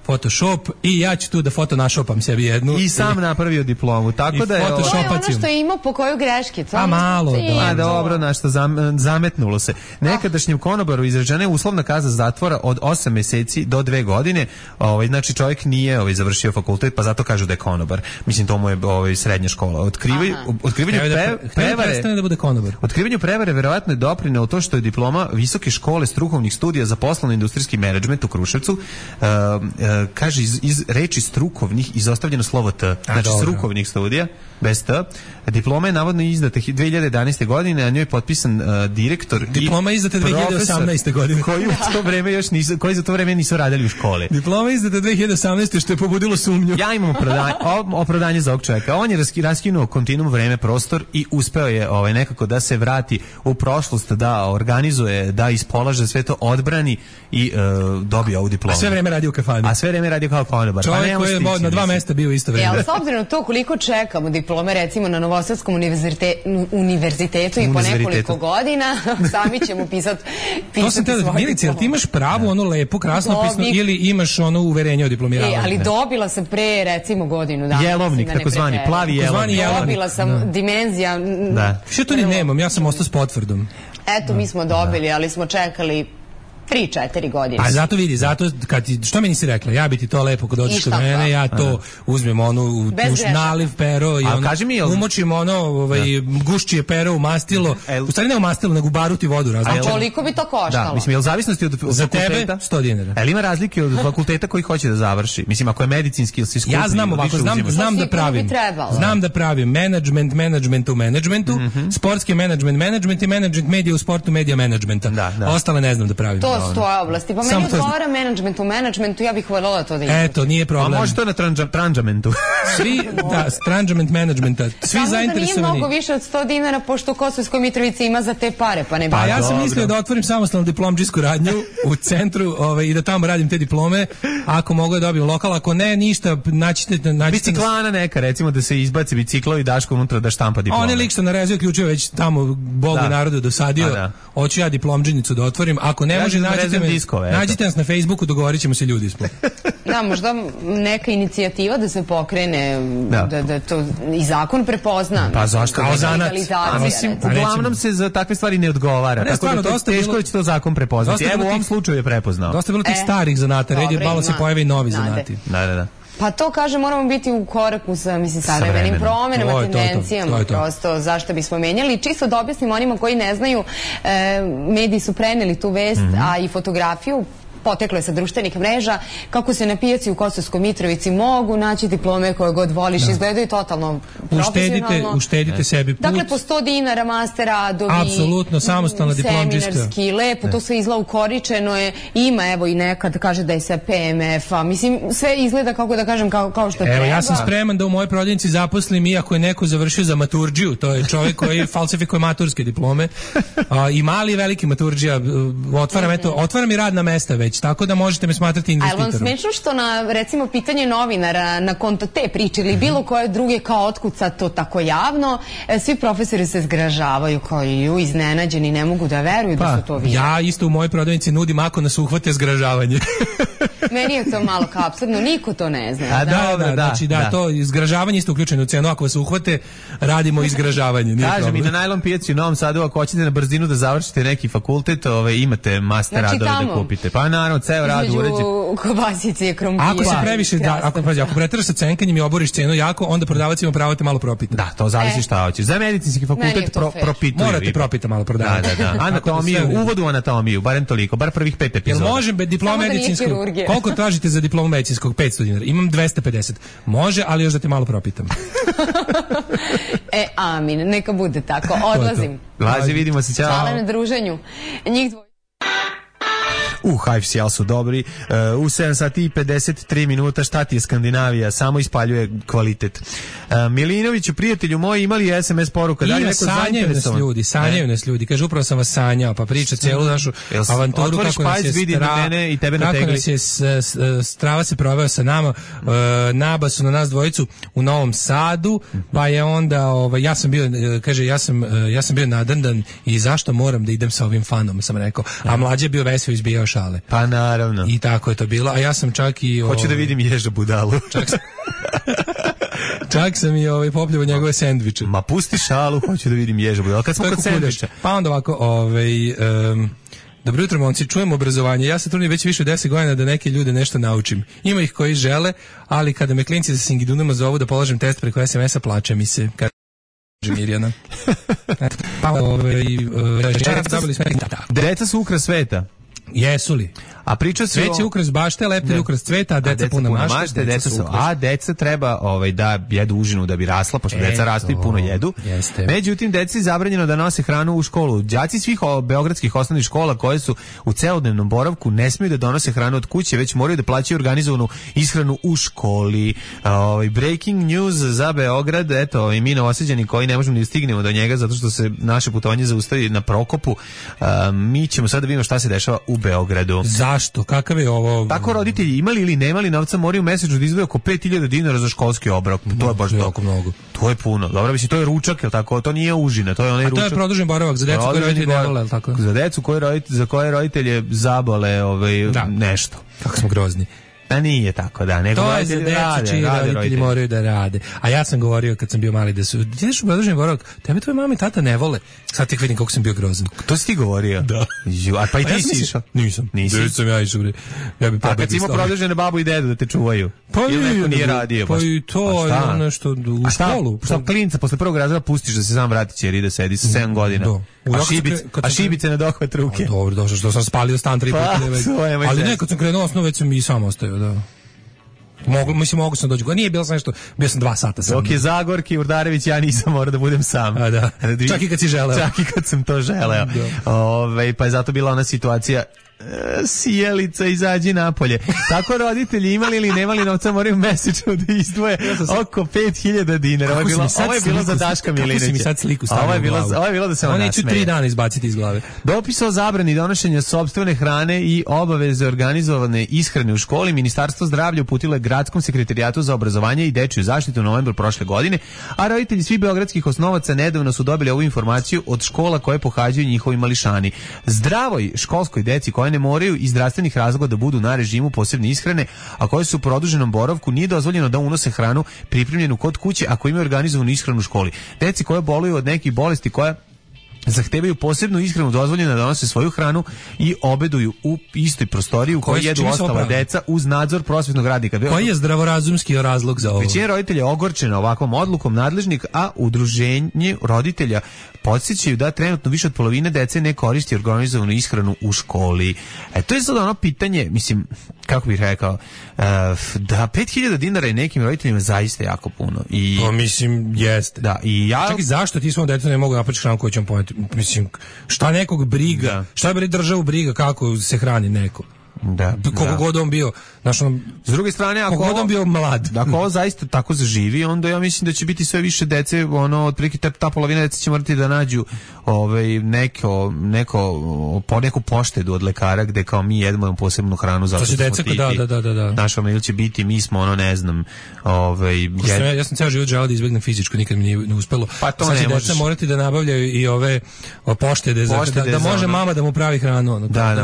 Photoshop, i ja ću tu da fotonašopam sebi jednu. I sam napravio diplomu, tako da je... To je ono što je imao po koju greški. A malo, da. Dobro, nešto zametnulo se. Nekadašnjem konobaru izrečena je uslovna kazna zatvora od 8 meseci do 2 godine. Znači čovjek nije završio fakultet, pa zato kažu da je konobar. Mislim, to mu je srednja škola. Otkrivanju prevare verovatno je doprinelo to što je diploma Visoke škole strukovnih studija za poslovno-industrijski menadžment u Kruševcu, kaže iz reči strukovnih izostavljeno slovo T. Znači strukovnih studija, bez T. Diploma je navodno izdata 2011. godine, a njoj je potpisan direktor. Diploma je izdata 2018. godine. Koji za to vreme nisu radili u školi. Diploma je izdata 2018. što je pobudilo sumnju. Ja imam opravdanje za ovog čovjeka. On je raskinuo kontinuum vreme, prostor i uspeo je nekako da se vrati u prošlost, da organizuje, da ispolaže sve to, odbrani i dobio ovu diplomu. A sve vreme radio u kafani. A sve vreme radio kao konobar. Čovjek koji je na 2 mesta bio isto vreme. Ali s obzirom na to koliko čekamo diplome, recimo na Novosadskom univerzitetu i po nekoliko godina, sami ćemo pisati svoje diplome. Milice, jel ti imaš pravu, lepo, krasnopisno, ili imaš uverenje o diplomiravanju? Ali dobila sam pre, recimo, godinu dana. Jelovnik, takozvani, plavi jelovnik. Dobila sam dimenzija. Što to ni nemam, ja sam ostao s potvrdom. Eto, mi smo dobili, ali smo čekali 3-4 godine. A zato vidi, što mi nisi rekla, ja bi ti to lepo kad dođeš kod mene, ja to uzmem naliv pero i umočim gušćije pero u mastilo, u stvari ne u mastilo, nego u baruti vodu. A koliko bi to koštalo? Da, mislim, je li zavisnosti od fakulteta? Za tebe 100 dinara. Ali ima razlike od fakulteta koji hoće da završi? Mislim, ako je medicinski ili si skupi, ja znam ovako, znam da pravim menadžment u menadžmentu, sportski menadžment i menadžment medija u sportu, medija menadžmenta. Ostale ne znam da pravim. To stoje oblasti. Pa meni odgovara menadžment u menadžmentu, ja bih voljela to da imam. Eto, nije problem. A može to na tranđamentu. tranđament menadžmenta. Svi zainteresovani. Samo da nije mnogo više od 100 dinara, pošto u Kosovskoj Mitrovici ima za te pare, pa ne. Pa ja sam mislio da otvorim samostalnu diplomdžijsku radnju u centru i da tamo radim te diplome. Ako mogu da dobijem lokal, ako ne, ništa, naćite... Biciklana neka, recimo da se izbaci biciklo i Daško unutra da štampa diplome. On je lik što narezio ključeve već tamo Bogu i narodu dosadio. Hoću ja diplomdžinicu da otvorim. Ako ne može, nađite nas na Facebooku, dogovorit ćemo se, ljudi smo. Da, možda neka inicijativa da se pokrene, da to i zakon prepozna. Pa zašto? Kao zanat. Uglavnom se za takve stvari ne odgovara. Tako da to teško da će to zakon prepoznati. Evo u ovom slučaju je prepoznao. Dosta je bilo tih starih zanata, red je malo se pojave i novi zanati. Da. Pa to, kaže, moramo biti u koraku sa savremenim promenama, tendencijama, prosto zašto bismo menjali. Čisto da objasnim onima koji ne znaju, mediji su preneli tu vest, a i fotografiju, poteklo je sa društvenih mreža, kako se na pijaci u Kosovskoj Mitrovici mogu naći diplome koje god voliš, izgledaju totalno profesionalno. Uštedite sebi put. Dakle, po 100 dinara master radovi. Apsolutno, samostalna diplomđiska. Seminarski, lepo, to sve izgleda ukoričeno je. Ima, evo, i nekad kaže da je sa PMF-a. Mislim, sve izgleda, kako da kažem, kao što treba. Evo, ja sam spreman da u mojoj prodavnici zaposlim iako je neko završio za maturđiju. To je čovjek koji falsifikuje maturske diplome. I mali i veliki maturđija. Otvaram i radna mesta već, tako da možete me smatrati investitorom. Ali vam smešno što na, recimo, pitanje novinara na konto te priče ili bilo koje druge kao otkuca to tako javno, svi profesori se zgražavaju kao i iznenađeni, ne mogu da veruju da su to vidjeli. Ja isto u mojoj prodavnici nudim ako nas uhvate zgražavanje. Meni je to malo kao apsurdno, niko to ne zna. Znači to izgražavanje isto uključeno u cenu, ako vas uhvate, radimo izgražavanje. Kažem i na najlon pijaci u Novom Sadu, ako hoćete na brzinu da završite neki fakultet, imate master radove da kupite. Pa naravno, ceo rad uređen. Između kobasice i krompira. Ako se previše, ako preteraš sa cenkanjem i oboriš cenu jako, onda prodavac ima pravo te malo propita. Da, to zavisi šta hoćeš. Za medicinski fakultet propituju. Morate propita malo prodavac. Da. Anatomiju, uvod u anatomiju, barem toliko, bar prvih 5 epizoda. Jel može diploma medicinskog? Koliko tražite za diplomu medicinskog? 500 dinara. Imam 250. Može, ali još da te malo propitam. Amin, neka bude tako. Odlazim. Lazi, vidimo se, ćao. Hvala na druženju. Njih dvoje. HFCL su dobri. U 7 sati i 53 minuta, šta ti je Skandinavija? Samo ispaljuje kvalitet. Milinoviću, prijatelju moji, imali SMS poruka? Da li neko zainteresovan? Sanjaju nas ljudi. Kaže, upravo sam vas sanjao, pa priča cijelu našu avanturu kako nas je mene i tebe na tegli. Kako nas je Strava se proveo sa nama, Naba su na nas dvojicu u Novom Sadu, pa je onda, ja sam bio, kaže, ja sam bio nadrndan i zašto moram da idem sa ovim fanom, sam rekao. A mlađe je bio veseo, izbijao šale. Pa naravno. I tako je to bilo, a ja sam čak i... Hoću da vidim Ježa budalu. Čak sam i popljuvao njegove sendviče. Ma pusti šalu, hoću da vidim Ježa budalu. Kad smo kod sendviča. Pa onda ovako, dobro jutro, momci, čujem obrazovanje. Ja se trudim već više od 10 godina da neke ljude nešto naučim. Ima ih koji žele, ali kada me klinci sa Singidunama zovu da polažem test preko SMS-a, plače mi se. Mirjana. Deca su ukras sveta. Jesu li? A priča se Cvet je ukras bašte, leptir je ukras cveta, a deca puna mašte, deca treba da jedu užinu da bi rasla, pošto deca rastu i puno jedu. Jeste. Međutim, deci je zabranjeno da nose hranu u školu. Đaci svih beogradskih osnovnih škola koje su u celodnevnom boravku ne smiju da donose hranu od kuće, već moraju da plaćaju organizovanu ishranu u školi. Breaking news za Beograd, eto, i mi novosađani koji ne možemo ni stignemo do njega zato što se naše putovanje zaustavi na Prokopu. Mi ćemo sad da vidimo šta se dešava u Beogradu. Zašto? Kakav je ovo? Tako roditelji imali ili nemali novca moraju mesečno da izdvoje oko 5.000 dinara za školski obrok. To je baš jako mnogo. To je puno. Dobro, mislim, to je ručak, je tako? To nije užina, to je onaj ručak. A to je produžen boravak za decu koje roditelji ne vole, je tako? Za decu za koje roditelje zabole nešto. Kako smo grozni. Da nije tako, da. Nego to je za decu čiji roditelji moraju da rade. A ja sam govorio kad sam bio mali da su, ideš u produženi boravak, tebe tvoje mama i tata ne vole. Sad tek vidim kako sam bio grozan. To si ti govorio? Da. A pa i ti si išao? Nisam. Nisam ja išao. A kad si imao produžene babu i dedu da te čuvaju? Pa ili neko nije radio? Pa i to je ono što u školu. Šta klinca posle prvog razreda pustiš da se sam vrati jer ide sedi sa 7 godina? A šibice na dohvat ruke? Dobro, došao što sam spalio stan 3 puta. Ali ne, kad sam krenuo osnovu već sam i sam ostao, da. Mogu sam doći. Nije bilo sam nešto, bio sam 2 sata sam. Dok je Zagorki, Urdarević, ja nisam morao da budem sam. A da. Čak i kad si želeo. Čak i kad sam to želeo. Pa je zato bila ona situacija sjelica, izađi napolje. Tako roditelji imali ili nemali novca moraju mesečno da izdvoje oko 5.000 dinara. Ovo je bilo za Daška Milinovića. Kako si mi sad sliku stavio u glavu? Ovo je bilo da se ona nasmeje. Neću 3 dana izbaciti iz glave. Dopis o zabrani donošenja sopstvene hrane i obaveze organizovane ishrane u školi Ministarstvo zdravlja uputilo je Gradskom sekretarijatu za obrazovanje i dečiju zaštitu u novembru prošle godine, a roditelji svih beogradskih osnovaca nedavno su dobili ovu informaciju od škola koje pohađaju njihovi mališani. Zdravoj školskoj deci koje ne moraju iz zdravstvenih razloga da budu na režimu posebne ishrane, a koje su u produženom boravku, nije dozvoljeno da unose hranu pripremljenu kod kuće ako imaju organizovanu ishranu u školi. Deci koje boluju od nekih bolesti koja zahtevaju posebnu ishranu dozvoljeno da donose svoju hranu i obeduju u istoj prostoriji u kojoj jedu ostala deca uz nadzor prosvetnog radnika. Koji je zdravorazumski razlog za ovo? Većina roditelja je ogorčena ovakvom odlukom nadležnih, a udruženje roditelja podsjećaju da trenutno više od polovine dece ne koristi organizovanu ishranu u školi. To je sad ono pitanje, mislim, kako bih rekao, da 5000 dinara je nekim roditeljima zaista jako puno. Pa mislim, jeste. Da, i ja... Čekaj, zašto ti svom detetu ne mogu napraviti hranu koju ćemo poneti? Mislim, šta nekog briga? Šta bi državu briga kako se hrani neko? Da, koliko god on bio, znaš, on, s druge strane, ako on bio mlad, ako ovo zaista tako zaživi, onda ja mislim da će biti sve više dece, ono, otprilike ta polovina dece će morati da nađu neku poštedu od lekara gde kao mi jedemo posebnu hranu zato što smo titi. Da. Naša mail će biti, mi smo ono, ne znam, ja sam ceo život želeo da izbegnem fizičko, nikad mi nije uspelo. Pa to ne možeš. Deca morati da nabavljaju i ove poštede da može mama da mu pravi hranu, ono, da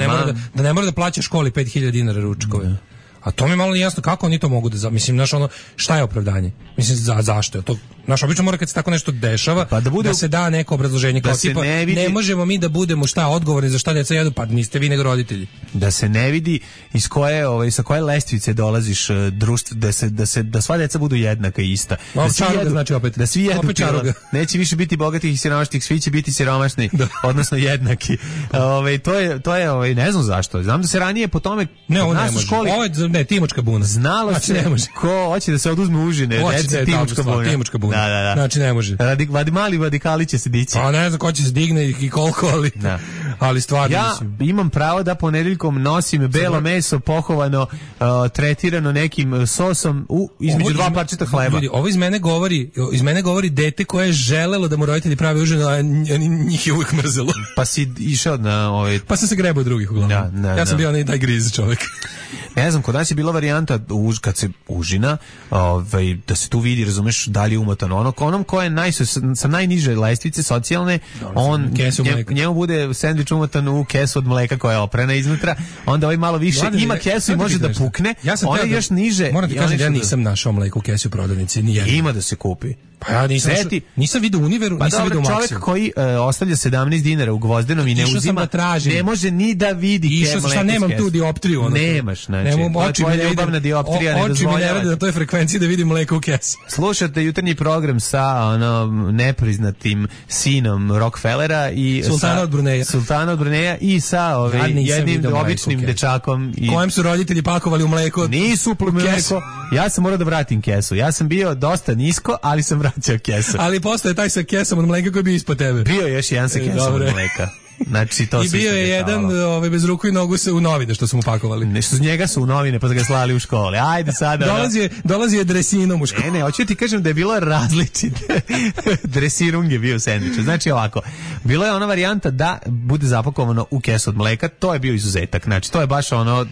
ne mora da plaća školi 5000 dinara ručkove. A to mi je malo nejasno kako oni to mogu da mislim, znaš, ono, šta je opravdanje? Mislim, zašto je to? Znaš, obično mora kad se tako nešto dešava, pa da se da neko obrazloženje, kao tipa, ne možemo mi da budemo odgovorni za šta deca jedu, pa niste vi nego roditelji. Da se ne vidi iz koje, sa koje lestvice dolaziš društvo, da sva deca budu jednaka i ista. Znači opet. Da svi jedu čaruga. Neće više biti bogatih i siromašnih, svi će biti siromašni, odnosno jednaki. To je, ne znam zašto. Znam da se ranije po tome u školi Timočka buna. Znalo se ko hoće da se oduzme užine, deci Timočka buna. Da. Znači ne može. Mali radikali će se dići. A ne znam ko će se digne i koliko, ali stvarno mislim. Ja imam pravo da ponedeljkom nosim belo meso pohovano, tretirano nekim sosom između dva parčeta hleba. Ljudi, ovo iz mene govori dete koje je želelo da mu roditelji prave užinu, a njih je uvijek mrzelo. Pa si išao na Pa sam se grebao drugih uglavnom. Ja sam bio onaj taj griz čovjek. Ne znam, kod nas je bila varijanta kad se užina, da se tu vidi, razumeš, da li je umotano. Onom ko je sa najniže lestvice socijalne, njemu bude sendvič umotan u kesu od mleka koja je oprana iznutra, onda ovaj malo više ima kesu i može da pukne, ona je još niže. Moram ti kažem da ja nisam našao mleko u kesu u prodavnici, nijedno. Ima da se kupi. Pa ja nisam vidio Univeru, nisam vidio Maximu. Čovjek koji ostavlja 17 dinara u Gvozdenom i ne uzima, ne može ni da vidi mleko. Šta nemam tu dioptriju? Nemaš, znači. Tvoja ljubavna dioptrija ne dozvoljava. Oči mi ne rade na toj frekvenciji da vidim mleko u kesu. Slušate jutarnji program sa nepriznatim sinom Rockefellera i Sultana od Bruneja i sa jednim običnim dečakom. Kojem su roditelji pakovali u mleko? Nisu mleko. Ja sam morao da vratim kesu. Ja sam bio dosta nisko, ali sam vraćao kesu. Ali postoje taj sa kesom od mleka koji je bio ispod tebe. Bio još jedan sa kesom od mleka. Znači, to i bio je jedan bez ruku i nogu se u novine što su mu pakovali. Nešto z njega su u novine pa su ga slali u škole. Ajde sada. Dolazi je dresinom u školu. Ne, hoću ti kažem da je bilo različite. Dresirung je bio u sendviču. Znači ovako, bilo je ona varijanta da bude zapakovano u kesu od mleka, to je bio izuzetak. Znači, to je baš ono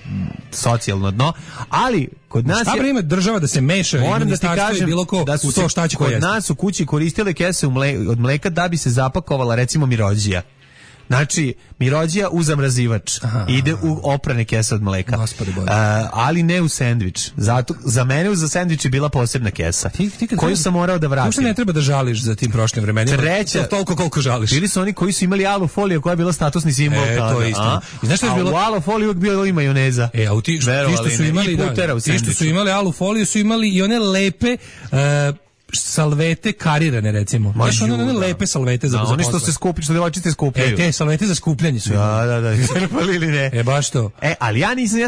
socijalno dno, ali kod nas šta ima država da se meša i ministarstvo i bilo ko da su to šta će kod nas u kući koristile kese od mleka da bi se zapakovala recimo mirođija. Znači, mirođija u zamrazivač ide u oprane kese od mleka, ali ne u sendvič. Zato za mene za sendvič je bila posebna kesa koju sam morao da vratim. Možda ne treba da žališ za tim prošlim vremenima. Toliko koliko žališ. Bili su oni koji su imali alu foliju koja je bila statusni simbol. To je isto. I znaš što je bilo? U alu foliju uvijek bio i majoneza. A ti što su imali, ti što su imali alu foliju su imali i one lepe salvete karirane, recimo. Znaš, one lepe salvete za oni što se skupljaju, što devojčice skupljaju. Te salvete za skupljanje su. Da. Crpali ili ne? Baš to. Ali ja nisam,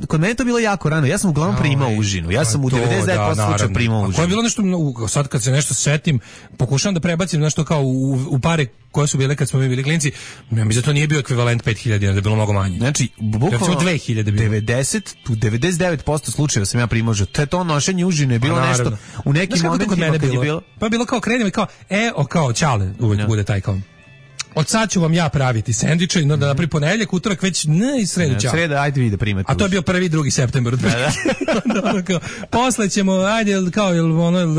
kod mene to bilo jako rano. Ja sam uglavnom primao užinu. Ja sam u 99% slučaja primao užinu. Ko je bilo nešto, sad kad se nešto setim, pokušavam da prebacim nešto kao u pare koje su bile kad smo mi bili klinci, ja mislim da to nije bio ekvivalent 5000 dinara, da je bilo mnogo manje. Znači, bukvalno 2000 bilo. 99% slučajeva sam ja primao užinu. To nošenje užine je bilo nešto u nekim momentima kad je bilo. Pa je bilo kao krenem i kao čale uvijek bude taj kao. Od sad ću vam ja praviti sendviče i da napravi ponedeljak, utorak već i sredu ćao. Sreda, ajde vi da primate. A to je bio 1. 2. septembar. Posle ćemo, ajde, kao,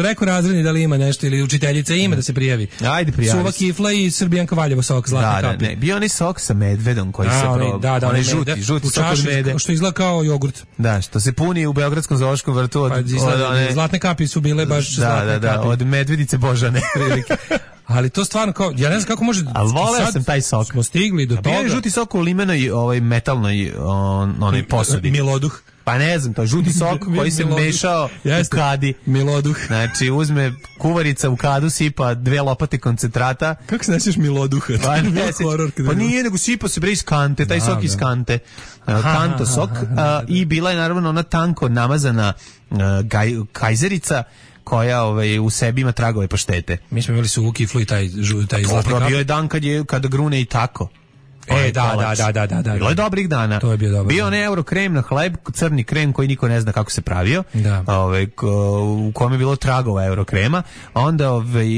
rekao razredni da li ima nešto, ili učiteljica ima da se prijavi. Ajde, prijavi. Suva kifla i Srbijanka Valjevo sok, zlatne kapi. Bio onaj sok sa medvedom koji se onaj žuti sok od mede. Što izgleda kao jogurt. Da, što se puni u Beogradskom zoološkom vrtu od zlatne kapi su bile baš zlatne kapi. Da, od medvedice Božane. Ali to stvarno kao, ja ne znam kako može... Ali voleo sam taj sok. Smo stigli do toga. Bio je žuti sok u limenoj metalnoj onoj posudi. Miloduh. Pa ne znam, to je žuti sok koji se mešao u kadi. Miloduh. Znači, uzme kuvarica u kadu, sipa 2 lopate koncentrata. Kako se nećeš Miloduha? Pa nije, nego sipa se bre iz kante, taj sok iz kante. Kanto sok. I bila je naravno ona tanko namazana kajzerica koja u sebi ima tragove paštete. Mi smo imali suvu kiflu i taj zlatni kap. Bio je dan kada grune i tako. Da. Bilo je dobrih dana. To je bio dobar. Bio onaj eurokrem na hleb, crni krem koji niko ne zna kako se pravio. Da. U kome je bilo tragova eurokrema. Onda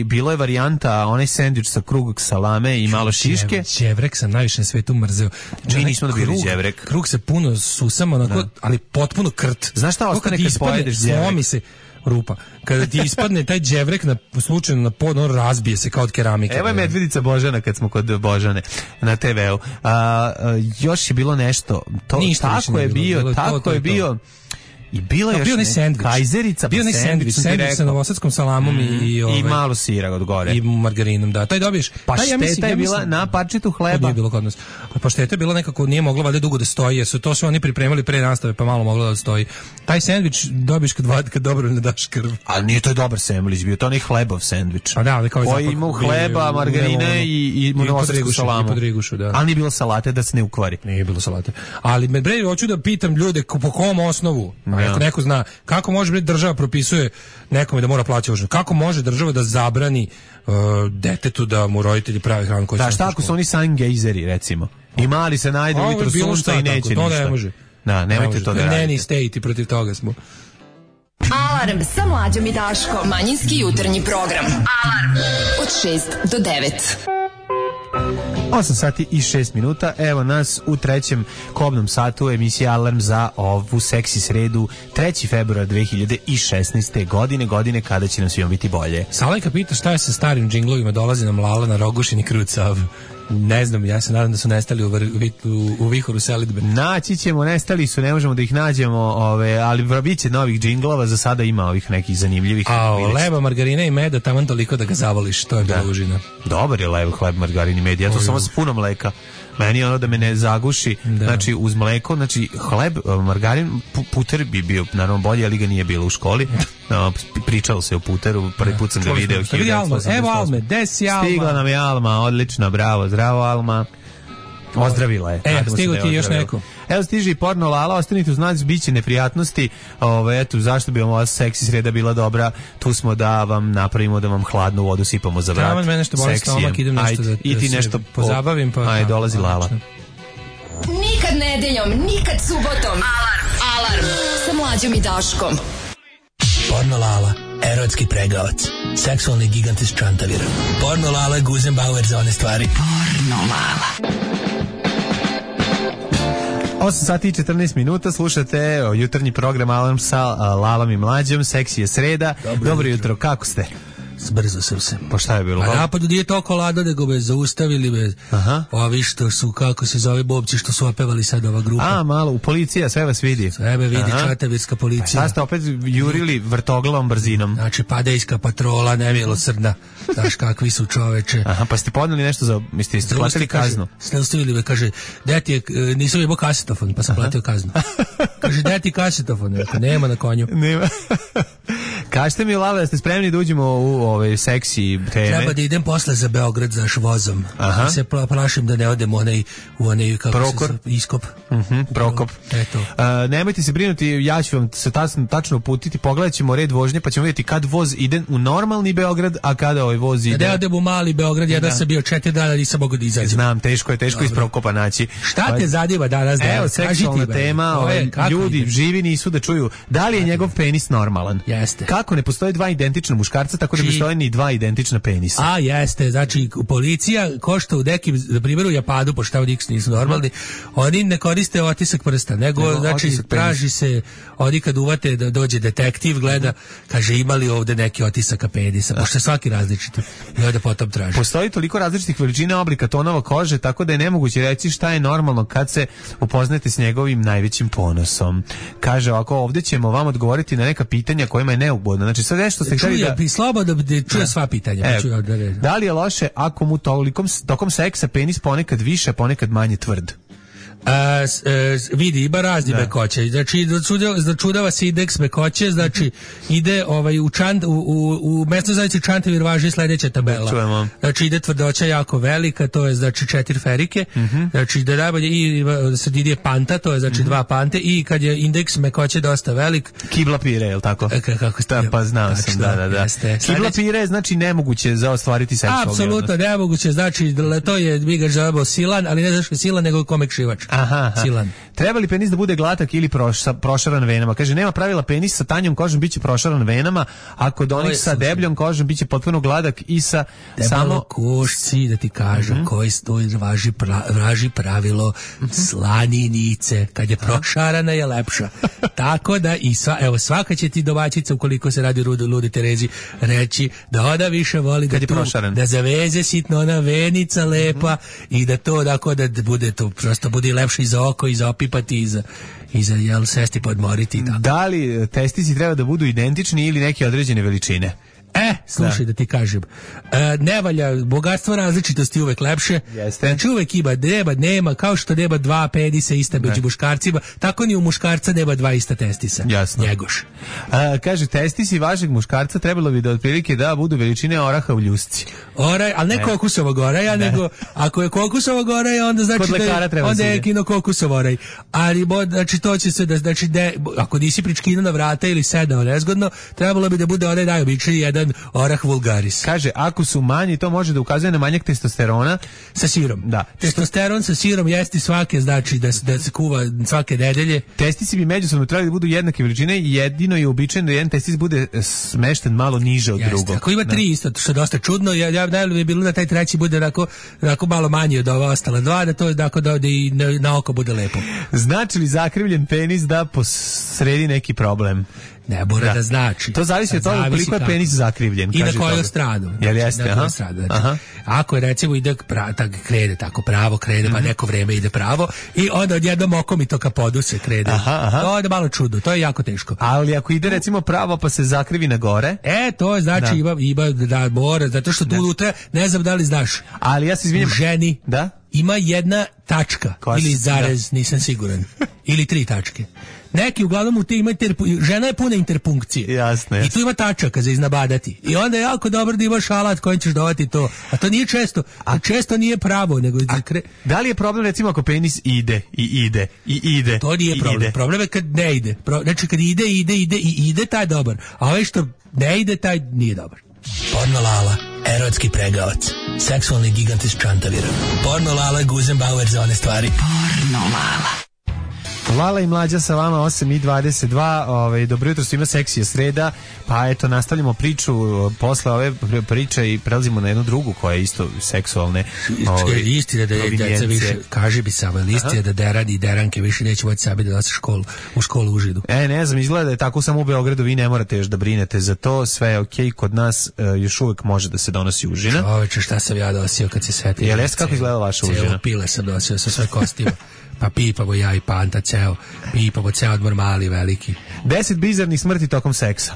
bilo je varijanta onaj sendvič sa krug salame i malo šiške. Đevrek sam najviše na svetu mrzeo. Mi nismo dobili đevrek. Krug se puno susama, onako, ali potpuno krt. Znaš šta ostane kad pojedeš đevrek? Slomi se rupa. Kada ti ispadne taj đevrek slučajno na pod, on razbije se kao od keramike. Evo je medvedica Božana kad smo kod Božane na TV-u. Još je bilo nešto. Tako je bio. I bilo je još kajzerica, bio ne sendvič sa novosadskom salamom i malo sira od gore i margarinom, da. Taj dobiješ. Pašteta je bila na parčetu hleba. To nije bilo kod nas. Pašteta je bila nekako, nije mogla valjda dugo da stoji, jer su to sve oni pripremali pre nastave, pa malo mogla da stoji. Taj sendvič dobiješ kad dobro ne daš krv. Ali nije to dobar sendvič, bio to onaj hlebov sendvič. A da, koji ima hleba, margarine i novosadsku salamu. Ali nije bilo salate da se ne ukvari. Nije bilo salate. Ali bre, hoću da pitam ljude po kom osnovu. Ako neko zna, kako može država propisuje nekome da mora plaćati užinu? Kako može država da zabrani detetu da mu roditelji prave hranu koju će... Da, šta ako su oni sangejzeri, recimo? I mali se najde ujutro sunca i neće ništa. To ne može. Da, nemojte to da radite. Neni state i protiv toga smo. Alarm sa Mlađom i Daškom. Manjinski jutarnji program. Alarm od 6 do 9. 8 sati i 6 minuta, evo nas u trećem kobnom satu emisije Alarm za ovu seksi sredu 3. februara 2016. godine kada će nam svima biti bolje. Salajka pita šta je sa starim džinglovima, dolazi nam Lala na Rogušin i Krucav. Ne znam, ja se nadam da su nestali u vihoru selidbe. Naći ćemo, nestali su, ne možemo da ih nađemo, ali bit će novih džinglova, za sada ima ovih nekih zanimljivih. Leba, margarina i meda, taman toliko da ga zavoliš, to je bila užina. Dobar je leb, hleb, margarin i med, ja to samo s puno mleka. Meni je ono da me ne zaguši, znači uz mleko, znači hleb, margarin, puter bi bio naravno bolje, ali ga nije bilo u školi. Pričalo se o puteru, prvi put sam ga video. Evo Alme, desi Alma. Stigla nam je Alma, odlično, bravo, zdravo Alma. Ozdravila je. Stigo ti još neko. Evo stiže i porno Lala, ostanite uz nas, bit će neprijatnosti. Eto, zašto bi vam ova seksi sreda bila dobra? Tu smo da vam napravimo, da vam hladnu vodu sipamo za vrat. Tamo mene nešto boli stomak, idem nešto da i ti nešto pozabavim. Ajde, dolazi Lala. Nikad nedeljom, nikad subotom. Alarm sa Mlađom i Daškom. Porno Lala, erotski pregavac, seksualni gigant iz Čantavira. Porno Lala, Guzenbauer za one stvari. Porno Lala. 8 sati i 14 minuta, slušate jutarnji program Alarm sa Lalom i Mlađom, seksi je sreda. Dobro jutro, kako ste? Brzo sam se. Pa šta je bilo? A napadu nije toliko lado, nego me zaustavili me. Ovi što su, kako se zove, bobci što su opevali sad ova grupa. A, malo, u policija, sve vas vidi. Sve me vidi, čatavirska policija. Sad ste opet jurili vrtoglavom brzinom. Znači, padejska patrola, nemilosrdna. Znaš kakvi su čoveče. Aha, pa ste podneli nešto za, ste platili kaznu? Zaustavili me, kaže, deti je, nisam imao kasetofon, pa sam platio kaznu. Kaže, deti kasetofon, nema na konju. Nema. Kažete mi, Lala, da ste spremni da uđemo u ove seksi teme? Treba da idem posle za Beograd za vozom. Se plašim da ne odem u onaj kako Prokor. se iskop. Prokop. Eto. Nemojte se brinuti, ja ću vam se tačno uputiti, pogledat ćemo red vožnje, pa ćemo vidjeti kad voz ide u normalni Beograd, a kada ovaj voz ide... Da odem u mali Beograd, ja da sam bio 4 dana, nisam mogao da izađem. Znam, teško je iz Prokopa naći. Šta te zadiva danas? Evo, seksualna tema, ljudi živi nisu da čuju da li je njegov penis normalan. Jeste. Kako ne postoje dva identična muškarca, tako ne postoje ni dva identična penisa. A jeste, znači policija košta u nekim, na primjer u Japanu, pošto tamo nisu normalni, oni ne koriste otisak prsta, nego znači traži se, oni kad uvate da dođe detektiv, gleda, kaže imali ovde neki otisaka penisa, pošto je svaki različit i onda potom traži. Postoji toliko različitih veličina, oblika, tonova kože, tako da je nemoguće reći šta je normalno kad se upoznate s njegovim najvećim ponosom. Kaže ovako, ovdje ćemo vam odgovoriti na neka pitanja kojima je slobodno. Znači sve nešto ste hteli da slobodno da čuje sva pitanja. Da li je loše ako mu tokom seksa penis ponekad više, ponekad manje tvrd? Vidi, ima razni mekoće. Znači, začudava se indeks mekoće, znači, ide u mesnoj zajednici Čantavir važi sledeća tabela. Čujemo. Znači, ide tvrdoća jako velika, to je, znači, 4 ferike, znači, da najbolje, i sredini je panta, to je, znači, 2 pante, i kad je indeks mekoće dosta velik... Kibla pire, je li tako? Kako ste? Pa znao sam, da. Kibla pire je, znači, nemoguće za ostvariti seksualni odnos. Apsolutno nemoguće, znači, to je, mi ga želimo silan, ali ne zašto silan, nego komekšivač. Aha. Silan. Treba li penis da bude glatak ili prošaran venama? Kaže, nema pravila, penis sa tanjom kožom biće prošaran venama, a kod onih sa debljom kožom biće potpuno gladak i sa samo... košci, da ti kažem, koji stoji važi pravilo slaninice. Kad je prošarana je lepša. Tako da i svaka će ti domaćica, ukoliko se radi o Ludi Terezi, reći da ona više voli da zaveze sitno ona venica lepa i da to da bude to prosto bude lepše i za oko i za opipati i za jel sesti podmoriti. Tako. Da li testisi treba da budu identični ili neke određene veličine? Slušaj da ti kažem, ne valja, bogatstvo različitosti uvek lepše. Jeste. Znači uvek nema, kao što nema 2 penisa ista među muškarcima, tako ni u muškarca nema 2 ista testisa. Jasno. Njegoš. Kaže, testisi vašeg muškarca trebalo bi da otprilike da budu veličine oraha u ljusci. Ali ne kokusovog oraja, nego ako je kokusovog oraja, onda znači onda je kinokokusov oraj. Ali znači to će se znači ako nisi pričkino na vrata ili sedao nezgodno, trebalo bi da bude onaj najobičniji jedan orah vulgaris. Kaže, ako su manji, to može da ukazuje na manjak testosterona sa sirom. Da. Testosteron sa sirom jesti svake, znači da se kuva svake nedelje. Testisi bi međusobno trebali da budu jednake veličine i jedino je uobičajeno da jedan testis bude smešten malo niže od drugog. Ako ima 3 isto, što je dosta čudno, ja najbolje bi bilo da taj treći bude onako malo manji od ova ostala 2, da to tako da i na oko bude lepo. Znači li zakrivljen penis da posredi neki problem? Ne mora da znači. To zavisi od toga koliko je penis zakrivljen. I na koju stranu. Jel jeste? Znači, ako je recimo ide krene tako pravo, pa neko vreme ide pravo i onda odjednom okom i to ka podu se krene. To je malo čudno, to je jako teško. Ali ako ide recimo pravo pa se zakrivi na gore? To je znači ima da mora, zato što tu unutra, ne znam da li znaš. Ali ja se izvinjam. U ženi ima jedna tačka ili zarez, nisam siguran. Ili 3 tačke. Neki uglavnom u te ima žena je puna interpunkcije. Jasne. I tu ima tačaka za iznabadati. I onda je jako dobro da imaš alat kojim ćeš dovati to. A to nije često. A često nije pravo, nego da li je problem recimo ako penis ide i ide? To nije problem. Problem je kad ne ide. Znači kad ide, taj je dobar. A ovaj što ne ide, taj nije dobar. Porno Lala, erotski pregavac, seksualni gigant iz Čantavira. Porno Lala, Guzenbauer za one stvari. Porno Lala. Lala i Mlađa sa vama 8:22, dobro jutro, svima, seksija sreda, pa eto nastavljamo priču posle ove priče i prelazimo na jednu drugu koja je isto seksualne. Istina da je djeca više, kaži bi samo, istina da derani i deranke više neće moći sami da nose u školu u Židu. Ne znam, izgleda da je tako samo u Beogradu, vi ne morate još da brinete za to, sve je okej, kod nas još uvek može da se donosi užina. Čoveče, šta sam ja nosio kad se setio? Jel jeste kako izgleda vaša užina? Cijelo pile sam nosio sa sve kostima. Pa pipamo ja i Panta ceo, pipamo ceo odmor mali, veliki. 10 bizarnih smrti tokom seksa.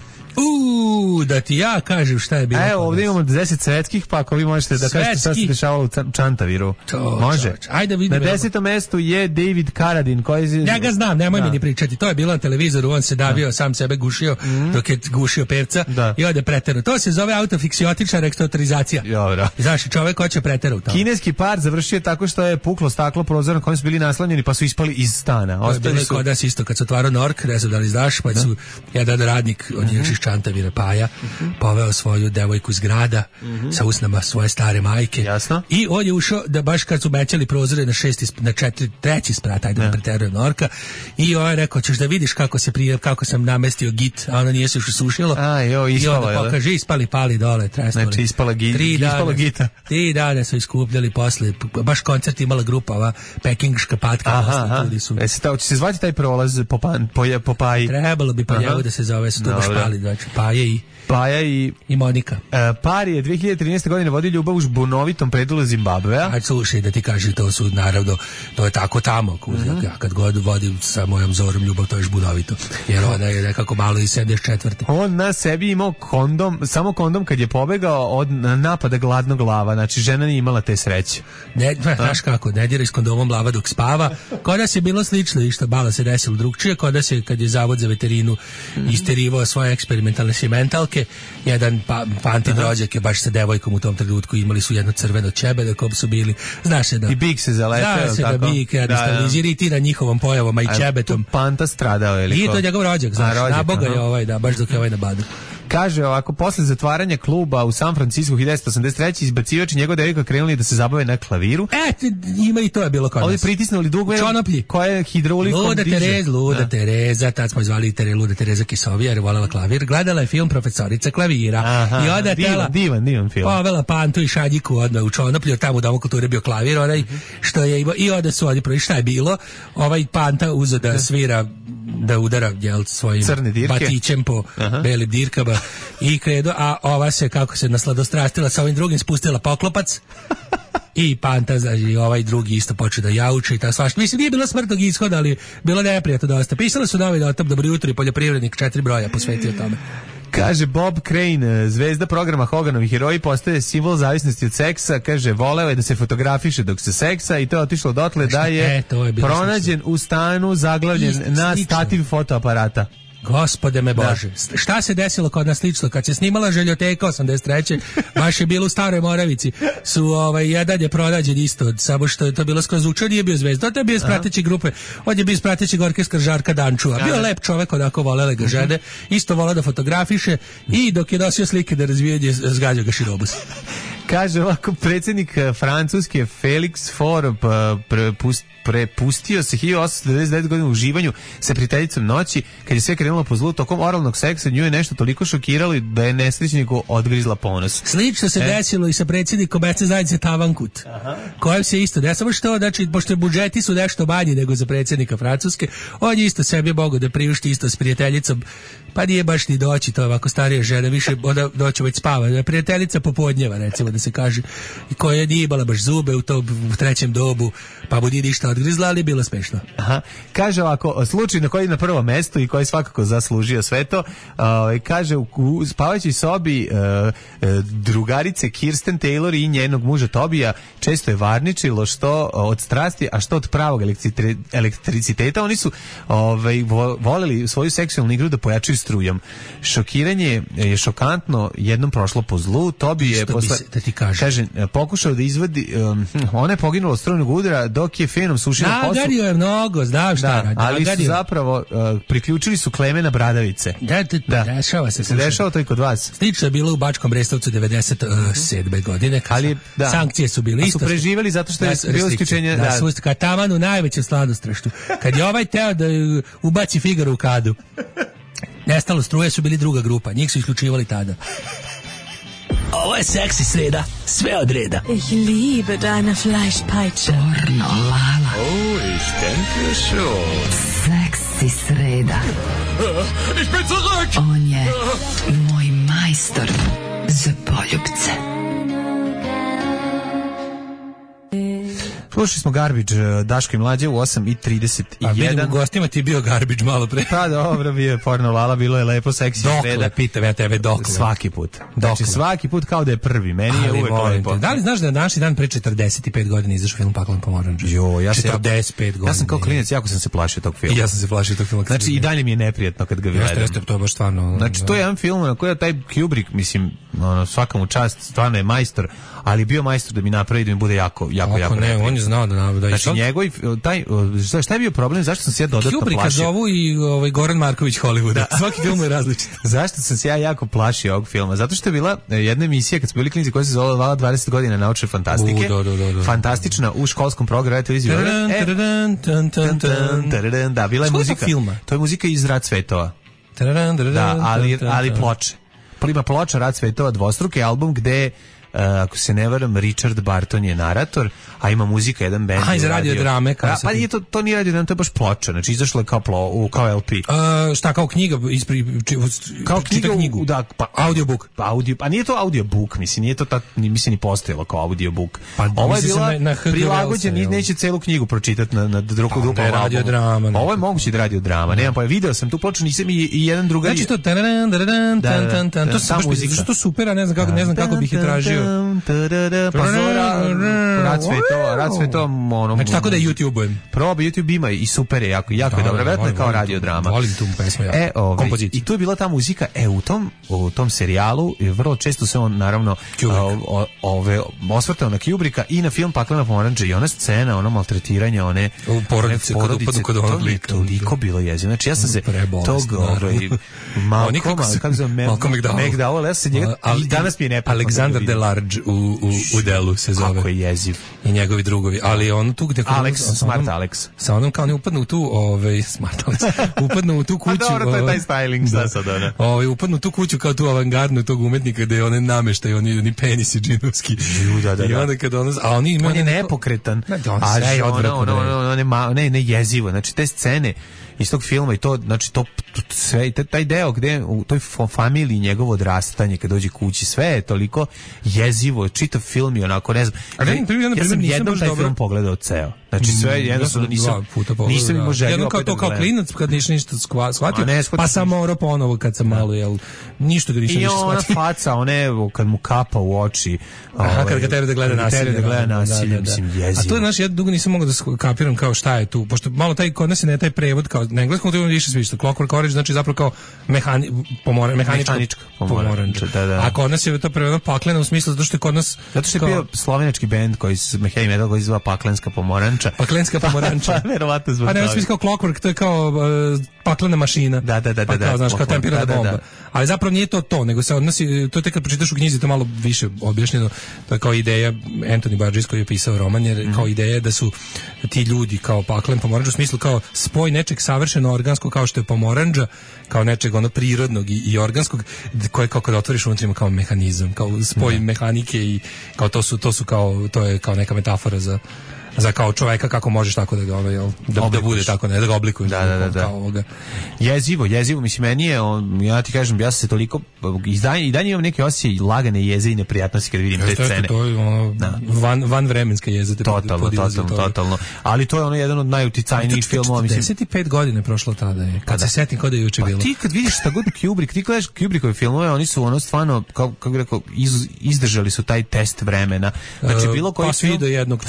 Da ti ja kažem šta je bilo. Evo, ovdje imamo 10 svetskih, pa ako vi možete da kažete šta se dešavalo u Čantaviru. Može. Ajde vidimo. Na 10. mestu je David Carradine. Ja ga znam, nemoj mi ni pričati. To je bilo na televizoru, on se davio, sam sebe gušio, dok je gušio perca i ode preterao. To se zove autofiksiotična rektotorizacija. Dobro. Znaš, čovek hoće preterao. Kineski par završio tako što je puklo staklo prozora na kojem su bili naslanjeni, pa su ispali iz stana. Ostali su kod nas isto, kad se otvarao Nork, ne znam da li znaš, pa su jedan radnik od njih Čantavira Paja poveo svoju devojku iz grada sa usnama svoje stare majke. Jasno. I on je ušao da baš kad su mećali prozore na treći sprat, ajde da preterujem Norka, i on je rekao, ćeš da vidiš kako sam namestio git, a ono nije se još usušilo. I onda pokaže, ispali pali dole, tresnuli. Znači ispala gita. 3 dana su iskupljali posle, baš koncert imala grupa, ova pekingška patka. Će se zvati taj prolaz po Paji? Trebalo bi po njegu da se zove, su tu baš pali, znači Paje Paja i Monika. Par je 2013. godine vodio ljubav u žbunovitom predelu Zimbabvea. Aj, slušaj, da ti kažem, to su naravno, to je tako tamo. Ja kad god vodim sa mojom Zorom ljubav, to je žbunovito. Jer ona je nekako malo iz 74. On na sebi imao samo kondom kad je pobegao od napada gladnog lava. Znači, žena nije imala te sreće. Znaš kako, ne dira s kondomom lava dok spava. Kod nas je bilo slično i što bala se desilo drugčije. Kod nas je, kad je Zavod za veterinu isterivao svoje eksperimentalne sjementalke, jedan Pantin rođak je baš sa devojkom u tom trenutku, imali su jedno crveno ćebe na kom su bili. Znaš se da... I bik se zalepeo. Zna se da bik iritira njihovom pojavom, a i ćebetom. Panta stradao je. I to je njegov rođak, znaš. Na Boga je baš dok je na badu. Kaže ovako, posle zatvaranja kluba u San Francisco 1983. izbacivač i njegov devojka krenuli da se zabave na klaviru. Ima i to je bilo kod nas. Ovdje pritisnuli dugme. Čonoplji. Koja je hidraulikom Luda Tereza, tad smo zvali Luda Tereza Kisovija, jer je voljela klavir. Gledala je film Profesorica klavira. Aha, i onda divan film. Povela Pantu i Šadjiku odmah u Čonoplju, tamo u Domu kulture bio klavir, onaj što je imao, i onda su oni prvi, šta je bilo? Ovaj Panta uzeo da svira, da udara svojim batićem po belim dirkama i kredo, a ova se, kako se nasladostrastila sa ovim drugim, spustila poklopac i Panta, i ovaj drugi isto počeo da jauče i ta svašta. Mislim, nije bilo smrtnog ishoda, ali bilo neprijatno dosta. Pisala su novi dotop, dobro jutro i poljoprivrednik, 4 broja posvetio tome. Kaže Bob Crane, zvezda programa Hoganovi heroji, postaje simbol zavisnosti od seksa. Kaže, voleo je da se fotografiše dok se seksa i to je otišlo dotle da je pronađen u stanu zaglavljen na stativ fotoaparata. Gospode me Bože, šta se desilo kod nas slično? Kad se snimala Željoteka 83. baš je bilo u Staroj Moravici, su jedan je pronađen isto, samo što je to bilo skroz učer, nije bio zvezda, to je bio iz prateće grupe, on je bio iz pratećeg orkestra Žarka Dančua, bio lep čovek, onako volele ga žene, isto volao da fotografiše i dok je nosio slike da razvijanje, zgađao ga širobus. Kaže ovako, predsjednik Francuske Felix Faure prepustio se 1899 godina u uživanju sa prijateljicom noći, kad je sve krenulo po zlu. Tokom oralnog seksa nju je nešto toliko šokiralo da je nesrećniku odgrizla ponos. Slično se desilo i sa predsjednikom mesne zajednice Tavankut, kojem se isto desilo, što, znači, pošto budžeti su nešto manji nego za predsjednika Francuske, on je isto sebi mogao da priušti isto s prijateljicom, pa nije baš ni doći, to je ovako starija žena, više onda doći već spava. Prijateljica popodnjeva, recimo da se kaže, koja nije imala baš zube u trećem dobu, pa mu nije ništa odgrizla, ali je bilo smešno. Aha. Kaže ovako, slučaj na koji je na prvo mesto i koji svakako zaslužio sve to, kaže u spavajućoj sobi drugarice Kirsten Taylor i njenog muža Tobija često je varničilo, što od strasti, a što od pravog elektriciteta. Oni su voleli svoju seksualnu igru da pojačaju strujom. Šokiranje je šokantno jednom prošlo po zlu. Tobi je posle, kaže, pokušao da izvadi, ona je poginula od strujnog udara dok je fenom sušila kosu. Nagario je mnogo, znam šta radi. Ali su zapravo priključili su Klemena bradavice. Dešava se. Se dešava to i kod vas? Slično je bilo u Bačkom Brestovcu 97. godine. Sankcije su bile isto. A su preživjeli zato što je bilo isključenje. Kad taman u najvećem sladostraštu. Kad je ovaj teo da ubaci Figaro u kadu, nestalo struje, su bili druga grupa. Njih su isključivali tada. Ovo je seksi sreda, sve od reda. Ich liebe deine Fleischpeitsche. Pornolala. Oh, ich denke schon. Seksi sreda. Ich bin zurück! On je moj majstor za poljubce. Slušali smo Garbage, Daško i Mlađe u 8:31. A vidim, u gostima ti je bio Garbage malo pre. Pa dobro, bio je porno lala, bilo je lepo, seksi sreda. Dokle, pitam ja tebe, dokle? Svaki put. Znači, svaki put kao da je prvi. Meni je uvek lepo. Da li znaš da je današnji dan pre 45 godina izašao film Paklan pomoranđe? Jo, ja 45 godina. Ja sam kao klinac, jako sam se plašio tog filma. I ja sam se plašio tog filma. Znači, i dalje mi je neprijatno kad ga gledam. Jeste, to je baš stvarno. Znači, to je jedan film na koji je taj Kubrick, mislim, svaka mu čast, stvarno je majstor, ali bio majstor da mi napravi da mi bude jako ne, on je znao da znači njegov taj šta je bio problem, zašto sam se ja dodatno plašio? Kubricka zovu i Goran Marković Hollywooda. Svaki film je različit. Zašto sam se ja jako plašio ovog filma? Zato što je bila jedna emisija kad smo bili klinici koja se zvala 20 godina naučne fantastike. Fantastična u školskom programu televizije. Da, bila je muzika. To je muzika iz Rat svetova. Da, ali ploče. Ima ploča Rat svetova, dvostruki album gde ako se ne varam, Richard Barton je narator, a ima muzika, jedan bend. Iz radio drame. Pa nije to nije radio drame, to je baš ploča, znači izašlo je kao LP. Šta, kao knjiga? Kao knjigu? Da, pa audiobook. Pa nije to audiobook, mislim, nije to mislim ni postojalo kao audiobook. Pa ovo je bila prilagođen, neće celu knjigu pročitati na drugu radio drama. Ovo je moguće da radio drama. Nemam pa video sam tu ploču, nisam i jedan drugar. Znači to to sa muzika, što super, a ne znam kako bih je tražio. Pa rad sve to ono. Znači tako da YouTube-ujem. Proba, YouTube ima i super je, jako je dobro, verovatno kao radio drama. Volim tu pesmu ja. I tu je bila ta muzika, u tom serijalu vrlo često se on naravno osvrtao na Kubricka i na film Paklena pomorandža i ona scena, ono maltretiranja, one porodice kod onog lika. Toliko bilo jezivo. Znači ja sam se tog Malcolm McDowell, ja sam njega i danas mi je neprijatno. Alexander Delarge u delu se zove. Kako je jeziv. I njegovi drugovi, ali on tu gde Smart Alex. Sa onom kao ne upadnu u tu, Smart Alex. Upadnu u tu kuću. A dobro, to je taj styling šta sad ona. Upadnu u tu kuću kao tu avangardnu tog umetnika gde one nameštaju, oni penisi džinovski. I onda kad on je nepokretan. A sve je odvratno. Ne jezivo. Znači te scene iz tog filma i to, znači to sve, taj deo gde u toj familiji njegovo odrastanje kad dođe kući, sve je toliko jezivo, čitav film i onako, ne znam. Ja sam jednom taj film pogledao ceo. Znači sve jednostavno nisam imao želju opet da gledam. Kao klinac kad ništa shvatio, pa sam morao ponovo kad sam malo, ništa ga više shvatio. I ona faca, kad mu kapa u oči. Kad ga tebe da gleda nasilje. Mislim, jezivo. A to je, znaš, ja dugo nisam mogao da kapiram kao šta je tu, pošto malo kod nas je ne taj prevod, kao na engleskom to je više svišta, Clockwork Orange, znači zapravo kao mehanička pomorandža. A kod nas je to prevod paklena u smislu, zato što je kod nas... Zato što je bio slovenački bend heavy metal koji se zva Paklenska pomoranča. Paklenska pomoranča. Verovatno zbog toga. A ne, smisli kao Clockwork, to je kao paklena mašina. Da. Pa kao, znaš, kao tempirana bomba. Ali zapravo nije to, nego se odnosi, to je kad pročitaš u knjizi, to malo više objašnjeno, to je kao ideja, Anthony Burgess koji je pisao roman, jer kao ideja da su ti ljudi kao paklen pomorandža, u smislu kao spoj nečeg savršeno organskog kao što je pomorandža, kao nečeg prirodnog i organskog, koje kao kad otvoriš unutra ima kao mehanizam, kao spoj mehanike i kao to su kao, to je kao neka metafora za kao čoveka kako možeš tako da ga da bude tako, ne da ga oblikuješ kao ovoga. Jezivo, mislim, meni je ja ti kažem, ja sam se toliko i dalje imam neki osjećaj lagane jeze i neprijatnosti kad vidim te scene. To je van vremenska jeza. Totalno. Ali to je jedan od najuticajnijih filmova, mislim. 45 godina je prošlo tada je. Kad se setim kao da je juče bilo. Ti kad vidiš šta god Kubrick, ti gledaš Kubrickove filmove, oni su stvarno kako bih rekao, izdržali su taj test vremena. Znači bilo koji svi do jednog.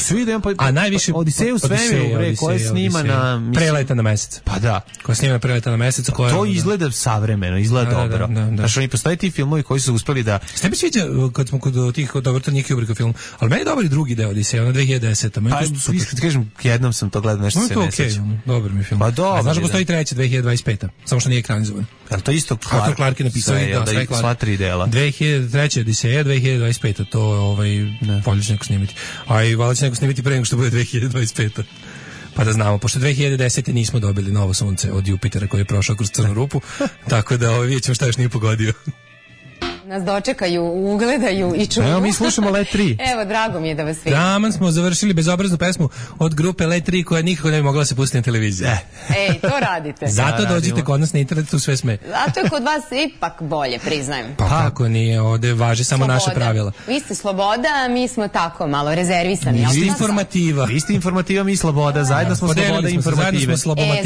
A najviše Odiseju u svemiru, koje snima na Preleta na mesec. Pa da, koja snima na Preleta na mesec, koja to izgleda savremeno, izgleda dobro. Znači oni postoje ti filmovi koji su uspeli da. Ste mi sviđa kad smo kod tih dobro to nije Kubrickov film, ali meni je dobar i drugi deo Odiseja na 2010. Pa iskreno kažem, jednom sam to gledao, nešto se ne sećam. Dobar mi film. Pa dobro. Znaš da postoji treći 2025. Samo što nije ekranizovan. Al to isto Clark je napisao sva tri dela. 2003. Odiseja, 2025. To polje će neko snimiti. A i valjda će neko snimiti pre nego što bude 2025. Pa da znamo, pošto 2010. nismo dobili novo sunce od Jupitera koji je prošao kroz crnu rupu, tako da vidjet ćemo šta još nije pogodio. Nas dočekaju, ugledaju i čuju. Evo mi slušamo Let 3. Evo, drago mi je da vas vidim. Taman smo završili bezobraznu pesmu od grupe Let 3 koja nikako ne bi mogla se pustiti na televiziji. Ej, to radite. Zato dođite kod nas na internet, tu sve sme. Zato je kod vas ipak bolje, priznajem. Pa kako nije, ovde važi samo naše pravila. Vi ste sloboda, a mi smo tako malo rezervisani. Vi ste informativa. Vi ste informativa, mi sloboda, zajedno smo sloboda i informative.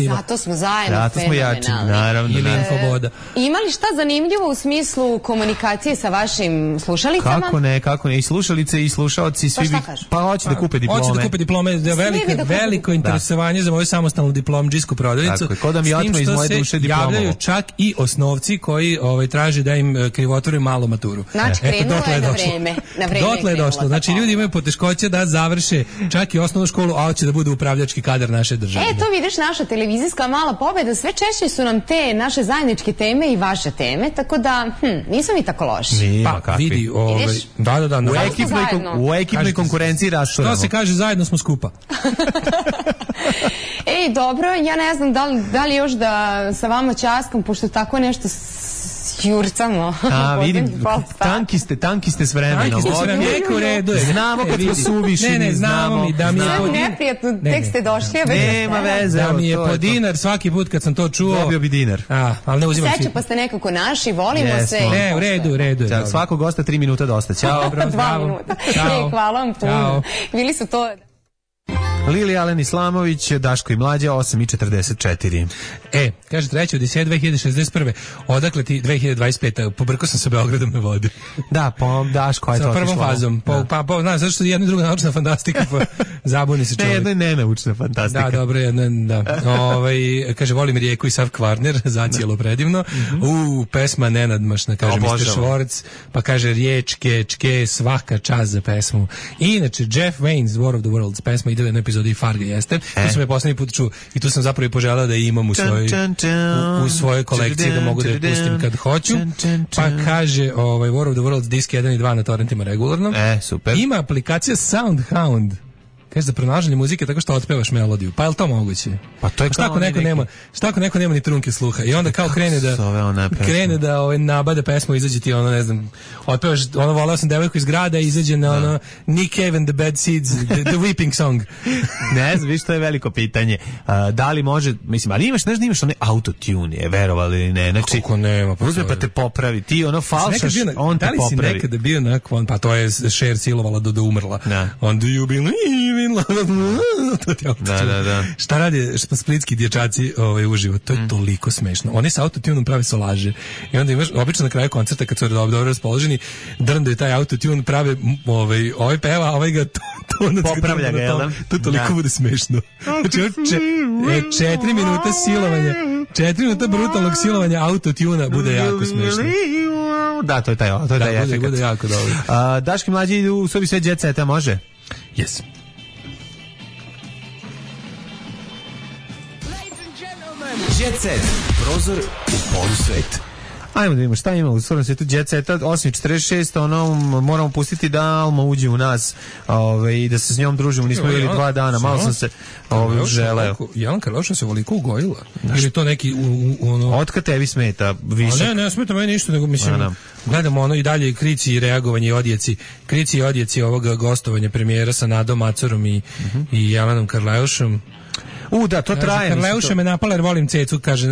Zato smo zajedno. Zato smo jači, naravno. Ili infoboda. Ima li šta zanimljivo u smislu komunikacije sa vašim slušalicama? Kako ne, i slušalice i slušaoci svi pa hoće da kupe diplome. Hoće da kupe diplome, veliko interesovanje za moju samostalnu diplomdžijsku prodavnicu. Tako je, ko da mi otme iz moje duše diplomu. Javljaju čak i osnovci koji traže da im krivotvore malu maturu. Znači, krenulo je na vreme. Dotle je došlo. Znači, ljudi imaju poteškoće da završe čak i osnovnu školu, a hoće da bude upravljački kadar naše države. To vidiš, naša televizijska mala pobeda, sve češće su nam te naše zajedničke teme i vaše teme, tako da, nismo mi tako loši. Pa vidi, da. U ekipnoj konkurenciji rasturamo. Što se kaže, zajedno smo skupa. Ej, dobro, ja ne znam da li još da sa vama ćaskam, pošto tako nešto Jurcamo. A, vidim, tanki ste s vremenom. Neko redu je. Znamo kad smo suvišni. Ne, znamo mi da mi je po dinar. Neprijatno, tek ste došli, a nema veze. Da mi je po dinar svaki put kad sam to čuo. Dobio bi dinar. Ali ne uzimam Seća, pa ste nekako naši, volimo se. Ne, u redu. Svakog gosta 3 minuta dosta. Ćao. 2 minuta. Hvala vam puno. Bili su to... Lili Alen Islamović, Daško i Mlađa, 8:44. Kaže, 3. Odiseja 2061. Odakle ti 2025. Pobrkao sam sa Beogradom me vodi. Da, Daško, ajde to otišlo. Sa prvom fazom. Znaš, zašto što jedna i druga naučna fantastika, pa zabuni se čovjek. Ne, jedna je nenaučna fantastika. Da, dobro, da. Kaže, volim rijeku i sav Kvarner, zacijelo predivno. Pesma nenadmašna, kaže Mr. Schwartz, pa kaže riječ, čke, svaka čast za pesmu. I inače, Jeff Wayne's War of the Worlds, pesma ide u jednoj epizodi Farga, jeste. Tu sam je poslednji put čuo i tu sam zapravo i poželao da imam u svojoj kolekciji, da mogu da je pustim kad hoću. Pa kaže War of the Worlds disk 1 i 2 na torrentima regularno. Super. Ima aplikacija Soundhound. Kaže za pronalaženje muzike tako što otpevaš melodiju. Pa je li to moguće? Pa to je šta ako neko nema ni trunke sluha i onda kao krene da nabade pesmu, izađe ti ne znam, otpevaš volao sam devojku iz grada i izađe na Nick Cave and the Bad Seeds, the Weeping Song. Ne znam, viš, to je veliko pitanje. Da li može, mislim, ali imaš onaj autotune, je verovali ili ne? Znači, kako nema? Pa te popravi, ti falšaš, on te popravi. Da li si nekada bio nakon, pa to je Cher silovala do umrla. On do you believe? Da. Šta radi splitski dječaci uživo? To je toliko smešno. Oni sa autotunom prave solaže. I onda imaš, obično na kraju koncerta kad su dobro raspoloženi, drndaju taj autotune, prave ovaj peva, ovaj ga popravlja ga, jel da? To toliko bude smešno. Znači, 4 minuta silovanja, 4 minuta brutalnog silovanja autotuna bude jako smešno. Da, to je taj efekt. Bude jako dobro. Daški Mlađi idu u sobi sve jet seta, može? Yes. Jet Set, prozor u polusvet. Ajmo da vidimo šta ima u stvarnom svijetu Jet Seta. 8:46, moramo pustiti da Alma uđe u nas i da se s njom družimo. Nismo bili 2 dana, malo sam se želeo. Jelan Karleuša se voliko ugojila. Ili to neki Otkad tebi smeta višak? Ne smeta meni ništa, nego mislim, gledamo i dalje krici i reagovanje i odjeci. Krici i odjeci ovoga gostovanja premijera sa Nadom Macorom i Jelanom Karleušom. Da, to traje. Karleuša me napala jer volim cecu, kaže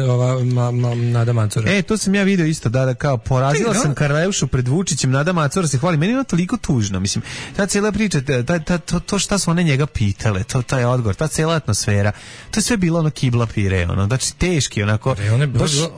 Nada Macura. To sam ja video isto, da kao porazila sam Karleušu pred Vučićem, Nada Macura se hvali. Meni je ono toliko tužno, mislim, ta cijela priča, to šta su one njega pitale, taj odgovor, ta cijela atmosfera, to je sve bilo ono kibla pire, znači teški, onako.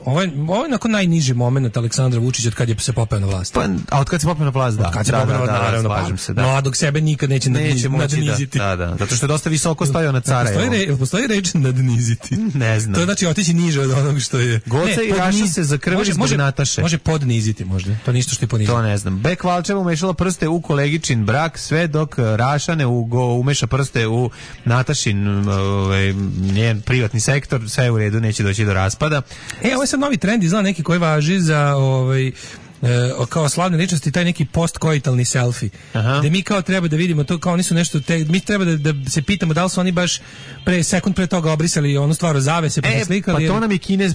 Ovo je onako najniži moment Aleksandra Vučića od kad je se popeo na vlast. A od kad se popeo na vlast, da. Od kad se popeo na vlast, naravno, slažem se, da. Mladog sebe nikad neće nadniziti. Da, zato što je dosta visoko stojao na cara. Postoji reč nadniziti. Ne znam. To je znači otići niže od onog što je. Goca i Raša se zakrvili zbog Nataše. Može podniziti možda. To ništa što je poniziti. To ne znam. Bek Valčeva umešala prste u kolegičin brak, sve dok Raša ne umeša prste u Natašin njen privatni sektor, sve je u redu, neće doći do raspada. Ovo je sad novi trend, izgleda neki koji važi za kao slavne ličnosti, taj neki postkoitalni selfie. Gde mi kao treba da vidimo to, kao oni su nešto, mi treba da se pitamo da li su oni baš sekund pre toga obrisali onu stvar o zavese, pa se slikali. Pa to nam je Kinez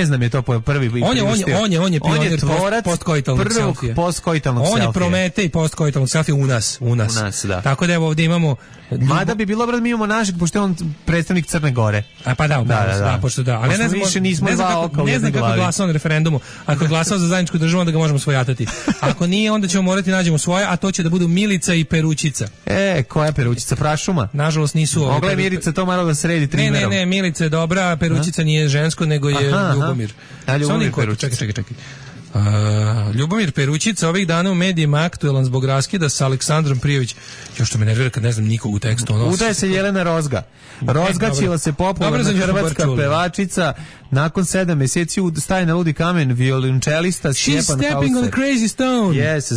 nam je to prvi on je pionir postkoitalnog selfie. Prvog postkoitalnog selfie. On je Prometej postkoitalnog selfie u nas. Da. Tako da evo ovdje imamo. Mada bi bilo mi imamo našeg, pošto je on predstavnik Crne Gore. Pa da, pošto da. Ali ne znam kako glasao na referendumu. Ako je glasao za zajedničku državu, onda ga možemo svojatati. Ako nije, onda ćemo morati nađemo svoje, a to će da budu Milica i Perućica. Koja Perućica? Prašuma? Nažalost nisu. Mogla je Mirica to malo da sredi trimerom. Ne, Milica je dobra, Perućica nije žensko, nego je Ljubomir. Ljubomir Perućica. Čekaj. Ljubomir Perućica ovih dana u medijima aktuelan zbog raskida sa Aleksandrom Prijović. Još što me nervira kad ne znam nikog u tekstu. Udaje se Jelena Rozga. Rozgaćila se popularna hrvatska pevačica. Nakon 7 mjeseci staje na ludi kamen violončelista Stjepan Hauser. She's stepping on a crazy stone. Yes,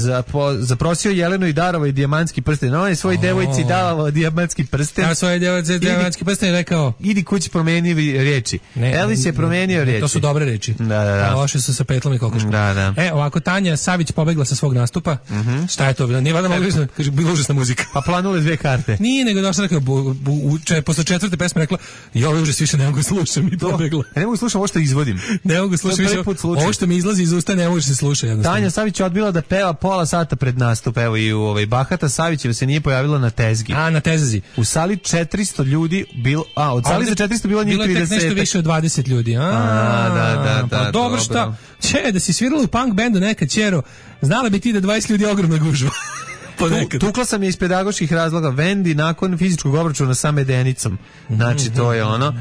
zaprosio Jelenu i darovao i dijamantski prsten. On je svoj devojci davao dijamantski prsten. Ja svoj devojci dijamantski prsten rekao. Idi kući promeni riječi. Elvis je promenio riječi. To su dobre riječi. Da. A loše su sa petlom i kokoškom. Da. Da. Ovako, Tanja Savić pobegla sa svog nastupa. Šta je to bilo? Nije valjda mogla, kaže, bila užasna muzika. Pa planule 2 karte. Nije, nego došla rekao, posle 4. pesme rekla, ja ovo užas više ne mogu slušam i pobegla. Ne mogu slušam ovo što izvodim. Ne mogu slušam više, ovo što mi izlazi iz usta ne može se sluša jednostavno. Tanja Savić je odbila da peva pola sata pred nastup, evo i u Bahata Savićeva se nije pojavila na tezgi. Na tezgi. U sali 400 ljudi bilo, od sali za 400 bilo njih 30. Bilo je tek nešto više od 20 ljudi. Da. Pa dobro, šta? Da si svirala u punk bendu nekad, ćero, znala bi ti da 20 ljudi je ogromna gužva. Tukla sam je iz pedagoških razloga Vendi nakon fizičkog obračuna sa Medenicom. Znači, to je ono.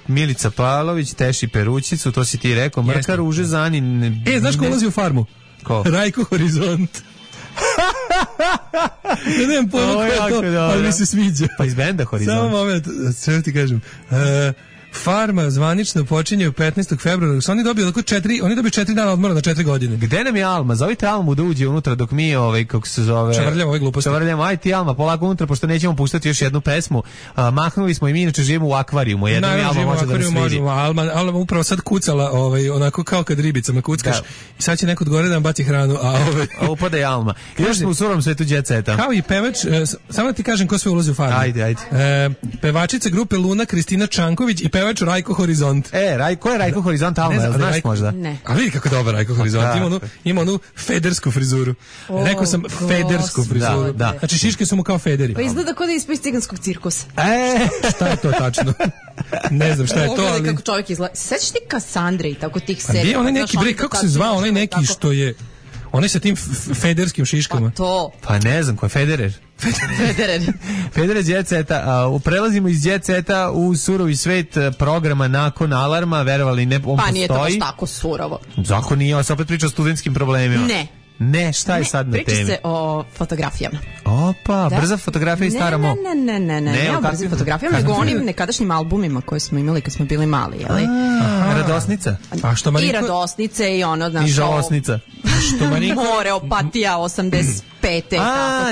Milica Pavlović, Teši Perućicu, to si ti rekao. Mrka Ruže Zanin. Znaš ko ulazi u farmu? Ko? Rajko Horizont. Ja nemam pojma ko je to, ali mi se sviđa. Pa iz benda Horizont. Samo moment, sve ti kažem. Farma zvanično počinje 15. februara. Oni dobiju 4 dana odmora na 4 godine. Gde nam je Alma? Zovite Almu da uđe unutra dok mi kako se zove... Čavrljamo ove gluposti. Čavrljamo, aj ti Alma, polako unutra, pošto nećemo puštati još jednu pesmu. Mahnuli smo i mi inače živimo u akvarijumu. Jednom je Alma može da nas vidi. Alma upravo sad kucala, onako kao kad ribicama kuckaš. I sad će neko od gore da nam baci hranu. A upada je Alma. Još smo u surom svetu Jet Seta. Kao i pevač, samo da ti kažem ko sve ulazi u Farmu. Ajde. Pevačica grupe Luna, Kristina Čanković i pevač Rajko Horizont. Ko je Rajko Horizont, Alma, znaš možda? Ne. A vidi kako dobar Rajko Horizont, ima onu federsku frizuru. Rekao sam federsku frizuru. Da. Znači šiške su mu kao federi. Pa izgleda kao da je ispiz ciganskog cirkusa. Šta je to tačno? Ne znam šta je to, ali... kako čovjek izgleda. Sećaš ti Kasandre i tako tih serija? Gdje onaj neki bre, kako se zvao onaj neki što je... Onaj sa tim federskim šiškama. Pa to. Pa ne znam, ko je Federer? Federer Jet Seta. Prelazimo iz Jet Seta u surovi svet programa nakon alarma, verovali ne, on postoji. Pa nije to baš tako surovo. Zakon nije, on se opet priča o studentskim problemima. Ne, šta je sad na temi? Priča se o fotografijama. Opa, brza fotografija i stara mo. Ne o brzim fotografijama, nego onim nekadašnjim albumima koje smo imali kad smo bili mali, jeli? Radosnica. I Radosnice i ono, znaš, i Žalosnica. More, Opatija, 85.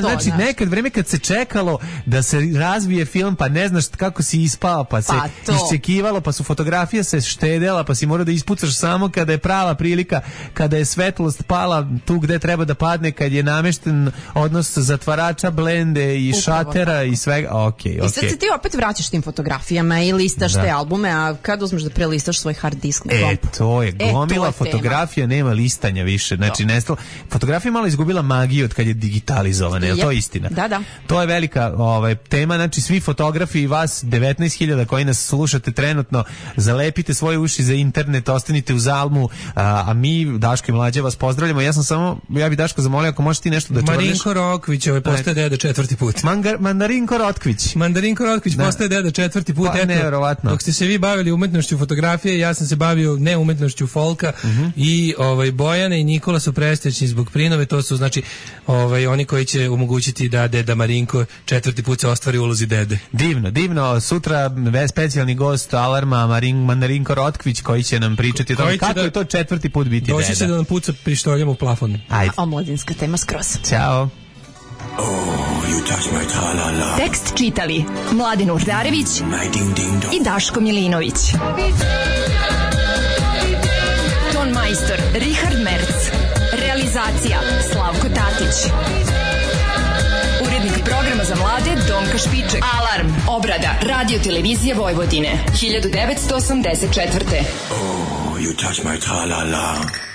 Znači nekad vreme kad se čekalo da se razvije film, pa ne znaš kako si ispao, pa se iščekivalo, pa su fotografije se štedela, pa si morao da ispucaš samo kada je prava prilika, kada je svetlost pala tu gde treba da padne, kad je namešten odnos zatvarača, blende i šatera i svega. I sad se ti opet vraćaš tim fotografijama i listaš te albume, a kad uzmeš da prelistaš svoj hard disk na kompu? To je gomila fotografija, nema listanja više. Znači, fotografija malo izgubila magiju od kad je digitalizovana, je li to istina? Da. To je velika tema, znači svi fotografi i vas 19.000 koji nas slušate trenutno, zalepite svoje uši za internet, ostanite uz Almu, a mi, Daško i Mlađa, vas pozdravljamo. Ja bi Daško zamolio ako možeš ti nešto da čvrliš. Marinko Rokvić, postaje deda 4. put. Mandarinko Rotkvić. Marinko Rokvić postaje deda 4. put. Pa nevjerovatno. Dok ste se vi bavili umetnošću fotografije, ja sam se bavio neumetnošću folka i Bojana i Nikola su prestećni zbog prinove, to su znači oni koji će omogućiti da deda Marinko 4. put se ostvari u ulozi dede. Divno. Sutra specijalni gost alarma Mandarinko Rotkvić koji će nam pričati o tome kako je to 4. put biti deda. Doći se da nam puca pištoljem u plafon. Ajde. Omladinska tema skroz. Ćao. Tekst čitali Mladen Urdarević i Daško Milinović. Ton majstor Richard Merc. Realizacija Slavko Tatić. Urednik programa za mlade Donka Špiček. Alarm. Obrada Radio Televizije Vojvodine 1984. Oh, you touch my tra-la-la.